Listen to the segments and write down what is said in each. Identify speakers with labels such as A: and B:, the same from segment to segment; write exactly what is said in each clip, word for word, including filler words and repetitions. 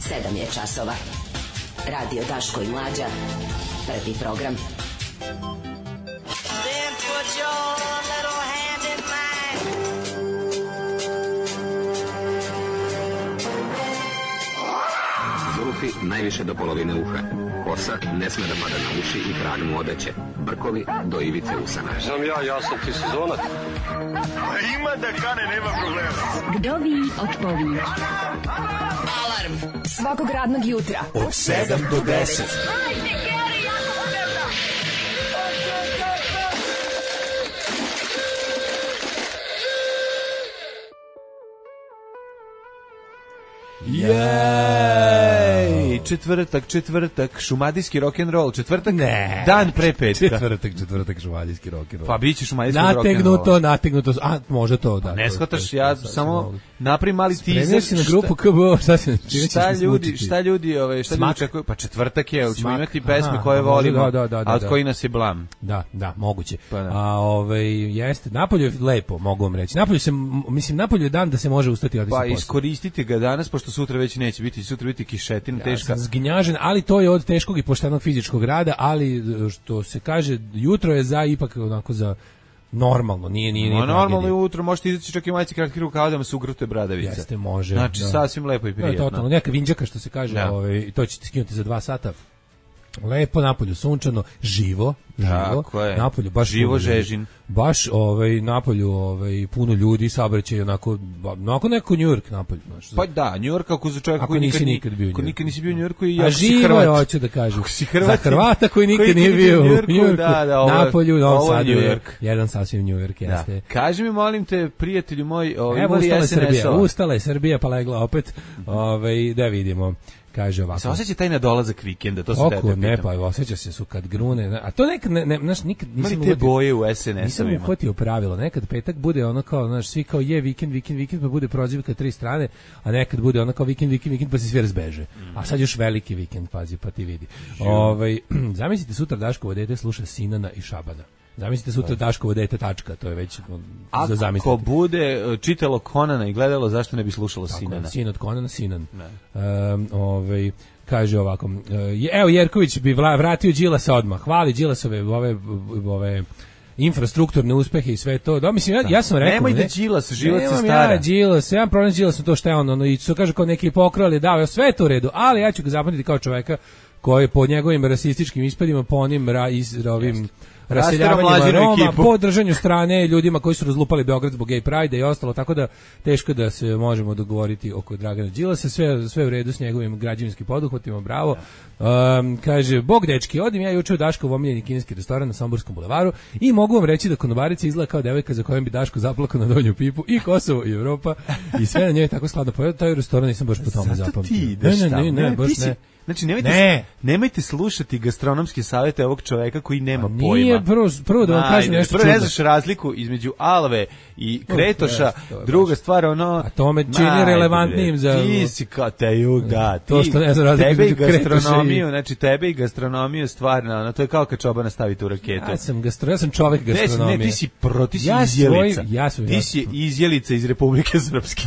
A: sedam je časova. Radio Daško i Mlađa. Prvi program.
B: Then put your little hand in mine.
C: Zulfi najviše do polovine uha. Kosa ne sme da pada na uši i krag mu odeće. Brkovi do ivice usana.
D: Znam ja, ja sam ti sezonac.
E: Ima da kane, nema problema.
F: Vdovi otpovi.
A: Alarm
F: Svakog radnog jutra
E: od sedam do deset.
G: Jej, četvrtak, četvrtak, šumadijski rock'n'roll, četvrtak,
H: ne,
G: dan pre petka.
H: Četvrtak, četvrtak, šumadijski rock'n'roll.
G: Pa biće šumadijski rock'n'roll.
H: Nategnuto, nategnuto, a može to, da.
G: Ne shvataš, ja samo napravim mali teaser.
H: Spremio si na grupu K B O, šta se
G: šta ljudi, šta ljudi, ove, šta ljudi čekaju? Pa četvrtak je, ćemo imati pesme koje volimo, a od koji nas je blam.
H: Da, da, moguće. A ovaj jeste, napolje je lepo, mogu vam reći. Napolje se, mislim, napolje je dan da se može ustati i otići.
G: Pa iskoristite ga danas, pošto sutra već neće biti, sutra biti kišetina teška.
H: Ja sam zgnjažen, ali to je od teškog i poštenog fizičkog rada, ali što se kaže, jutro je za ipak onako za normalno, nije nije nije.
G: No, normalno je jutro, možete izaći čak i majice kratkih rukava da vam se ugrute bradavice.
H: Jeste, može.
G: Znači,
H: da.
G: sasvim lepo i prijetno.
H: Da, totalno, neka vinđaka što se kaže, da. Ovaj, to ćete skinuti za dva sata. Lepo, napolju sunčano, živo, živo. Napolju baš
G: živo
H: puno,
G: žežin.
H: Baš ovaj napolju ovaj puno ljudi, saobraćaj onako onako neko New York napolju, znači.
G: Pa da, New York kako za čovjeka koji nikad, nikad bio. Ko nikad nisi bio u New Yorku i ja
H: si Hrvat. A hoću da kažem. Za Hrvata koji nikad nije bio u New Yorku, da, da, ovo, napolju, u Novom Sadu je jedan sasvim New York, jeste. Da.
G: Kaži mi, molim te, prijatelju moj, ovaj
H: ustala je Srbija, ustala je Srbija pa legla opet. Ovaj da vidimo. Kaže ovako.
G: Se osjeća taj nadolazak vikenda, to se
H: tebe pitam. Ne, pa osjeća se su kad grune, a to nekad ne, ne, znaš, nikad nisam
G: te boje u es en es-ovima.
H: Nisam uhvatio pravilo, nekad petak bude ono kao, znaš, svi kao je vikend, vikend, vikend, pa bude prozivka tri strane, a nekad bude ono kao vikend, vikend, vikend, pa se svi razbeže. Mm. A sad još veliki vikend, pazi, pa ti vidi. Ovaj, zamislite sutra Daškovo dete sluša Sinana i Šabana. Zamislite sutra Daškovo dete tačka, to je već za zamisliti.
G: Ako bude čitalo Konana i gledalo, zašto ne bi slušalo tako, Sinana?
H: Sin od Konana, Sinan. Um, ovaj, kaže ovako, uh, evo Jerković bi vratio Đilasa odmah, hvali Đilasove ove, ove infrastrukturne uspehe i sve to. Da, mislim, ja, ja sam rekao...
G: Nemoj da Đilas, život se stara.
H: Ja, Đilas, ja problem s Đilasom to što je on, ono, i su kaže kao neki pokrali, dao, sve to u redu, ali ja ću ga zapamtiti kao čoveka koji po njegovim rasističkim ispadima, po onim ra, iz, ovim... Jest. Raseljavanjima Roma, po držanju strane ljudima koji su razlupali Beograd zbog gay pride i ostalo, tako da teško da se možemo dogovoriti oko Dragana Đilasa, sve, sve u redu s njegovim građevinskim poduhvatima, bravo. Um, kaže, bog dečki, odim ja juče u Daškov omiljeni kineski restoran na Somborskom bulevaru i mogu vam reći da konobarica izgleda kao devojka za kojom bi Daško zaplakao na donju pipu, i Kosovo i Evropa i sve na njoj tako skladno. Pa taj restoran nisam baš po tome zapamtio.
G: Ne, ne, ne, ne, baš ne. Znači, nemojte, ne. nemojte slušati gastronomske savjete ovog čoveka koji nema
H: A nije,
G: pojma.
H: Nije, prvo, prvo da vam
G: Ajde,
H: kažem nešto
G: prvo
H: čudno.
G: Ne znaš razliku između Alve i Kretoša, yes, druga stvar, ono...
H: A to me čini najde, relevantnijim za...
G: Ti si kao te jug, da, ti,
H: to što ne znam razliku
G: tebe i
H: gastronomiju,
G: i... znači tebe i gastronomiju stvarno, ono, to je kao kad čobana stavite u raketu.
H: Ja sam, gastro, ja sam čovek gastronomije.
G: Ne, ti si pro, ti si
H: ja
G: izjelica.
H: Svoj, ja sam,
G: ti si izjelica iz Republike Srpske.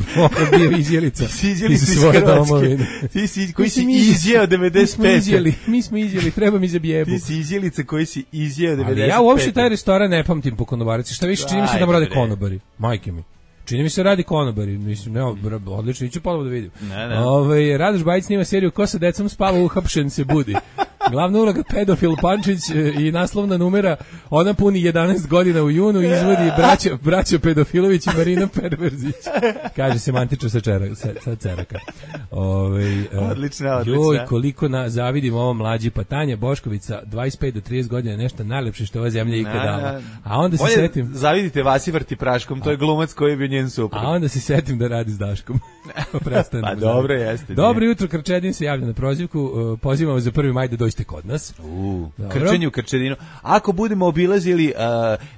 H: Bio izjelica.
G: Ti si izjelica iz Hrvatske. Ti si, koji si izjeo devedeset pete.
H: Mi smo izjeli, treba mi za bijebu.
G: Ti si izjelica koji si izjeo devedeset pete.
H: Ali ja uopšte taj restoran ne pamtim po konobarici. Šta više, čini mi se da rade konobari. Majke mi. Čini mi se radi konobari. Mislim, ne, odlično, iću ponovo da vidim.
G: Ne, ne.
H: Ove, Radoš Bajić snima seriju Ko sa decom spava, uhapšen se budi. Glavna uloga pedofil Pančić i naslovna numera, ona puni jedanaest godina u junu i izvodi braća, braća Pedofilović i Marina Perverzić. Kaže se mantično sa, čera, sa, sa ceraka. Ove,
G: odlično, odlično.
H: Joj, koliko na, zavidim ovo mlađi Patanja Boškovica, dvadeset pet do trideset godina, nešto najlepše što ova zemlja ikad dala. A onda se setim...
G: Zavidite Vasi Vrti praškom, to je glumac koji je bio njen suprug.
H: A onda se setim da radi s Daškom.
G: Pa dobro jeste.
H: Dobro jutro, Krčedin se javlja na prozivku, pozivamo za prvi maj da dođete kod nas.
G: U, krčenju u Krčedinu. Ako budemo obilazili uh,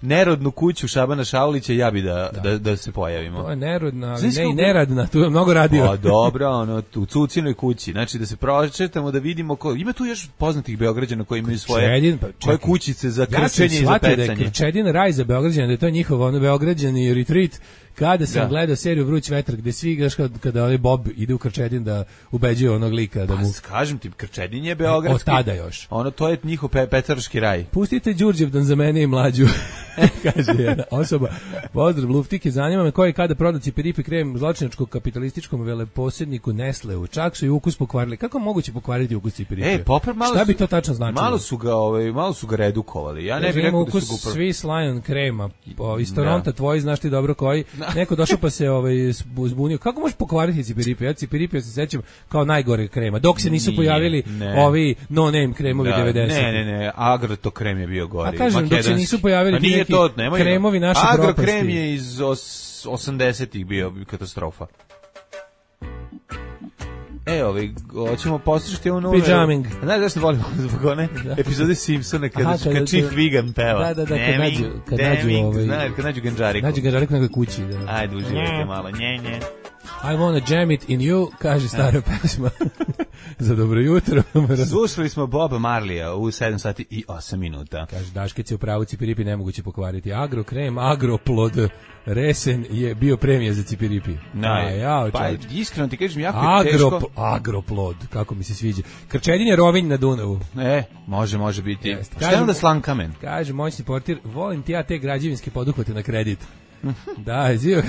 G: nerodnu kuću Šabana Šaulića, ja bi da, da. da, da se pojavimo.
H: To je nerodna, ali ne i neradna, tu je mnogo radio.
G: Pa dobro, ono, u Cucinoj kući. Znači da se prošetamo, da vidimo ko... Ima tu još poznatih Beograđana koji imaju svoje
H: Krčedin, pa,
G: koje kućice za krčenje ja i za pecanje.
H: Da je Krčedin raj za Beograđana, da je to njihov ono Beograđani retreat, kada sam
G: Da.
H: gledao seriju Vruć vetar, gde svi igraš kada, kada ovaj Bob ide u Krčedin da ubeđuje onog lika da mu...
G: Pa kažem ti, Krčedin je beogradski.
H: Od tada još.
G: Ono, to je njihov pe, pecarski raj.
H: Pustite Đurđevdan za mene i mlađu, kaže jedna osoba. Pozdrav, Luftike, zanima me ko je kada prodao Cipiripi krem zločinačkog kapitalističkom veleposjedniku Nestleu. Čak su i ukus pokvarili. Kako moguće pokvariti ukus Cipiripi?
G: E, popra, malo
H: Šta bi
G: su-
H: to tačno značilo?
G: Malo su ga, ovaj, malo su ga redukovali. Ja ne
H: Kaže,
G: bih
H: ima
G: rekao da
H: ukus
G: su ga upra-
H: Swiss Lion krema. Po, iz
G: Da.
H: Toronta tvoji, znaš ti dobro koji. Neko došao pa se ovaj, zbu- zbunio. Kako možeš pokvariti Cipiripi? Ja Cipiripi se sećam kao najgore krema. Dok se nisu
G: Nije,
H: pojavili
G: ne.
H: ovi no-name kremovi
G: Da,
H: devedesetih.
G: ne, ne, ne, Agroto krem je bio gori.
H: A kažem, dok se
G: makedonski.
H: nisu pojavili
G: Pa
H: ti
G: nije
H: neki
G: to, nemoj ga.
H: kremovi naše
G: Agro
H: propasti.
G: krem je iz os, osamdesetih bio katastrofa. E, ovaj, hoćemo poslušati ovu novu...
H: Pijaming.
G: Znaš zašto volimo zbog one epizode Simpsona kada,
H: Aha, kada-
G: kad Chief
H: kada-
G: Wiggum peva.
H: Da, da, da, kad
G: Neming,
H: nađu- kad nađu,
G: Deming,
H: ovaj-
G: znaš, kad nađu Ganđariku.
H: Nađe ga žareku na nekoj kući. Da.
G: Ajde, uživajte malo, nje, nje.
H: I wanna jam it in you, kaže stara pesma. Za dobro jutro.
G: Slušali smo Boba Marleya u sedam sati i osam minuta.
H: Kaže, Daškec je u pravu, Cipiripi nemoguće pokvariti. Agrokrem, agroplod, resen je bio premija za Cipiripi.
G: Naj,
H: A, ja,
G: pa
H: čovječ.
G: iskreno ti kažem, jako je
H: Agro,
G: teško.
H: agroplod, kako mi se sviđa. Krčedin je Rovinj na Dunavu.
G: E, može, može biti.
H: Jeste.
G: Šta je
H: Kažem-
G: onda Slankamen?
H: Kaže, moćni portir, volim ti ja te građevinske poduhvate na kredit. Da, zio,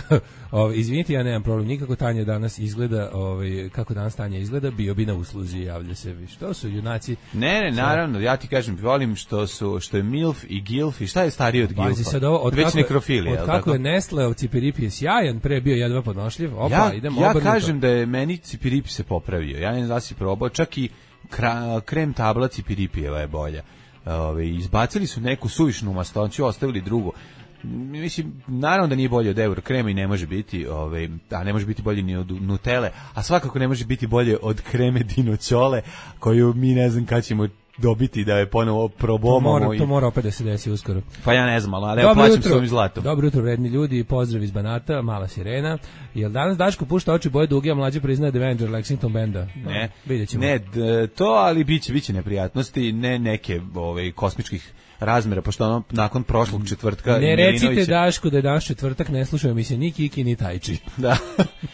H: ovaj, izvinite, ja nemam problem, nikako Tanja danas izgleda, ovaj, kako danas Tanja izgleda, bio bi na usluzi, javlja se. Što su junaci?
G: Ne, ne, naravno, ja ti kažem, volim što su što je milf i gilf i šta je stariji od
H: Pazi
G: gilfa?
H: sad ovo, od
G: Već
H: kako, je-
G: nekrofilija,
H: od
G: jel
H: kako
G: tako?
H: je Nestle od Cipiripi je sjajan, pre bio jedva podnošljiv, opa,
G: ja,
H: idemo
G: ja
H: obrnuto.
G: kažem da je meni Cipiripi se popravio. Ja ne znam da si probao, čak i kra, krem tabla Cipiripijeva je bolja. Ove, izbacili su neku suvišnu mastoću, ostavili drugu. Mislim, naravno da nije bolje od Euro krema i ne može biti, ovaj, a ne može biti bolje ni od Nutelle, a svakako ne može biti bolje od kreme Dinoćole, koju mi ne znam kad ćemo dobiti da je ponovo
H: to
G: probomamo.
H: mora,
G: i-
H: to mora opet da se desi uskoro.
G: Pa ja ne znam, ali evo plaćam s ovim zlatom.
H: Dobro jutro, vredni ljudi, pozdrav iz Banata, mala sirena. Jel danas Daško pušta oči boje duge, a mlađe priznaje da je Avenger Lexington benda? No,
G: Ne,
H: vidjet ćemo.
G: ne d- to, ali biće, biće neprijatnosti, ne neke ovaj, kosmičkih razmjera, pošto ono, nakon prošlog četvrtka...
H: Ne recite
G: Milinović je-
H: Daško da je danas četvrtak, ne slušaju mi se ni Kiki ni Tajči.
G: Da.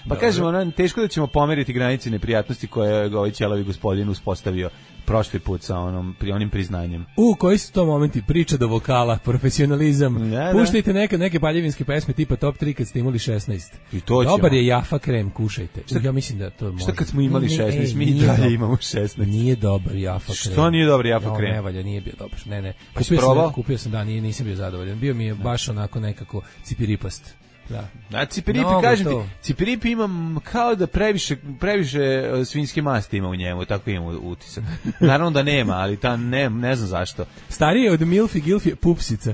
G: Pa kažemo, ono, teško da ćemo pomeriti granice neprijatnosti koje je ovaj ćelavi gospodin uspostavio prošli put sa onom, pri onim priznanjem.
H: U, koji su to momenti? Priča do vokala, profesionalizam.
G: Da, da.
H: Puštajte neke, neke paljevinske pesme tipa top tri kad ste imali šesnaest.
G: I to ćemo.
H: Dobar je Jafa krem, kušajte. U, ja mislim da to može.
G: Šta kad smo imali
H: Ne, ne,
G: šesnaest,
H: ej,
G: mi i
H: nije
G: dalje
H: dobar.
G: imamo šesnaest.
H: Nije dobar Jafa krem.
G: Što nije dobar Jafa
H: Jo,
G: krem?
H: Ne valja, nije bio dobar. Ne, ne.
G: Pa si
H: Kupio
G: probao?
H: sam, kupio sam, da, nije, nisam bio zadovoljan. Bio mi je baš onako nekako cipiripast. Da.
G: A Cipiripi,
H: Mnogo
G: kažem ti,
H: to.
G: Cipiripi imam kao da previše, previše e, svinjske masti ima u njemu, tako imam utisak. Naravno da nema, ali ta ne, ne znam zašto.
H: Stariji od Milf i Gilf je Pupsica.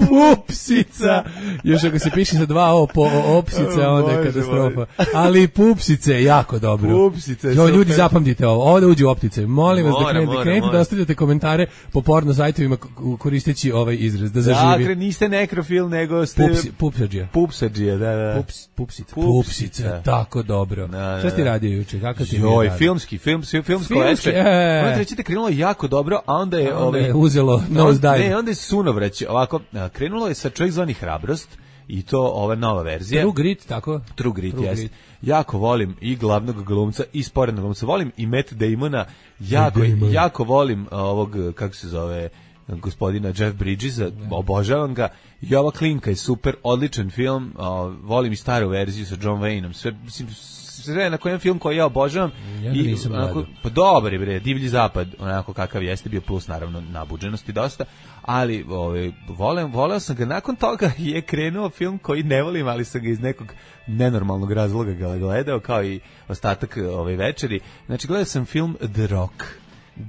H: Pupsica. Još ako se piše sa dva o po o, opsica, onda je
G: Bože
H: katastrofa. Ali Pupsice je jako dobro.
G: Pupsice je
H: Jo, ljudi,
G: super.
H: zapamtite ovo. Ovo da uđe u optice. Molim vas da
G: Mora,
H: krenete,
G: mora,
H: krenete
G: mora.
H: da ostavljate komentare po porno sajtovima k- koristeći ovaj izraz, da zaživi.
G: Dakle, niste nekrofil, nego ste...
H: Pupsi, pupsađija.
G: Pupsađija, da, da.
H: Pups, pupsica.
G: Pupsica.
H: Pupsica, tako dobro.
G: Da, da,
H: Šta si
G: da.
H: radio juče? Kakav ti je
G: Joj,
H: dan?
G: filmski, film, film, filmsko
H: Filmski,
G: večer.
H: e.
G: Onda reći da je krenulo jako dobro, a onda je...
H: Onda
G: ovaj,
H: je uzelo
G: No,
H: nose dive.
G: Ne, onda je sunovrać. Ovako, a, krenulo je sa Čovjek zvani Hrabrost i to ova nova verzija.
H: True Grit, tako?
G: True Grit,
H: True
G: jest.
H: Grit.
G: Jako volim i glavnog glumca i sporednog glumca. Volim i Matt Damona. Jako,
H: Damon.
G: jako volim a, ovog, kako se zove, gospodina Jeff Bridgesa. Obožavam ga. I ova klinka je super, odličan film. A, volim i staru verziju sa John Wayneom. Sve, mislim, sve na kojem film koji ja obožavam.
H: Ja ga
G: I
H: nisam
G: onako,
H: gledao.
G: pa dobar je bre, Divlji zapad, onako kakav jeste bio, plus naravno nabuđenosti dosta, ali ovaj volim, voleo sam ga, nakon toga je krenuo film koji ne volim, ali sam ga iz nekog nenormalnog razloga ga gledao, kao i ostatak ove večeri. Znači gledao sam film The Rock.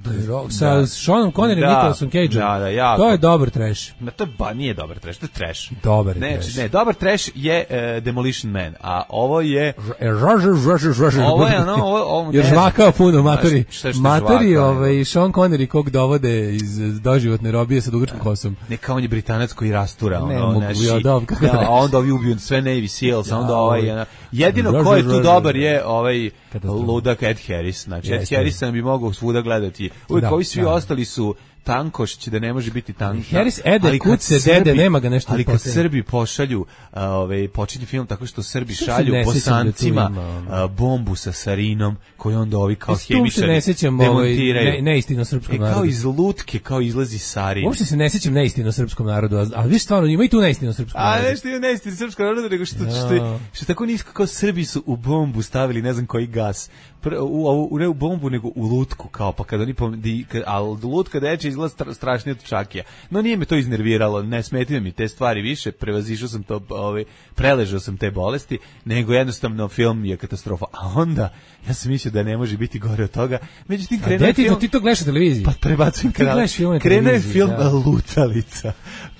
H: The Rock, sa
G: Da.
H: Seanom Connery i
G: Da.
H: Nicolasom Cageom.
G: Da, da, jako.
H: To je dobar trash.
G: Ma to ba nije dobar trash, to je trash.
H: Dobar je
G: ne,
H: trash.
G: Ne, dobar trash je uh, Demolition Man, a ovo je
H: Roger, Roger, Roger.
G: Ovo je ono, ovo, ovo
H: Jer
G: ne znam.
H: žvakao puno, matori.
G: A šta- šta
H: Matori,
G: žvakao,
H: ovaj, Sean Connery kog dovode iz doživotne robije sa dugačkom kosom.
G: neka on je Britanac koji rastura
H: Ne
G: ono,
H: mogu,
G: naši,
H: ja, dobro, kako
G: da,
H: reći.
G: a onda ovi ubiju sve Navy Seals, a onda
H: Ja,
G: ovaj,
H: ovaj.
G: ono, jedino
H: Roger,
G: ko je tu
H: Roger.
G: dobar je ovaj
H: Katastrofa.
G: ludak Ed Harris, znači Ed
H: Jeste.
G: Harris sam bi mogao svuda gledati, uvijek
H: Da,
G: ovi svi
H: da.
G: ostali su tankošć da ne može biti tank.
H: Harris ede, kuce, dede, nema ga nešto.
G: Ali kad
H: posljedno.
G: Srbi pošalju, a, ovaj, počinje film tako što Srbi
H: Što se
G: šalju
H: ne sjećam da tu
G: Bosancima
H: ima,
G: a, bombu sa sarinom koju onda ovi kao
H: Mislim, tu se
G: hemičari
H: ne sjećam ovaj,
G: demontiraju.
H: ne, neistino srpskom
G: E, kao
H: narodu.
G: iz lutke, kao izlazi sarin.
H: Uopšte se ne sjećam neistino srpskom narodu, a, a vi stvarno ima i tu neistino srpskom
G: A
H: narodu.
G: nešto je neistino srpskom narodu, nego što, što,
H: Ja.
G: što tako nisko kao Srbi su u bombu stavili ne znam koji gas. Pr, u, u, u, ne u bombu, nego u lutku, kao pa kad oni pomedi, ali lutka deče izgleda stra, strašnije od čakija. No nije me to iznerviralo, ne smetio mi te stvari više, prevazišao sam to, ovaj, preležao sam te bolesti, nego jednostavno film je katastrofa. A onda, ja sam mislio da ne može biti gore od toga, međutim
H: A
G: krenuo
H: gde ti,
G: film...
H: to, ti to gledaš na televiziji?
G: Pa prebacujem
H: Ti
G: kanal.
H: gledaš film na
G: Krenuo je
H: televiziji,
G: film
H: da.
G: Lutalica.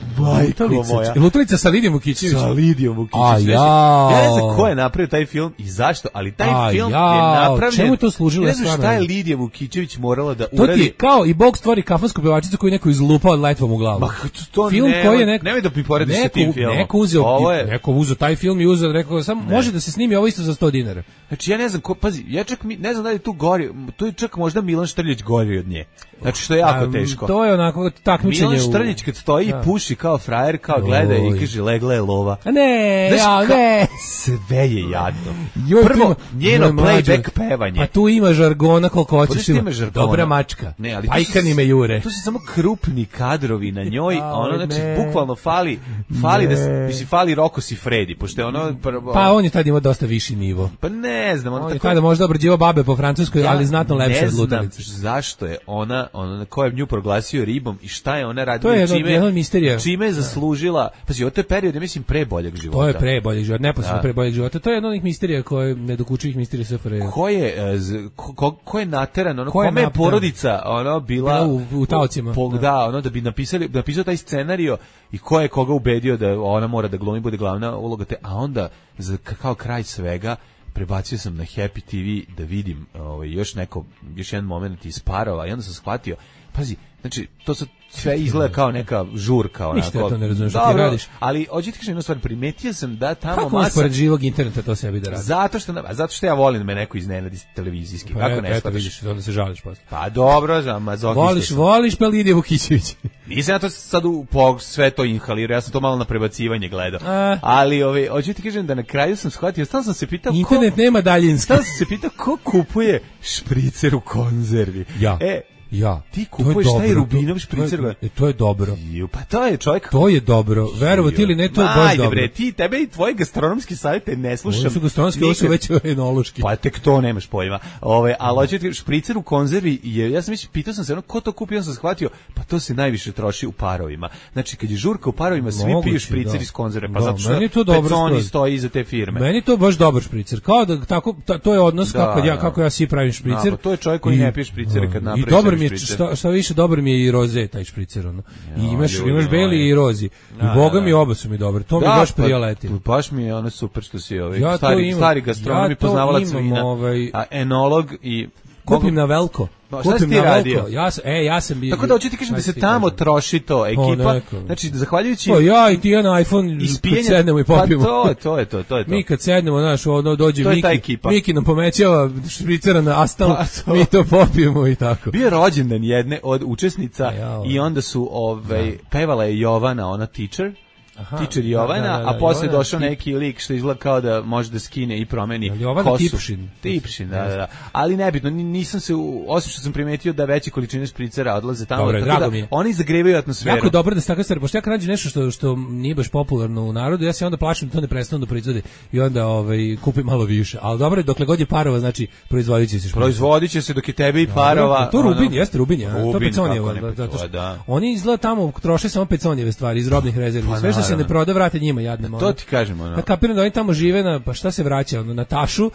G: Majko
H: Lutalica,
G: moja.
H: Lutalica sa Lidijom Vukićević.
G: Sa Lidijom Vukićević.
H: A,
G: nešto.
H: jao.
G: Ja ne znam ko je napravio taj film i zašto, ali taj
H: A,
G: film
H: jao.
G: je napravljen.
H: Čemu je to služilo,
G: Ja ne znam
H: stvarno?
G: šta je Lidija Vukićević morala da
H: To ti
G: uradi.
H: je kao i Bog stvori kafansku pevačicu koju neko izlupao letvom u glavu.
G: Ma, to
H: film
G: nema-
H: koji je neko,
G: nemoj da mi porediš sa
H: neko,
G: tim filmom.
H: Neko uzeo,
G: Ovo je-
H: neko uzeo taj film i uzeo, rekao, samo može da se snimi ovo isto za sto dinara.
G: Znači ja ne znam ko, pazi, ja čak mi, ne znam da li je tu gori, tu je čak možda Milan Štrljić gori od nje. Znači što je jako
H: A,
G: teško.
H: To je onako takmičenje.
G: Milan
H: u-
G: Štrljić kad stoji i
H: Da.
G: puši kao frajer, kao gleda i
H: Oj.
G: kaže legla je lova.
H: A ne,
G: Znaš,
H: ja,
G: ka-
H: ne.
G: Sve je jadno.
H: Joj, tu
G: Prvo,
H: ima-
G: njeno
H: joj, mlađo,
G: playback pevanje.
H: Pa tu ima žargona koliko
G: Pa
H: hoćeš.
G: tu
H: Ima.
G: ima žargona.
H: Dobra mačka.
G: Ne, ali to
H: Pajkani
G: su-
H: me jure.
G: To su samo krupni kadrovi na njoj, a ono,
H: Aj,
G: znači,
H: ne.
G: bukvalno fali, fali da, se-
H: Ne.
G: mislim, fali Roko Sifredi, pošto je ono, prvo,
H: Pa on je tad imao dosta viši nivo.
G: pa ne znam, ono
H: On je
G: tako...
H: tada možda obrađivao babe po francuskoj, ali znatno lepše
G: ne
H: od
G: znam
H: Lutalice.
G: zašto je ona, ona ko je nju proglasio ribom i šta je ona radila,
H: To je
G: i
H: jedno-
G: čime,
H: jedna od misterija.
G: čime je zaslužila, pazi, ovo je period, ja mislim, pre boljeg života.
H: To je pre boljeg života, neposredno
G: Da.
H: pre boljeg života. To je jedna od onih misterija koje nedokučivih misterija S F R J.
G: Ko je, e, z- ko, ko, ko je nateran, ono,
H: Ko je
G: kome je
H: nateran?
G: porodica ono, bila,
H: Bila u- u taocima,
G: po,
H: da.
G: da, ono, da bi napisali, napisao taj scenario i ko je koga ubedio da ona mora da glumi, bude glavna uloga te, a onda, za, k- kao kraj svega, prebacio sam na Happy T V da vidim ovaj, još neko, još jedan moment iz Parova i onda sam shvatio, pazi, znači, to sad sve izgleda kao neka žurka, onako.
H: Ništa ja to ne razumem što ti
G: Dobro,
H: radiš.
G: ali, hoću ti kažem jednu stvar, primetio sam da tamo
H: Kako možeš
G: masa...
H: pored živog interneta to sebi da radi?
G: Zato što, a zato što ja volim da me neko iznenadi televizijski.
H: Pa
G: Kako
H: eto,
G: ne
H: eto
G: shvataš?
H: vidiš, onda se žališ posle.
G: Pa dobro, za mazohista
H: Voliš,
G: sam.
H: voliš pa Lidija Vukićević.
G: Nisam ja to sad u, po, sve to inhalirao, ja sam to malo na prebacivanje gledao.
H: A.
G: Ali, ovaj, hoću ti kažem da na kraju sam shvatio, stalno sam se pitao
H: Internet
G: ko...
H: nema daljinski.
G: Stalno sam se pitao ko kupuje špricer u konzervi.
H: Ja.
G: E,
H: Ja.
G: ti
H: To je
G: kupuješ taj
H: dobro,
G: Rubinov
H: to-
G: špricer.
H: To je, e, to je dobro.
G: Ju, pa to je čovjek...
H: To je dobro. Verovati ili ne, to je
G: Ma,
H: baš
G: ajde,
H: dobro.
G: bre, ti, tebe i tvoje gastronomski savjete ne slušam.
H: Ovo su gastronomski, ovo su
G: nikad.
H: već enološki.
G: Pa tek to nemaš pojma. Ove, ali hoću ti špricer u konzervi je, ja sam već pitao sam se ono ko to kupi, ja sam shvatio, pa to se najviše troši u parovima. Znači kad je žurka u parovima, svi
H: Moguće,
G: piju špricer
H: da.
G: iz konzerve, pa
H: Da,
G: zato što
H: meni je to dobra
G: Peconi
H: stvar.
G: stoji iza te firme.
H: Meni je to baš dobar špricer. Kao da tako ta- to je odnos
G: Da,
H: kako ja
G: da.
H: kako ja svi pravim špricer.
G: Da, pa to je čovjek koji
H: I-
G: ne pije špricere kad
H: da,
G: napravi
H: I dobar
G: sebi
H: mi je
G: špricer.
H: šta, šta više dobar mi je i roze taj špricer ono. I imaš
G: ljudi
H: imaš beli
G: moji.
H: i rozi. I
G: Da,
H: boga
G: da,
H: mi
G: da.
H: oba su mi dobre. To mi
G: Da,
H: baš
G: pa,
H: prijatelj.
G: baš mi je ono super što si ovaj,
H: Ja to
G: stari,
H: imam.
G: stari gastronom
H: Ja
G: i
H: to
G: poznavalac
H: imam,
G: vina,
H: ovaj-
G: a enolog i...
H: Kupim na veliko.
G: Pa, šta si
H: Kupim
G: ti
H: na
G: radio?
H: veliko. Ja sam e ja sam bio.
G: Tako da hoću ti kažem da se
H: Šta ti
G: tamo
H: kažem?
G: troši to, ekipa,
H: neko.
G: znači zahvaljujući...
H: Pa ja i ti jedan iPhone
G: ispijenja-
H: kad sednemo i popijemo.
G: Pa to je, to je to, to je to.
H: Mi kad sednemo, znaš, ono dođe
G: To je ta
H: Miki,
G: ekipa.
H: Miki nam pomećava špricera na astal,
G: Pa to.
H: mi to popijemo i tako.
G: Bio je rođendan jedne od učesnica
H: A ja,
G: i onda su ovaj pevala je Jovana, ona teacher.
H: Aha,
G: Teacher
H: da,
G: Jovana,
H: da, da,
G: a posle
H: Jovana
G: došao
H: tip.
G: neki lik što izgleda kao da može da skine i promeni
H: Jel Jovana
G: kosu.
H: Tipšin?
G: Tipšin, da, da, da. Ali nebitno, ni- nisam se, u- osim što sam primetio da veće količine špricera odlaze tamo,
H: Dobro,
G: tako
H: drago
G: da
H: mi je.
G: oni zagrevaju atmosferu.
H: Jako je dobro da se tako stvari, pošto ja kad nađem nešto što, što nije baš popularno u narodu, ja se onda plašim da to ne prestanu da proizvode i onda ovaj, kupim malo više. Ali dobro je, dokle god je parova, znači proizvodit će se špricer.
G: Proizvodit će se dok je tebe i parova.
H: To Rubin,
G: ono-
H: jeste Rubin, ja. To je
G: Rubin,
H: Peconijevo.
G: kako ne,
H: da, zato
G: pa
H: što
G: da.
H: Oni izgleda tamo troše samo Peconijeve stvari iz robnih rezervi.
G: Pa
H: Sve što se
G: naravno.
H: ne proda vrate njima jadnemo.
G: To ti kažem, ono.
H: Ja kapiram da oni tamo žive na, pa šta se vraća, ono, na tašu,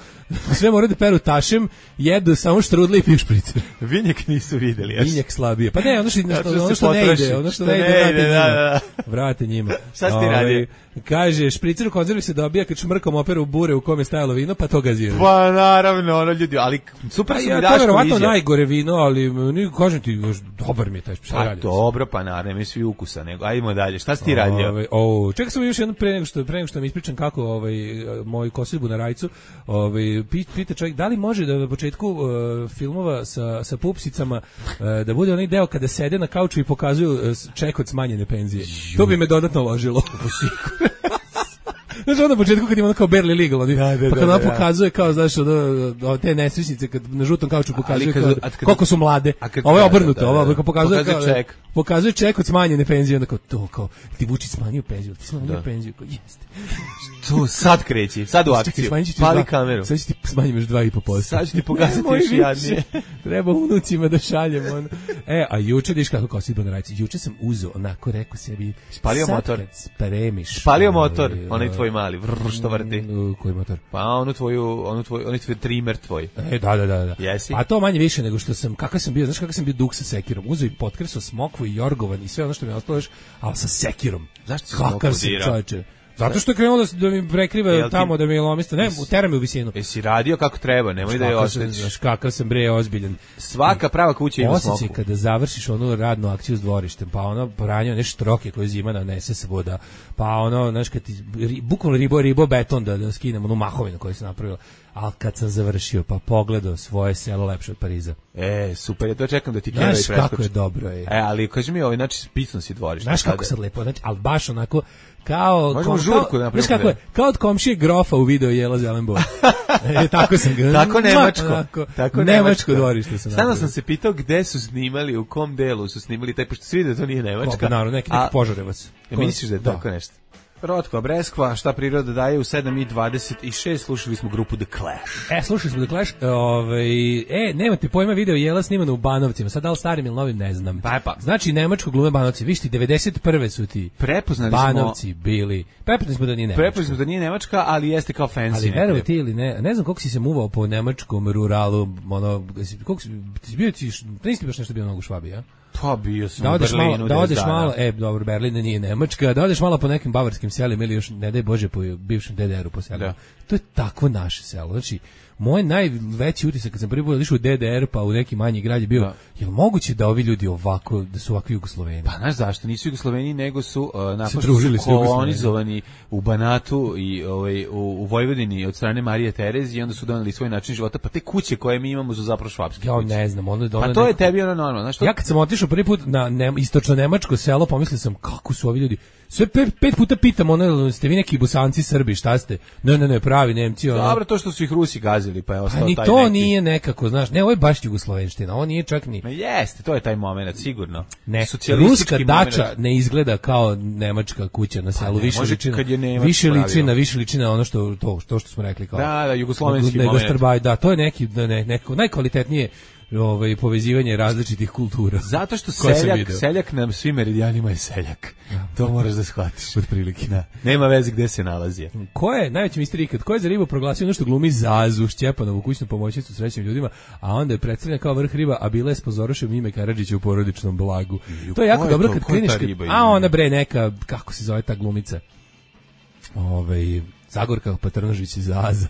H: sve moraju da peru tašem, jedu samo štrudli i piju špricer.
G: Vinjak nisu videli. ja
H: Vinjak slabije. Pa ne, ono što,
G: Zato što
H: ono
G: se
H: što ne
G: potroši.
H: ide, ono što
G: Što
H: ne ide,
G: ne
H: vrate
G: ide,
H: njima.
G: da, da.
H: Vrate njima.
G: Šta si ti
H: Ovaj,
G: radio?
H: Kaže, špricer u konzervi se dobija kad šmrkom operu bure u kome je stajalo vino, pa to gaziraju.
G: Pa naravno, ono ljudi, ali super
H: Pa
G: su
H: ja,
G: mi
H: to je
G: Daško
H: verovatno
G: izjave.
H: najgore vino, ali ni kažem ti, još dobar mi je taj špricer.
G: Pa dobro, pa naravno, mi svi ukusa, nego, ajmo dalje. Šta si ti radio?
H: Ove, O, čekaj samo još jedno pre nego što pre nego što mi ispričam kako ovaj moju kosidbu na rajcu, ovaj pita čovjek da li može da na početku uh, filmova sa sa pupsicama uh, da bude onaj deo kada sede na kauču i pokazuju uh, ček od smanjene penzije. Juh. To bi me dodatno ložilo. Znaš, onda na početku kad ima ono kao barely legal, oni, da, da, pa kad ona da, pokazuje kao, znaš, od te nesrećnice, kad na žutom kauču pokazuje kao, kad, koliko su mlade, ovo je obrnuto, da, da, ovo pokazuje, pokazuje kao, ček. Pokazuje ček od smanjene penzije, onda kao to, kao, ti Vučić smanjio penziju, ti smanjio da. penziju, kao, jeste.
G: To sad kreći, sad u akciju, pali kameru.
H: Sad ću ti smanjim još dva i po posto.
G: Sad ću ti pokazati još jadnije.
H: Treba unucima da šaljemo. Ono. E, a juče, diš kako kosidba na rajci, juče sam uzeo, onako rekao sebi,
G: spalio motor.
H: Spremiš.
G: Spalio motor, onaj tvoj mali, vrr, što vrti.
H: Koji motor?
G: Pa onu tvoju, onu tvoju, onaj tvoj trimer tvoj.
H: E, da, da, da. da.
G: Jesi?
H: A to manje više nego što sam, kakav sam bio, znaš kakav sam bio duk sa sekirom. Uzeo i potkresao smokvu i jorgovan i sve ono što mi je ostalo još, ali sa sekirom.
G: Zašto si
H: kakav sam, čoveče? Zato što je krenuo da, da mi prekriva Jel tamo, ti... da mi je lomista. Ne, utera me u visinu.
G: Jesi radio kako treba, nemoj da je oštetiš.
H: Znaš kakav sam bre ozbiljan.
G: Svaka prava kuća ima smoku.
H: Osjećaj kada završiš onu radnu akciju s dvorištem, pa ono pranjao nešto troke koje zima nanese se voda, pa ono, znaš, kad ti, ri, bukvalno ribo, ribo beton da, da skinem onu mahovinu koju sam napravio. Ali kad sam završio, pa pogledao svoje selo lepše od Pariza.
G: E, super, ja to čekam da ti kjera i preskoči.
H: Znaš kako je dobro. Je.
G: E, ali kaži mi, ovaj, znači, pisno si dvorište.
H: Znaš kako sad lepo, znači, ali baš onako, kao...
G: Možemo žurku
H: napraviti. Znaš kako je, kao od komšije grofa u video Jela Zelenboj. E, tako sam ga...
G: tako nemačko.
H: Onako,
G: tako
H: nemačko dvorište sam
G: napravio. Stano sam se pitao gde su snimali, u kom delu su snimali, taj, pošto svi da to nije Nemačka.
H: Ko, naravno, neki, neki A, Požarevac.
G: Ja, misliš da je da. tako nešto? Rotko Breskva, šta priroda daje u sedam i dvadeset šest, slušali smo grupu The Clash.
H: E, slušali smo The Clash, ovaj, e, nemate pojma, video Jela snimano u Banovcima, sad da li starim ili novim, ne znam.
G: Pa, pa.
H: Znači, nemačko glume Banovci, viš ti, devedeset prve su ti
G: prepoznali
H: Banovci
G: smo,
H: bili, prepoznali smo da nije Nemačka.
G: Prepoznali smo da nije Nemačka, ali jeste kao fancy.
H: Ali verovo ti ili ne, ne znam koliko si se muvao po nemačkom ruralu, ono, koliko si, ti bio ti, nisi baš nešto bio mnogo u Švabiji, ja?
G: Pa bio sam
H: da
G: u Berlinu.
H: Malo, da odeš malo, e, dobro, Berlin nije Nemačka, da odeš malo po nekim bavarskim selima ili još, ne daj Bože, po bivšem D D R-u po selima. To je takvo naše selo. Znači, moj najveći utisak kad sam prvi put išao u D D R pa u neki manji grad je bio, da. Jel moguće da ovi ljudi ovako, da su ovakvi Jugosloveni?
G: Pa znaš zašto? Nisu Jugosloveni, nego su uh, nakon što su kolonizovani u Banatu i ovaj, u, u Vojvodini od strane Marije Terezije i onda su doneli svoj način života, pa te kuće koje mi imamo su zapravo švapske
H: ja
G: kuće.
H: Ne znam, ono je
G: pa to neko... je tebi ono normalno. Znaš, to...
H: Ja kad sam otišao prvi put na ne, istočno nemačko selo, pomislio sam kako su ovi ljudi. Sve pet, pet puta pitam, ono, ste vi neki Bosanci, Srbi, šta ste? Ne, ne, ne, pravi Nemci. Ono.
G: Dobro, to što su ih Rusi gazili, pa je ostao taj neki.
H: Ni to nije nekako, znaš, ne, ovo je baš jugoslovenština, ovo nije čak ni...
G: Ma jeste, to je taj moment, sigurno.
H: Ne, ruska dača moment. Ne izgleda kao nemačka kuća na selu, pa više ličina, više ličina, više ličina ono što, to, to što smo rekli kao...
G: Da, da, jugoslovenski moment.
H: Strbaj, da, to je neki, ne, nekako, najkvalitetnije ovaj povezivanje različitih kultura.
G: Zato što seljak, seljak nam svim meridijanima je seljak. Ja, to moraš da shvatiš otprilike. Da. Nema veze gde se nalazi.
H: Ko je najveći mister ikad? Ko je za ribu proglasio nešto glumi Zazu Šćepanovu kućnu pomoćnicu srećnim ljudima, a onda je predstavljena kao vrh riba, a bila je s pozorošem ime Karadžića u porodičnom blagu. I, to je jako je dobro to, kad kliniš, a ona bre neka, kako se zove ta glumica? Ovaj Zagorka Patrnožić iz Zaza.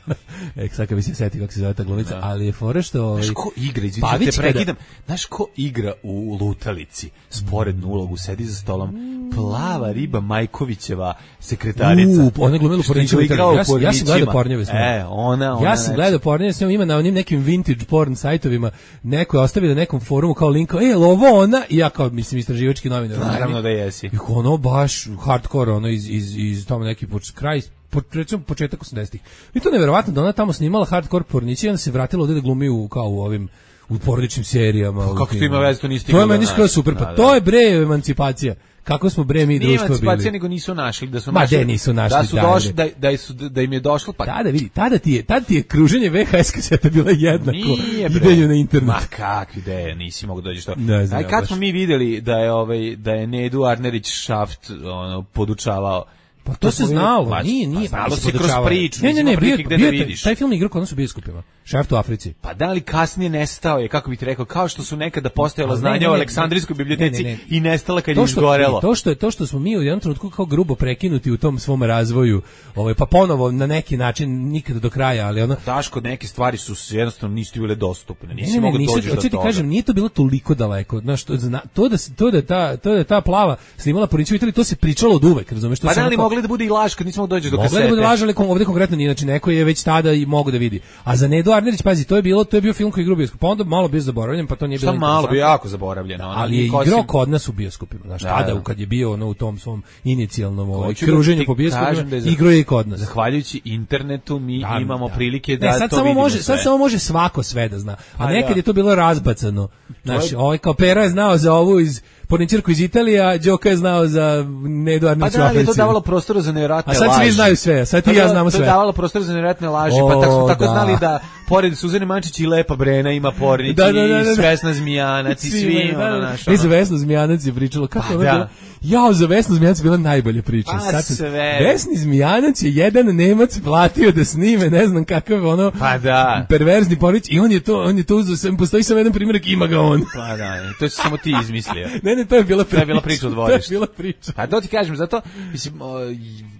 H: E, sad kad bi se setio kako se zove ta glumica, da. Ali je fora što... Ovaj,
G: znaš ko igra, izvinite, te prekidam, znaš ko igra u Lutalici, sporednu ulogu, sedi za stolom, plava riba Majkovićeva sekretarica.
H: U, ona glumila porničeva. Ja, ja sam gledao pornjeve s njom.
G: E, ona, ona...
H: Ja sam gledao pornjeve s njom, ima na onim nekim vintage porn sajtovima, neko je ostavio na nekom forumu kao link, e, ovo ona, i ja kao, mislim, istraživački novinar.
G: Naravno da jesi.
H: I ono baš hardcore, ono iz, iz, iz tamo neki kraj, po, recimo početak osamdesetih. I to je neverovatno da ona tamo snimala hardcore porniće i onda se vratila ovdje da glumi u, kao u ovim u porodičnim serijama.
G: Pa kako to ima veze, to nisi
H: stigla. To je meni skoro super, pa da, da. To je bre emancipacija. Kako smo bre mi društvo bili. Nije emancipacija,
G: nego nisu našli, da su
H: Ma
G: našli.
H: Ma nisu našli.
G: Da su došli, da, da, su, da im je došlo, pa...
H: Tada vidi, tada ti je, tada ti je kruženje V H S kaseta bila jednako.
G: Nije bre.
H: Idenju na internet.
G: Ma kakvi ideje, nisi mogu dođeš to. Ne znam, aj kad baš. Smo mi videli da je, ovaj, da je Nedu Arnerić Šaft ono, podučavao
H: Pa to se znalo,
G: pa,
H: nije, nije.
G: Pa znalo se kroz priču,
H: ne, ne, ne, bio,
G: gde
H: bio,
G: da vidiš.
H: Taj film igrao kod nas u bioskopima. Šef u Africi.
G: Pa da li kasnije nestao je, kako bih ti rekao, kao što su nekada postojala
H: ne,
G: znanja
H: ne, ne,
G: o Aleksandrijskoj biblioteci
H: ne, ne, ne.
G: i nestala kad
H: to
G: je
H: što,
G: izgorelo.
H: To što je to što smo mi u jednom trenutku kao grubo prekinuti u tom svom razvoju, ovaj pa ponovo na neki način nikada do kraja, ali ono
G: Daško, neke stvari su jednostavno nisu bile dostupne. Nisi
H: ne, ne,
G: mogao
H: nisu,
G: doći do
H: ti
G: toga.
H: kažem, nije to bilo toliko daleko. Znaš, to, to da to da ta to da ta plava snimala Poriću u Italiji, to se pričalo od uvek, razumeš, to
G: pa
H: se
G: da li
H: onako,
G: mogli da bude i laž kad nismo mogli doći do kasete.
H: mogli da bude laž, ali ovde konkretno nije, znači neko je već tada i mogu da vidi. A za Nedu Arnerić, pazi, to je bilo, to je bio film koji je igrao u bioskopu, pa onda malo bio zaboravljen, pa to nije bilo.
G: Šta malo bio jako zaboravljeno, ona,
H: ali je
G: kosim...
H: igrao kod nas u bioskopima, znači
G: da,
H: tada
G: da.
H: kad je bio ono u tom svom inicijalnom ovaj
G: Hoću
H: kruženju
G: da
H: po bioskopima,
G: da je
H: igrao je i kod nas.
G: Zahvaljujući internetu mi
H: Da,
G: imamo
H: da.
G: prilike da
H: ne, sad
G: to
H: samo
G: vidimo
H: može,
G: sve.
H: sad samo može svako sve da zna. A
G: Pa
H: nekad
G: da.
H: je to bilo razbacano. Znači,
G: je-
H: ovaj kao Pera je znao za ovu iz Porničarku iz Italije, a Đoka je znao za Nedu
G: Pa
H: Arnerić u
G: da, ali je to
H: Africi.
G: davalo prostora za nevjerojatne
H: A sad
G: laži.
H: svi znaju sve, a sad ti
G: To
H: i ja
G: je-
H: znamo
G: To je
H: sve.
G: davalo prostora za nevjerojatne laži,
H: O,
G: pa tako smo tako
H: da.
G: znali da pored Suzane Mančić i Lepa Brena ima Pornić
H: Da, da, da, da, da.
G: i Svesna Zmijanac i svi,
H: imaju,
G: ono,
H: da, da.
G: naš,
H: E, za
G: ono.
H: Vesnu Zmijanac je pričalo kako
G: Pa
H: je
G: da.
H: bilo. Jao, za Vesnu Zmijanac je bila najbolja priča.
G: Pa
H: Sad sam-
G: sve.
H: Vesni Zmijanac je jedan Nemac platio da snime, ne znam kakav ono
G: Pa da.
H: perverzni Pornić i on je to, on je to uzeo, sam postoji samo jedan primjerak, ima ga on.
G: Pa da, to si samo ti izmislio.
H: Ne, ne, to je bila priča.
G: To je bila priča od
H: To je
G: dvorišta.
H: bila priča.
G: Pa to ti kažem, zato mislim, o,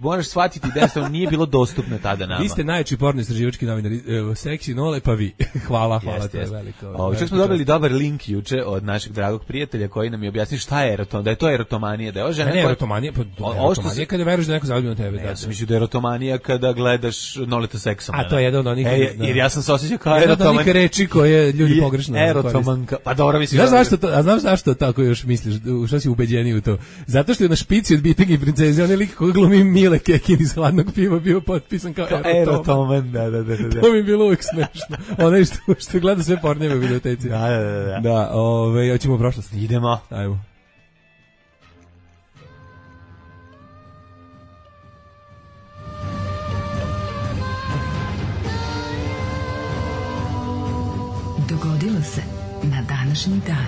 G: moraš shvatiti da jednostavno nije bilo dostupno tada nama.
H: Vi ste najjači porno istraživački novinari, evo, seksi nole, pa vi. hvala, hvala,
G: Jeste,
H: to je
G: jeste.
H: veliko.
G: O, čak smo dobili dobar link juče od našeg dragog prijatelja koji nam je objasnio šta je erotom, da je to erotomanija, da je ova žena
H: Ne, ne,
G: koja-
H: erotomanija, pa
G: O- ovo što
H: erotomanija
G: se-
H: je kada veruješ da neko zaljubi na tebe.
G: Ne,
H: da,
G: ja sam mislio da je erotomanija kada gledaš Noleta seksom.
H: A to je jedan od onih-
G: E,
H: da.
G: jer ja sam se osjećao kao
H: Jedna od onih
G: erotoman.
H: reči koje ljudi pogrešno koriste.
G: Erotomanka. Pa dobro, mislim.
H: Znaš
G: da-
H: zašto to, a znaš zašto tako još misliš, u šta si ubeđeniji u to? Zato što je na špici od Bitega i princeze, onaj lik koji glumi Mile Kekin iz Hladnog piva bio potpisan kao,
G: Kao
H: erotoman.
G: erotoman, da, da, da, da.
H: To mi je bilo uvijek smešno. Onaj što, što gleda sve porneve u videoteci.
G: Da, da, da, da.
H: Da, ove, hoćemo u prošlost.
G: Idemo.
H: Ajmo.
F: Dogodilo se na današnji dan.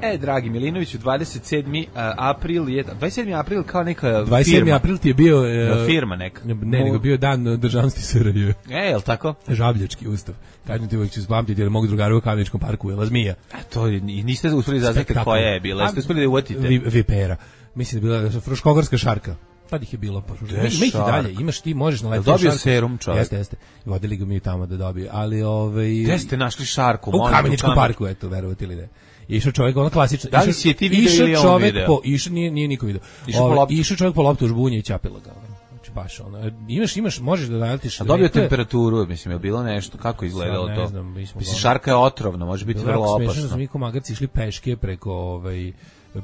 G: E, dragi Milinoviću, dvadeset sedmi april je, dvadeset sedmi april kao neka
H: dvadeset sedmi
G: firma.
H: april ti je bio... e,
G: Firma neka.
H: Ne, nego bio dan državnosti S R J.
G: E, jel tako?
H: Žabljački ustav. Kažem ti uvijek ću spamtiti jer mogu drugari u Kameničkom parku jela zmija.
G: A to je- i niste uspeli zaznati
H: Spektakl.
G: koja je bila. Jeste uspeli da je uvatite?
H: Vi, vipera. Mislim da je bila fruškogorska šarka. Tad ih je bilo. Pa,
G: Gde
H: ima ih i
G: šark?
H: dalje. Imaš ti, možeš na
G: Jel
H: letu
G: dobio
H: šarku.
G: serum čovjek?
H: Jeste, jeste. Vodili ga mi tamo da dobije. Ali, ovaj...
G: Gde ste našli šarku?
H: U
G: Molim,
H: Kameničkom
G: Kamen-
H: parku, eto, verovati ili ne. Išao čovjek, ono klasično.
G: Da li
H: išao-
G: si je ti video
H: išao
G: ili on
H: čovjek
G: video?
H: Po, išao, nije, nije niko video.
G: Išao po
H: Ovaj,
G: loptu.
H: Išao čovjek po loptu u žbunje i ćapila ga. ono. Znači, baš ono. Imaš, imaš, možeš da naletiš.
G: A dobio
H: rekle-
G: temperaturu, mislim, je bilo nešto, kako je izgledalo
H: Sad ne
G: to?
H: znam, mi smo
G: Mislim,
H: gledali.
G: šarka je otrovna, može biti
H: Bilo je
G: vrlo
H: jako smešno da smo
G: opasna.
H: mi ko magarci išli peške preko ovaj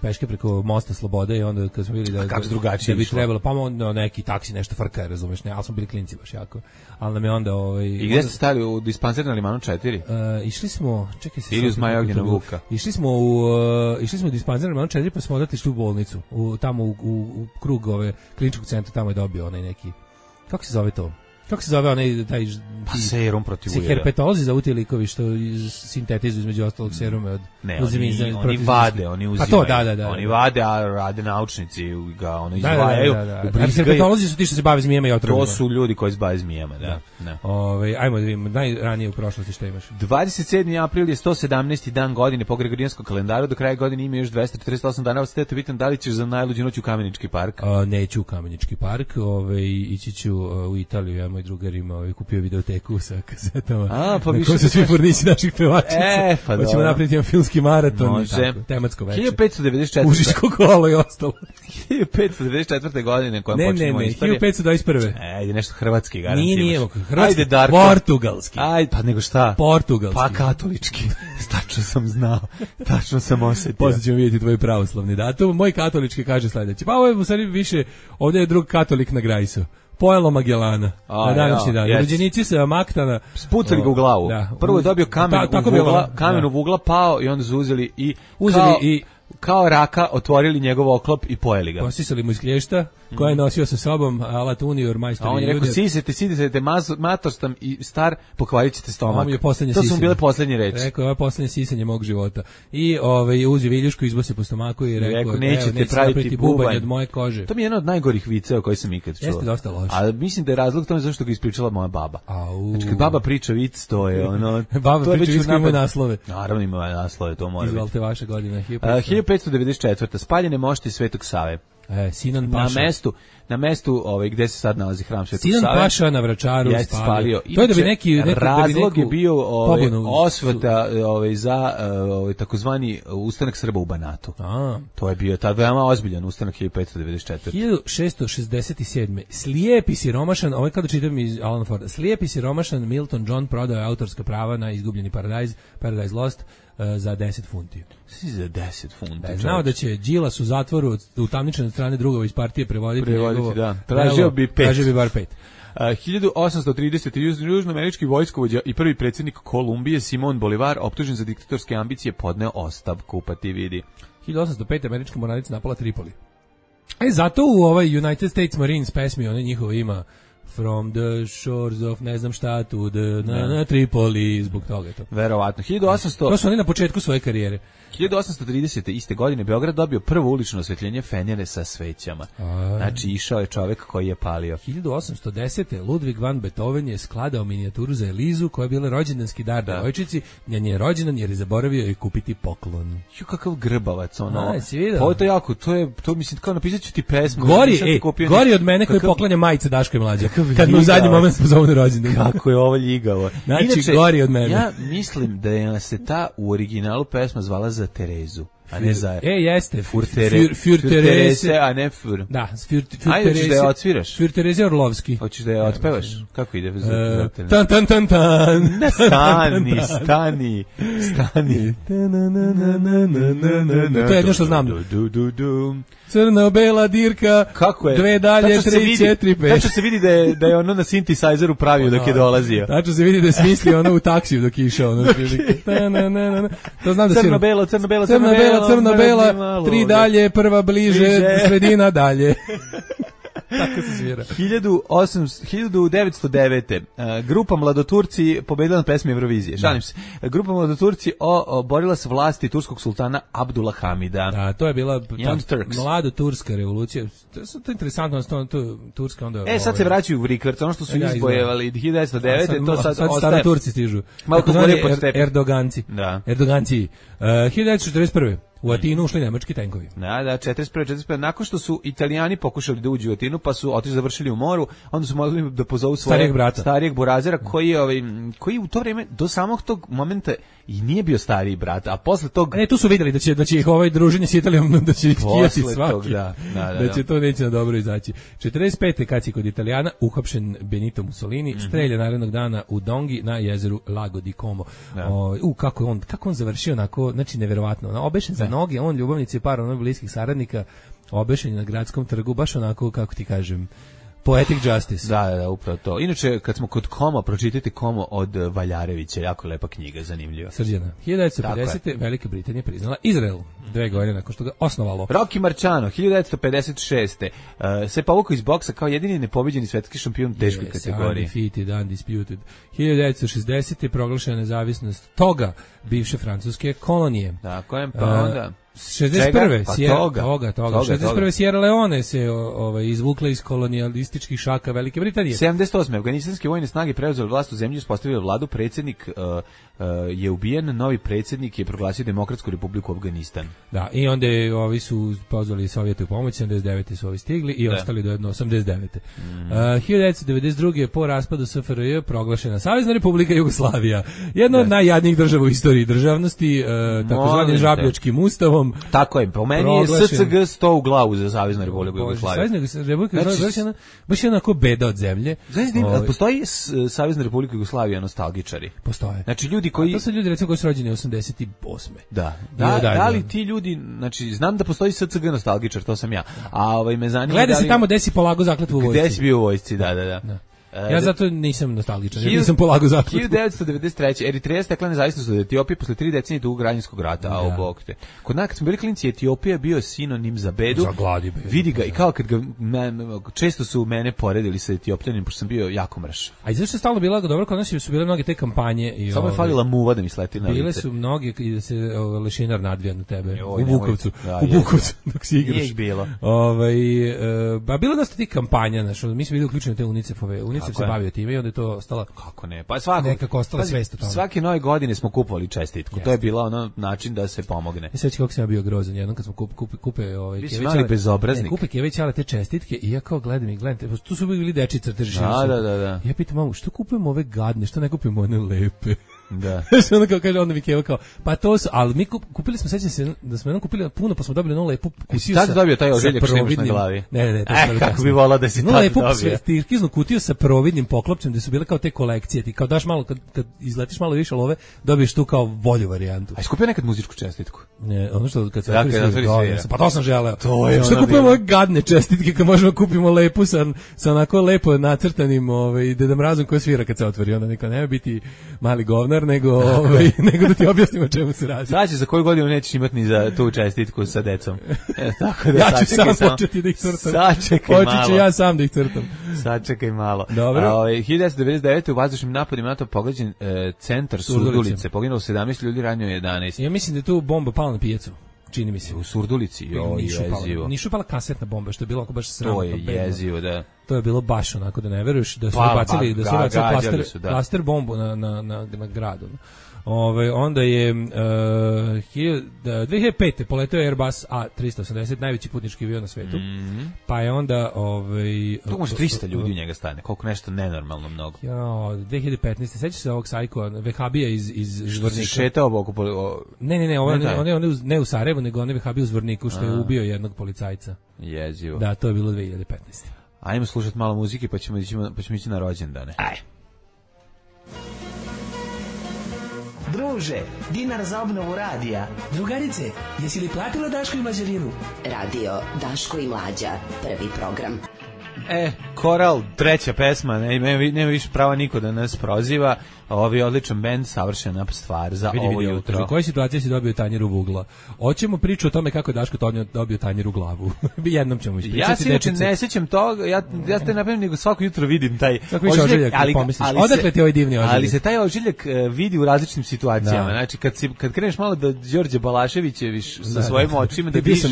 H: peške preko mosta Slobode i onda kad smo vidjeli da
G: A kako
H: da-
G: drugačije
H: da bi
G: išlo?
H: trebalo pa onda neki taksi nešto frka, razumeš, ne, ali smo bili klinci baš jako. Ali nam je onda ovaj
G: I gde ste stali u dispanser na Limanu četiri?
H: Uh, išli smo, čekaj se
G: Ili uz
H: sad,
G: Maja
H: kako
G: Ognjena
H: to bilo.
G: Vuka.
H: Išli smo u uh, išli smo u dispanzer na četiri pa smo odatle išli u bolnicu, u tamo u, u, u krug ove kliničkog centra, tamo je dobio onaj neki, kako se zove to? Kako se zove onaj taj
G: Pa
H: ti-
G: serum protiv
H: si
G: ujeda.
H: herpetolozi za ti likovi što iz- sintetizuju između ostalog serume od
G: Ne,
H: uzimi
G: oni,
H: za-
G: oni
H: protiv
G: vade,
H: zimske.
G: oni
H: Pa
G: uzimaju.
H: to, da, da, da.
G: Oni vade, a rade naučnici ga ono
H: Da, da,
G: izdvajaju,
H: da, da, da. A
G: ubrizgaju.
H: herpetolozi su ti što se bave zmijama i otrovima.
G: To su ljudi koji se bave zmijama, da. da.
H: Ove, ajmo da vidimo, najranije u prošlosti šta imaš.
G: dvadeset sedmi april je sto sedamnaesti dan godine po Gregorijanskom kalendaru, do kraja godine ima još dvesta četrdeset osam dana, vas te pitam da li ćeš za najluđu noć u Kamenički park?
H: A, neću u Kamenički park, ove, ići ću a, u Italiju, ja moj drugar ima ove, kupio videoteku sa kazetama.
G: A, pa
H: na
G: više
H: kojoj su
G: da
H: svi
G: kažeš-
H: furnići naših pevačica.
G: E, pa
H: Hoćemo
G: dobro.
H: napraviti jedan filmski maraton, i
G: Može.
H: tako, tematsko veče.
G: hiljadu petsto devedeset četvrte.
H: Užičko kolo i ostalo.
G: hiljadu petsto devedeset četvrte godine kojom
H: Ne, ne,
G: počinjemo
H: ne,
G: istoriju.
H: hiljadu petsto dvadeset prve.
G: Ajde, nešto hrvatski garant
H: Nije, nije,
G: imaš.
H: hrvatski,
G: Ajde, Darko.
H: portugalski.
G: Ajde, pa nego šta?
H: Portugalski.
G: Pa katolički. Tačno sam znao. Tačno sam osetio.
H: Posle ćemo vidjeti tvoj pravoslavni datum. Moj katolički kaže sledeće. Pa ovo je u stvari više, ovdje je drug katolik na Grajsu. Pojelo Magellana
G: A,
H: na današnji
G: ja,
H: dan.
G: jest.
H: Rođenici sa Maktana.
G: Spucali ga u glavu.
H: Da.
G: Prvo je dobio kamen
H: Ta-
G: u
H: tako bilo,
G: vugla,
H: da.
G: kamen u vugla, pao i onda su uzeli i
H: Uzeli
G: kao,
H: i-
G: kao raka otvorili njegov oklop i pojeli ga.
H: Posisali mu iz klješta koja je nosio sa sobom Alat Unior, majstor.
G: A on je rekao, sisete, sisete, mator sam i star, pokvarit ćete stomak.
H: Je to
G: sisanje. Su bile poslednje reči.
H: Rekao, ovo je poslednje sisanje mog života. I ovaj, uzio viljušku, izbose po stomaku i rekao,
G: rekao nećete
H: neće
G: praviti bubanj
H: od moje kože.
G: To mi je jedan od najgorih viceva koji sam ikad čuo.
H: Jeste dosta loše.
G: A mislim da je razlog tome zašto ga ispričala moja baba.
H: Au.
G: Znači, kad baba priča vic, to je ono...
H: baba
G: to je
H: priča vic koji ima naslove.
G: Naravno ima naslove, to mora biti.
H: Izvalite vaše godine.
G: hiljadu petsto devedeset četvrta Spaljene mošti Svetog Save.
H: E, Sinan Paša.
G: Na mestu, na mestu ovaj, gde se sad nalazi hram Svetog Save.
H: Sinan Paša na Vračaru
G: je spalio.
H: To je da bi neki, neki
G: razlog
H: da bi
G: je bio ovaj, osveta
H: su...
G: ovaj, za ovaj, takozvani ustanak Srba u Banatu.
H: A.
G: To je bio tad veoma ozbiljan ustanak hiljadu petsto devedeset četvrte
H: hiljadu šessto šezdeset sedme Slijepi siromašan, ovaj kada čitam iz Alan Forda, slijepi siromašan Milton John prodao je autorska prava na izgubljeni Paradise, Paradise Lost, za deset funti.
G: Za deset funti.
H: Da, znao da će Đilas u zatvoru utamničen od strane drugova iz partije prevoditi,
G: prevoditi
H: njegovo,
G: da. Tražio bi pet.
H: Tražio bi bar pet.
G: Uh, hiljadu osamsto tridesete južnoamerički vojskovođa i prvi predsjednik Kolumbije Simon Bolivar, optužen za diktatorske ambicije, podneo ostavku, pa ti vidi.
H: hiljadu osamsto pete američka mornarica napala Tripoli. E, zato u ovaj United States Marines pesmi, one njihove ima From the shores of ne znam šta to the na, na Tripoli, zbog toga je to.
G: Verovatno. hiljadu osamsto
H: To su oni na početku svoje karijere.
G: hiljadu osamsto tridesete iste godine Beograd dobio prvo ulično osvetljenje fenjere sa svećama. A... Znači išao je čovjek koji je palio.
H: hiljadu osamsto desete Ludwig van Beethoven je skladao minijaturu za Elizu koja je bila rođendanski dar
G: da.
H: devojčici. Njen je rođendan jer je zaboravio joj kupiti poklon.
G: Ju kakav grbavac ono.
H: A, si vidio?
G: Pa to jako, to je to mislim kao napisat ću ti pesmu.
H: Gori, ej, gori od mene koji kakav... poklanja majice Daško i Mlađa. Kad mu u zadnji moment pozove na rođendan.
G: Kako je ovo ljigavo.
H: Znači,
G: inače,
H: gori od mene.
G: Ja mislim da je se ta u originalu pesma zvala za Terezu, a ne za...
H: E, jeste.
G: Fur, tere,
H: fur, fur Terese,
G: a ne Fur.
H: Da, Fur, fur
G: Ajde, hoćeš da je odsviraš?
H: Fur Terese Orlovski.
G: Hoćeš da je otpevaš? Kako ide? Uh,
H: tan, tan, tan, tan.
G: Stani, stani, stani.
H: To je jedno što znam. Crno-bela dirka,
G: kako je?
H: Dve dalje, tri, četiri, pet.
G: Tačno se vidi da je, da je ono na synthesizeru pravio dok je dolazio.
H: Tačno se vidi da je smislio ono u taksiju dok je išao. Ono, to znam da si...
G: Crno-belo, crno-belo,
H: crno-belo, crno-belo, tri dalje, prva bliže, sredina dalje. Tako se svira.
G: hiljadu devetsto devete Uh, grupa Mladoturci pobedila na pesmi Eurovizije. Šalim se. Grupa Mladoturci o, o, borila se vlasti turskog sultana Abdula Hamida.
H: Da, to je bila mlado-turska revolucija. To je to interesantno, to, to Turska onda...
G: E, sad se vraćaju u Rikvrc, ono što su ja, izbojevali hiljadu devetsto devete Sad, to sad,
H: sad
G: ostaje...
H: stara Turci stižu.
G: Malo kako
H: er, Erdoganci.
G: Da.
H: Erdoganci. Uh, hiljadu devetsto četrdeset prve U Atinu ušli nemački tenkovi.
G: Da, da, četrdeset prve četrdeset pete Nakon što su Italijani pokušali da uđu u Atinu, pa su otišli završili u moru, onda su mogli da pozovu svojeg
H: starijeg brata,
G: starijeg burazera, koji je ovaj koji u to vrijeme do samog tog momenta i nije bio stariji brat, a posle tog
H: ne, tu su videli da će da će ih ovaj druženje s Italijom da će skijati svaki. Tog,
G: da, da, da,
H: da će to neće na dobro izaći. četrdeset pete kad si kod Italijana uhapšen Benito Mussolini, mm-hmm. strelja narednog dana u Dongi na jezeru Lago di Como. Da. O, u kako on kako on završio onako, znači neverovatno. Ono, obešen za noge, on ljubavnici par onih bliskih saradnika, obešen na gradskom trgu, baš onako kako ti kažem. Poetic Justice.
G: Da, da, da, upravo to. Inače, kad smo kod Koma, pročitajte Komo od Valjarevića, jako lepa knjiga, zanimljiva.
H: Srđana. hiljadu devetsto pedesete Velika Britanija priznala Izrael, dve godine nakon što ga osnovalo.
G: Rocky Marciano, hiljadu devetsto pedeset šeste Uh, se povukao iz boksa kao jedini nepobeđeni svetski šampion u teškoj yes, kategoriji.
H: Undefeated, undisputed. hiljadu devetsto šezdesete proglašena nezavisnost toga, bivše francuske kolonije.
G: Da, kojem pa onda...
H: šezdeset prve
G: Pa
H: Sierra,
G: toga,
H: toga, toga.
G: toga,
H: šezdeset prve Sierra Leone se ovaj, izvukla iz kolonijalističkih šaka Velike Britanije.
G: sedamdeset osme Afganistanske vojne snage preuzele vlast u zemlji, uspostavile vladu, predsjednik uh, uh, je ubijen, novi predsjednik je proglasio Demokratsku republiku Afganistan.
H: Da, i onda je, ovi su pozvali Sovjete u pomoć, sedamdeset devete su ovi stigli i da. ostali do jedno osamdeset devete Mm. Uh, hiljadu devetsto devedeset druge po raspadu S F R J proglašena Savezna Republika Jugoslavija. Jedna da. od najjadnijih država u istoriji državnosti, uh, takozvanim žabljačkim ustavom.
G: Tako je, po meni je S C G sto u glavu za Saveznu Republiku Jugoslaviju.
H: Savezna Republika Jugoslavija baš je onako beda od zemlje.
G: Znači, postoji Savezna Republika Jugoslavija nostalgičari?
H: Postoje.
G: Znači, ljudi koji...
H: A to su ljudi, recimo, koji su rođeni osamdeset osme
G: Da. Da, da, da li ti ljudi, znači, znam da postoji S C G nostalgičar, to sam ja. A ovaj me zanima...
H: Gleda se tamo gde si polago zakletvu u vojsci.
G: Gde si bio u vojsci, da, da, da. da.
H: Ja zato nisam nostalgičan, ja nisam polagao zakletvu.
G: hiljadu devetsto devedeset treće Eritreja stekla nezavisnost od Etiopije posle tri decenije dugog građanskog rata, a u bok te. Kod nas kad smo bili klinci, Etiopija bio sinonim za bedu.
H: Za gladi bedu.
G: Vidi ga i kao kad ga me, često su mene poredili sa Etiopljanim, pošto sam bio jako mrš.
H: A i zašto je stalno bila dobro, kod nas su bile mnoge te kampanje i
G: samo je falila muva da mi sleti na lice.
H: Bile su mnoge i da se o, lešinar nadvija na tebe.
G: Joj,
H: u Bukovcu,
G: da,
H: u Bukovcu dok si igraš.
G: Nije ih bilo.
H: Ovaj e, ba bilo dosta tih kampanja, znači mi smo bili uključeni u te UNICEF-ove. UNICEF se bavio time i onda je to ostala
G: kako ne. Pa svako
H: nekako ostala svest o tome.
G: Svake nove godine smo kupovali čestitku. Jeste. To je bila ono način da se pomogne.
H: Ja sećam kako sam ja bio grozan jednom kad smo kup, kup, kupe ovaj
G: Kević bezobraznik.
H: Ne, kupe Kević ale te čestitke i ja kao gledam i gledam, tu su bili deči crteži.
G: Da, da, da, da.
H: Ja pitam mamu, što kupujemo ove gadne, što ne kupimo one lepe?
G: Da.
H: Što onda kao kaže, onda mi Keva kao, pa to su, ali mi kup, kupili smo, sećam se da smo jednom kupili puno, pa smo dobili onu lepu kutiju sa...
G: Tad dobio taj ožiljak što imaš na glavi?
H: Ne, ne, ne. To
G: e, kako bi volao da si tad
H: lepu,
G: dobio.
H: Sve, tirkiznu kutiju sa providnim poklopcem, gde su bile kao te kolekcije, ti kao daš malo, kad, kad izletiš malo više love, dobiješ tu kao volju varijantu.
G: A iskupio nekad muzičku čestitku?
H: Ne, ono što kad se
G: dakle,
H: otvori sve, pa to sam želeo.
G: To je
H: što kupujemo ove gadne čestitke, kad možemo kupimo lepu sa, sa onako lepo nacrtanim ovaj, Deda Mrazom koji svira kad se otvori, onda neka nema biti mali govnar, nego ovaj, nego da ti objasnimo o čemu se radi.
G: Znači, za koju godinu nećeš imati ni za tu čestitku sa decom. E, tako da
H: ja ću sam
G: samo
H: početi da ih crtam.
G: Sačekaj malo.
H: Počet ću ja sam da ih crtam.
G: Sačekaj malo.
H: Dobro.
G: A, ovaj, hiljadu devetsto devedeset devete u vazdušnim napadima NATO pogađen e, centar Surdulice. Poginulo sedamnaest ljudi, ranjeno jedanaest.
H: Ja mislim da je tu bomba pala na pijacu. Čini mi se.
G: U Surdulici, jo, jezivo.
H: Nišu pala kasetna bomba, što je bilo ako baš sramno.
G: To je jezivo, da.
H: To je bilo baš onako da ne veruješ da su
G: pa,
H: bacili,
G: ba,
H: da su bacili plaster,
G: su, da.
H: plaster bombu na, na, na, na gradu. Ove, onda je uh, dve hiljade pete poleteo Airbus A tristo osamdeset, najveći putnički avion na svetu.
G: Mm-hmm.
H: Pa je onda ovaj
G: to može trista ljudi u njega stane, koliko nešto nenormalno mnogo.
H: Ja, dve hiljade petnaeste sećaš se ovog sajko Vehabija iz iz Zvornika.
G: Šetao oko poli... o...
H: Ne, ne, ne, ovo ne, on je on ne u Sarajevu, nego on je Vehabija u Zvorniku što je ubio jednog policajca.
G: Jezivo.
H: Da, to je bilo dve hiljade petnaeste.
G: Ajmo slušati malo muzike, pa ćemo ići pa ćemo ići na rođendane.
H: Aj.
I: Druže, dinar za obnovu radija. Drugarice, jesi li platila Daško i Mlađarinu?
A: Radio Daško i Mlađa, prvi program.
G: E, Koral, treća pesma, nema, nema više prava niko da nas proziva. Ovi je odličan bend, savršena stvar za
H: vidi,
G: ovo
H: vidi,
G: jutro.
H: U kojoj situaciji si dobio tanjer u vugla? Hoćemo priču o tome kako je Daško Tonjo dobio tanjer u glavu. Jednom ćemo ispričati.
G: Ja se inače ne sećam toga, ja, ja te napravim nego svako jutro vidim taj
H: ožiljak, ožiljak ali, ali odakle ti ovaj divni ožiljak?
G: Ali se taj ožiljak uh, vidi u različitim situacijama. Da. Znači, kad, si, kad kreneš malo da Đorđe Balaševićeviš sa da, svojim očima, da, da vidiš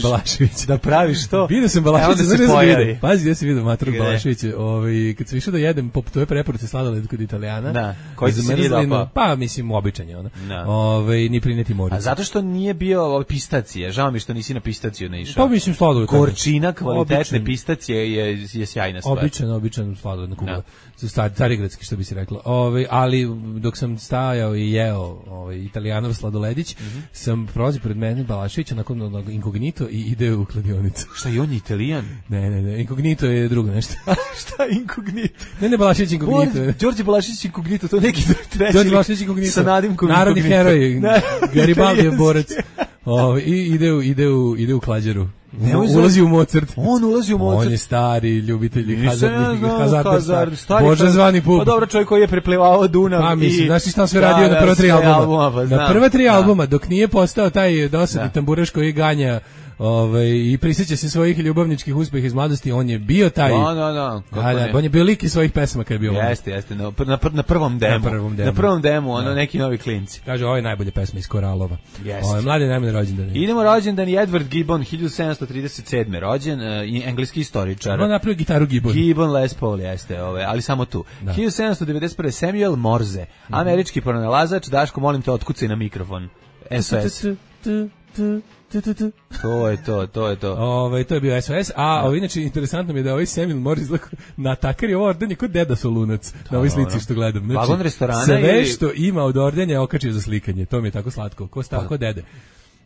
G: da praviš to,
H: vidio sam Balaševića,
G: onda se pojavi.
H: Pazi, gdje si vidio Matru Balaševića, ovaj, kad sam išao da jedem po toj preporuci sladoled kod Italijana,
G: da, koji se nije dopao.
H: Pa, mislim, običan je ona. Ove, ni prineti moricu.
G: A zato što nije bio pistacije, žao mi što nisi na pistaciju ne išao.
H: Pa, mislim, sladoled.
G: Gorčina kvalitetne pistacije je, je sjajna stvar.
H: Običan, običan sladoled na kugla. Stari, carigradski, što bi se reklo. Ove, ali, dok sam stajao i jeo ovaj, Italijanov sladoledić, mm -hmm. sam prolazio pred mene Balaševića nakon onog inkognito i ide u kladionicu.
G: Šta, i on je Italijan?
H: Ne, ne, ne, inkognito je drugo nešto.
G: Šta inkognito?
H: Ne, ne, Balašević inkognito.
G: Đorđe Balašević inkognito, to neki treći.
H: Đorđe Balašević inkognito.
G: Sa nadimkom
H: narodni heroj, Garibaldi je borac. O, i ide u, ide u, ide u klađeru. Ne, ulazi u Mozart.
G: On ulazi u Mozart.
H: On je stari ljubitelj hazardnih
G: hazard,
H: Bože zvani pub.
G: Pa dobro, čovjek koji je preplivao Dunav.
H: Pa mislim, znaš šta sve radio da, na prva tri albuma? albuma pa, na prva tri da. albuma, dok nije postao taj dosadni da. tamburaš koji ganja Ove, i prisjeća se svojih ljubavničkih uspeha iz mladosti, on je bio taj.
G: No, no, no.
H: Da, da, on je bio lik iz svojih pesama kad je bio.
G: Jeste, jeste, na, na, na prvom demu. Na prvom demu, na prvom demu ono, da. neki novi klinci.
H: Kaže, ovo je najbolje pesma iz Koralova. Ovo je mladi najbolji rođendan.
G: Idemo rođendan Edward Gibbon, hiljadu sedamsto trideset sedme rođen, uh, engleski istoričar.
H: On napravio gitaru Gibbon.
G: Gibbon Les Paul, jeste, ove, ali samo tu. Da. hiljadu sedamsto devedeset prve Samuel Morse, mm-hmm. američki pronalazač. Daško, molim te, otkucaj na mikrofon. S O S. To je to, to je to.
H: Ove, to je bio S O S, a ovo, inače interesantno mi je da ovaj Samuel Morris na takar je ovo ordenje kod Deda Solunac, na ovoj slici što gledam. Znači,
G: vagon restorana
H: sve
G: ili...
H: što ima od ordenja je okačio za slikanje, to mi je tako slatko, ko sta, ko Dede.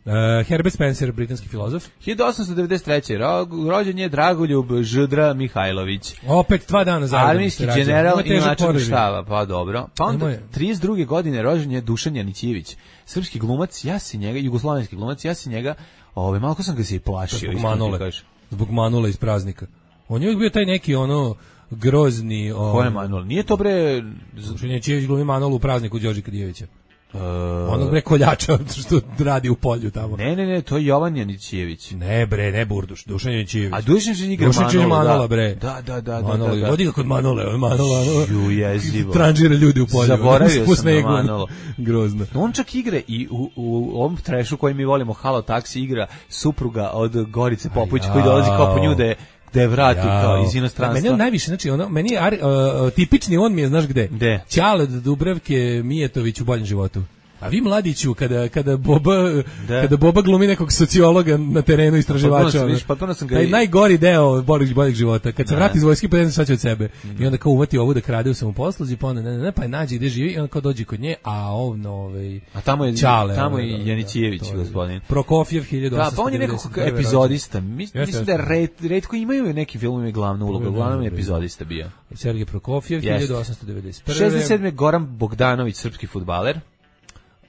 H: Uh, Herbert Spencer, britanski filozof.
G: hiljadu osamsto devedeset treće Ro, rođen je Dragoljub Ždra Mihajlović.
H: Opet dva dana zajedno.
G: Armijski general i načelnik štaba, pa dobro. Pa onda trideset druge godine rođen je Dušan Janićević, srpski glumac, ja se njega, jugoslovenski glumac, ja se njega, ovaj malo ko sam ga se i plašio.
H: Zbog Manole, zbog Manole iz Praznika. On je uvijek bio taj neki ono grozni...
G: Ko je Manol? Nije to bre...
H: Dušan Janićijević glumi Manol u prazniku Đorđe Kadijevića. Uh, onog bre koljača što radi u polju tamo.
G: Ne, ne, ne, to je Jovan Janićijević.
H: Ne bre, ne Burduš, Dušan Janićijević.
G: A Dušan Janićijević igra Manola,
H: Manola, bre.
G: Da, da, da,
H: Manola,
G: da, da.
H: vodi ga kod Manole, on Manola,
G: Ju, jezivo.
H: Tranžira ljudi u polju.
G: Zaboravio sam na Manola.
H: Grozno.
G: On čak igra i u, u ovom trešu koji mi volimo, Halo Taksi, igra supruga od Gorice Popović koji dolazi kao po nju da je da je vrati ja, kao iz inostranstva.
H: Meni on najviše, znači ono, meni je uh, tipični on mi je, znaš gde?
G: Gde?
H: Ćale od Dubravke Mijetović u Boljem životu. A vi mladiću kada kada Boba da. kada Boba glumi nekog sociologa na terenu istraživača.
G: Potpuno sam ga.
H: Taj najgori deo boljeg boljeg života. Kad se vrati iz vojske pa ne zna šta će od sebe. Mm. I onda kao uvati ovu da krade u samoposluzi, pa onda ne, ne, ne, pa nađe gde živi i onda kao dođe kod nje, a on ovaj
G: a tamo je Ćale, tamo je Janićijević da, gospodin.
H: Prokofjev hiljadu osamsto.
G: Da, pa on je nekako epizodista. Mislim da retko imaju neki filmovi glavnu ulogu, uglavnom je epizodista bio.
H: Sergej Prokofjev hiljadu osamsto devedeset prve.
G: šezdeset sedme Goran Bogdanović, srpski fudbaler.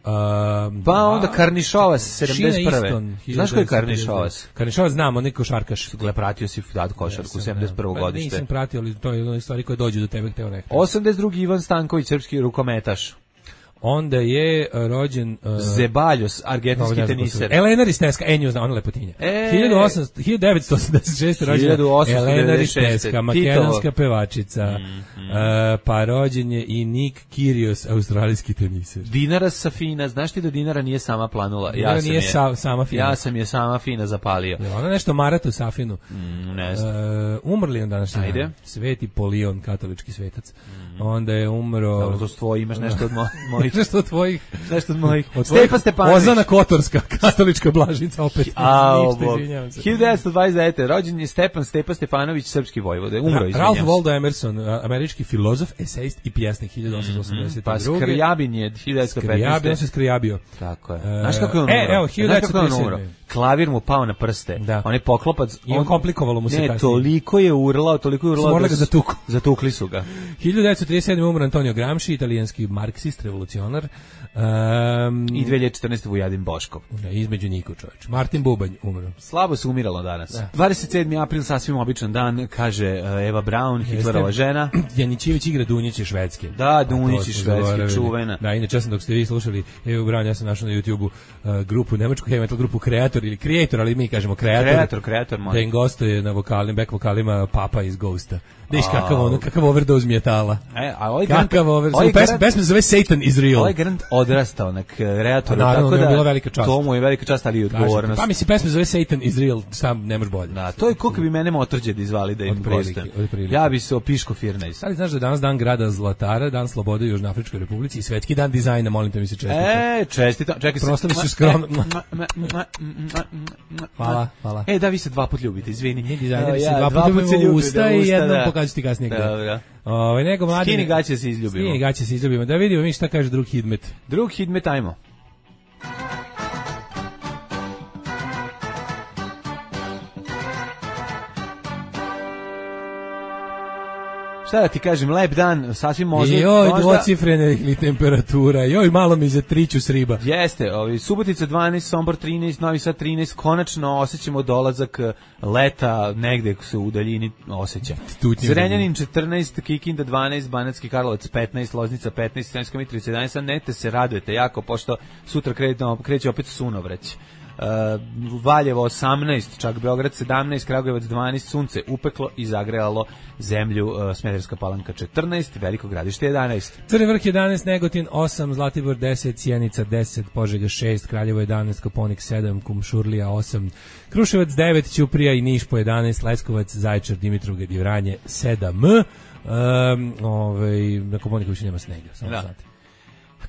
H: Um,
G: pa onda Karnišovac sedamdeset prve. Znaš ko je Karnišovac?
H: Karnišovac znam, on neki košarkaš.
G: Gle, pratio si dat košarku, sedamdeset prvo godište.
H: Nisam pratio, ali to je jedna stvari koje dođu do tebe hteo nekako.
G: osamdeset drugi Ivan Stanković, srpski rukometaš.
H: Onda je rođen uh,
G: Zebaljos, argentinski no, teniser.
H: Elena Risteska, Enju zna, ona lepotinja.
G: E,
H: hiljadu devetsto osamdeset šeste rođena Elena Risteska, makedonska pevačica. Mm, mm. Uh, pa rođen je i Nick Kyrgios, australijski teniser.
G: Dinara Safina, znaš ti da Dinara nije sama planula?
H: Dinara
G: ja sam
H: nije
G: je,
H: sa, sama fina.
G: Ja sam je sama fina zapalio.
H: Je ona nešto Maratu Safinu?
G: Mm, ne znam.
H: Uh, umrli on danas.
G: Ajde.
H: Sveti Polion, katolički svetac. Mm. Onda je umro...
G: Dobro, to svoje, imaš nešto od mojih.
H: Nešto od tvojih.
G: Nešto od mojih. Od Stepa Stepanović.
H: Ozana Kotorska, katolička blažnica, opet.
G: A, hiljadu devetsto dvadeset devete. Rođen je Stepan Stepa Stepanović, srpski vojvoda. Umro, izvinjam se.
H: Ralph Waldo Emerson, američki filozof, esejist i pjesnik, hiljadu osamsto osamdeset druge.
G: Pa Skrjabin je hiljadu devetsto petnaeste.
H: Skrjabin, on se Skrjabio.
G: Tako je. Znaš kako je on umro?
H: E, evo, hiljadu devetsto trideset sedme.
G: Klavir mu pao na prste.
H: Da.
G: On je poklopac.
H: I on komplikovalo mu se
G: ne,
H: kasnije.
G: toliko je urlao, toliko je urlao.
H: Morali ga zatuku.
G: Zatukli su ga.
H: hiljadu devetsto trideset sedme umro Antonio Gramsci, italijanski marksist, revolucionar. Um,
G: I dve hiljade četrnaeste. Vujadin Boškov.
H: Da, između Niko čovječ. Martin Bubanj umro.
G: Slabo se umiralo danas. Da. dvadeset sedmi april, sasvim običan dan, kaže uh, Eva Braun, Hitlerova žena.
H: Janićijević igra Dunjić Švedske.
G: Da, Dunjić Švedske, čuvena.
H: Da, inače sam dok ste vi slušali Evu Braun, ja sam našao na YouTubeu uh, grupu, nemačku heavy metal grupu Kreator ili Creator, ali mi kažemo Kreator.
G: Kreator, Kreator,
H: da im gostuje na vokalima, back vokalima Papa iz Ghosta. Deš kakav ono, kakav overdose metala.
G: E, a ovaj
H: kakav overdose. Pesma pesma se zove Satan is Real.
G: Ovaj Grant odrastao na Kreatoru,
H: tako da
G: je
H: bila velika čast.
G: To mu je velika čast, ali i odgovornost.
H: Pa mi se pesma zove Satan is Real, sam ne može bolje.
G: Da, to je koliko bi mene Motorđed izvali da im gostujem. Ja bi se opiško Firnejs.
H: Ali znaš da je danas dan grada Zlatara, dan slobode u Južnoafričkoj Republici i svetski dan dizajna, molim te mi se čestita.
G: E, čestita. Čekaj se.
H: Proslavi su skromno. Hvala, hvala.
G: E, da vi se dva put ljubite, izvini.
H: Mi dizajneri se dva put ljubimo u usta i jednom pokažu ti kasnije gde.
G: Da.
H: Ovaj nego mladi.
G: Skini gaće se izljubimo.
H: Skini gaće se izljubimo. Da vidimo mi šta kaže drug Hidmet.
G: Drug Hidmet, ajmo. Šta da ti kažem, lep dan, sasvim možda...
H: Joj, dvocifrene temperatura, joj, malo mi za triću s riba.
G: Jeste, ovi, Subotica dvanaest, Sombor trinaest, Novi Sad trinaest, konačno osjećamo dolazak leta, negde se u daljini osjeća. Zrenjanin četrnaest, Kikinda dvanaest, Banatski Karlovac petnaest, Loznica petnaest, Sremska Mitrovica jedanaest, nete se radujete jako, pošto sutra kreće opet sunovrać. Uh, Valjevo osamnaest, čak Beograd sedamnaest, Kragujevac dvanaest, sunce upeklo i zagrejalo zemlju, uh, Smederevska Palanka četrnaest, Veliko Gradište jedanaest.
H: Crni Vrh jedanaest, Negotin osam, Zlatibor deset, Sjenica deset, Požega šest, Kraljevo jedanaest, Koponik sedam, Kumšurlija osam, Kruševac devet, Ćuprija i Niš po jedanaest, Leskovac, Zaječar, Dimitrovgrad i Vranje sedam. Um, ovaj, na Koponiku više nema snega, samo da. Znate.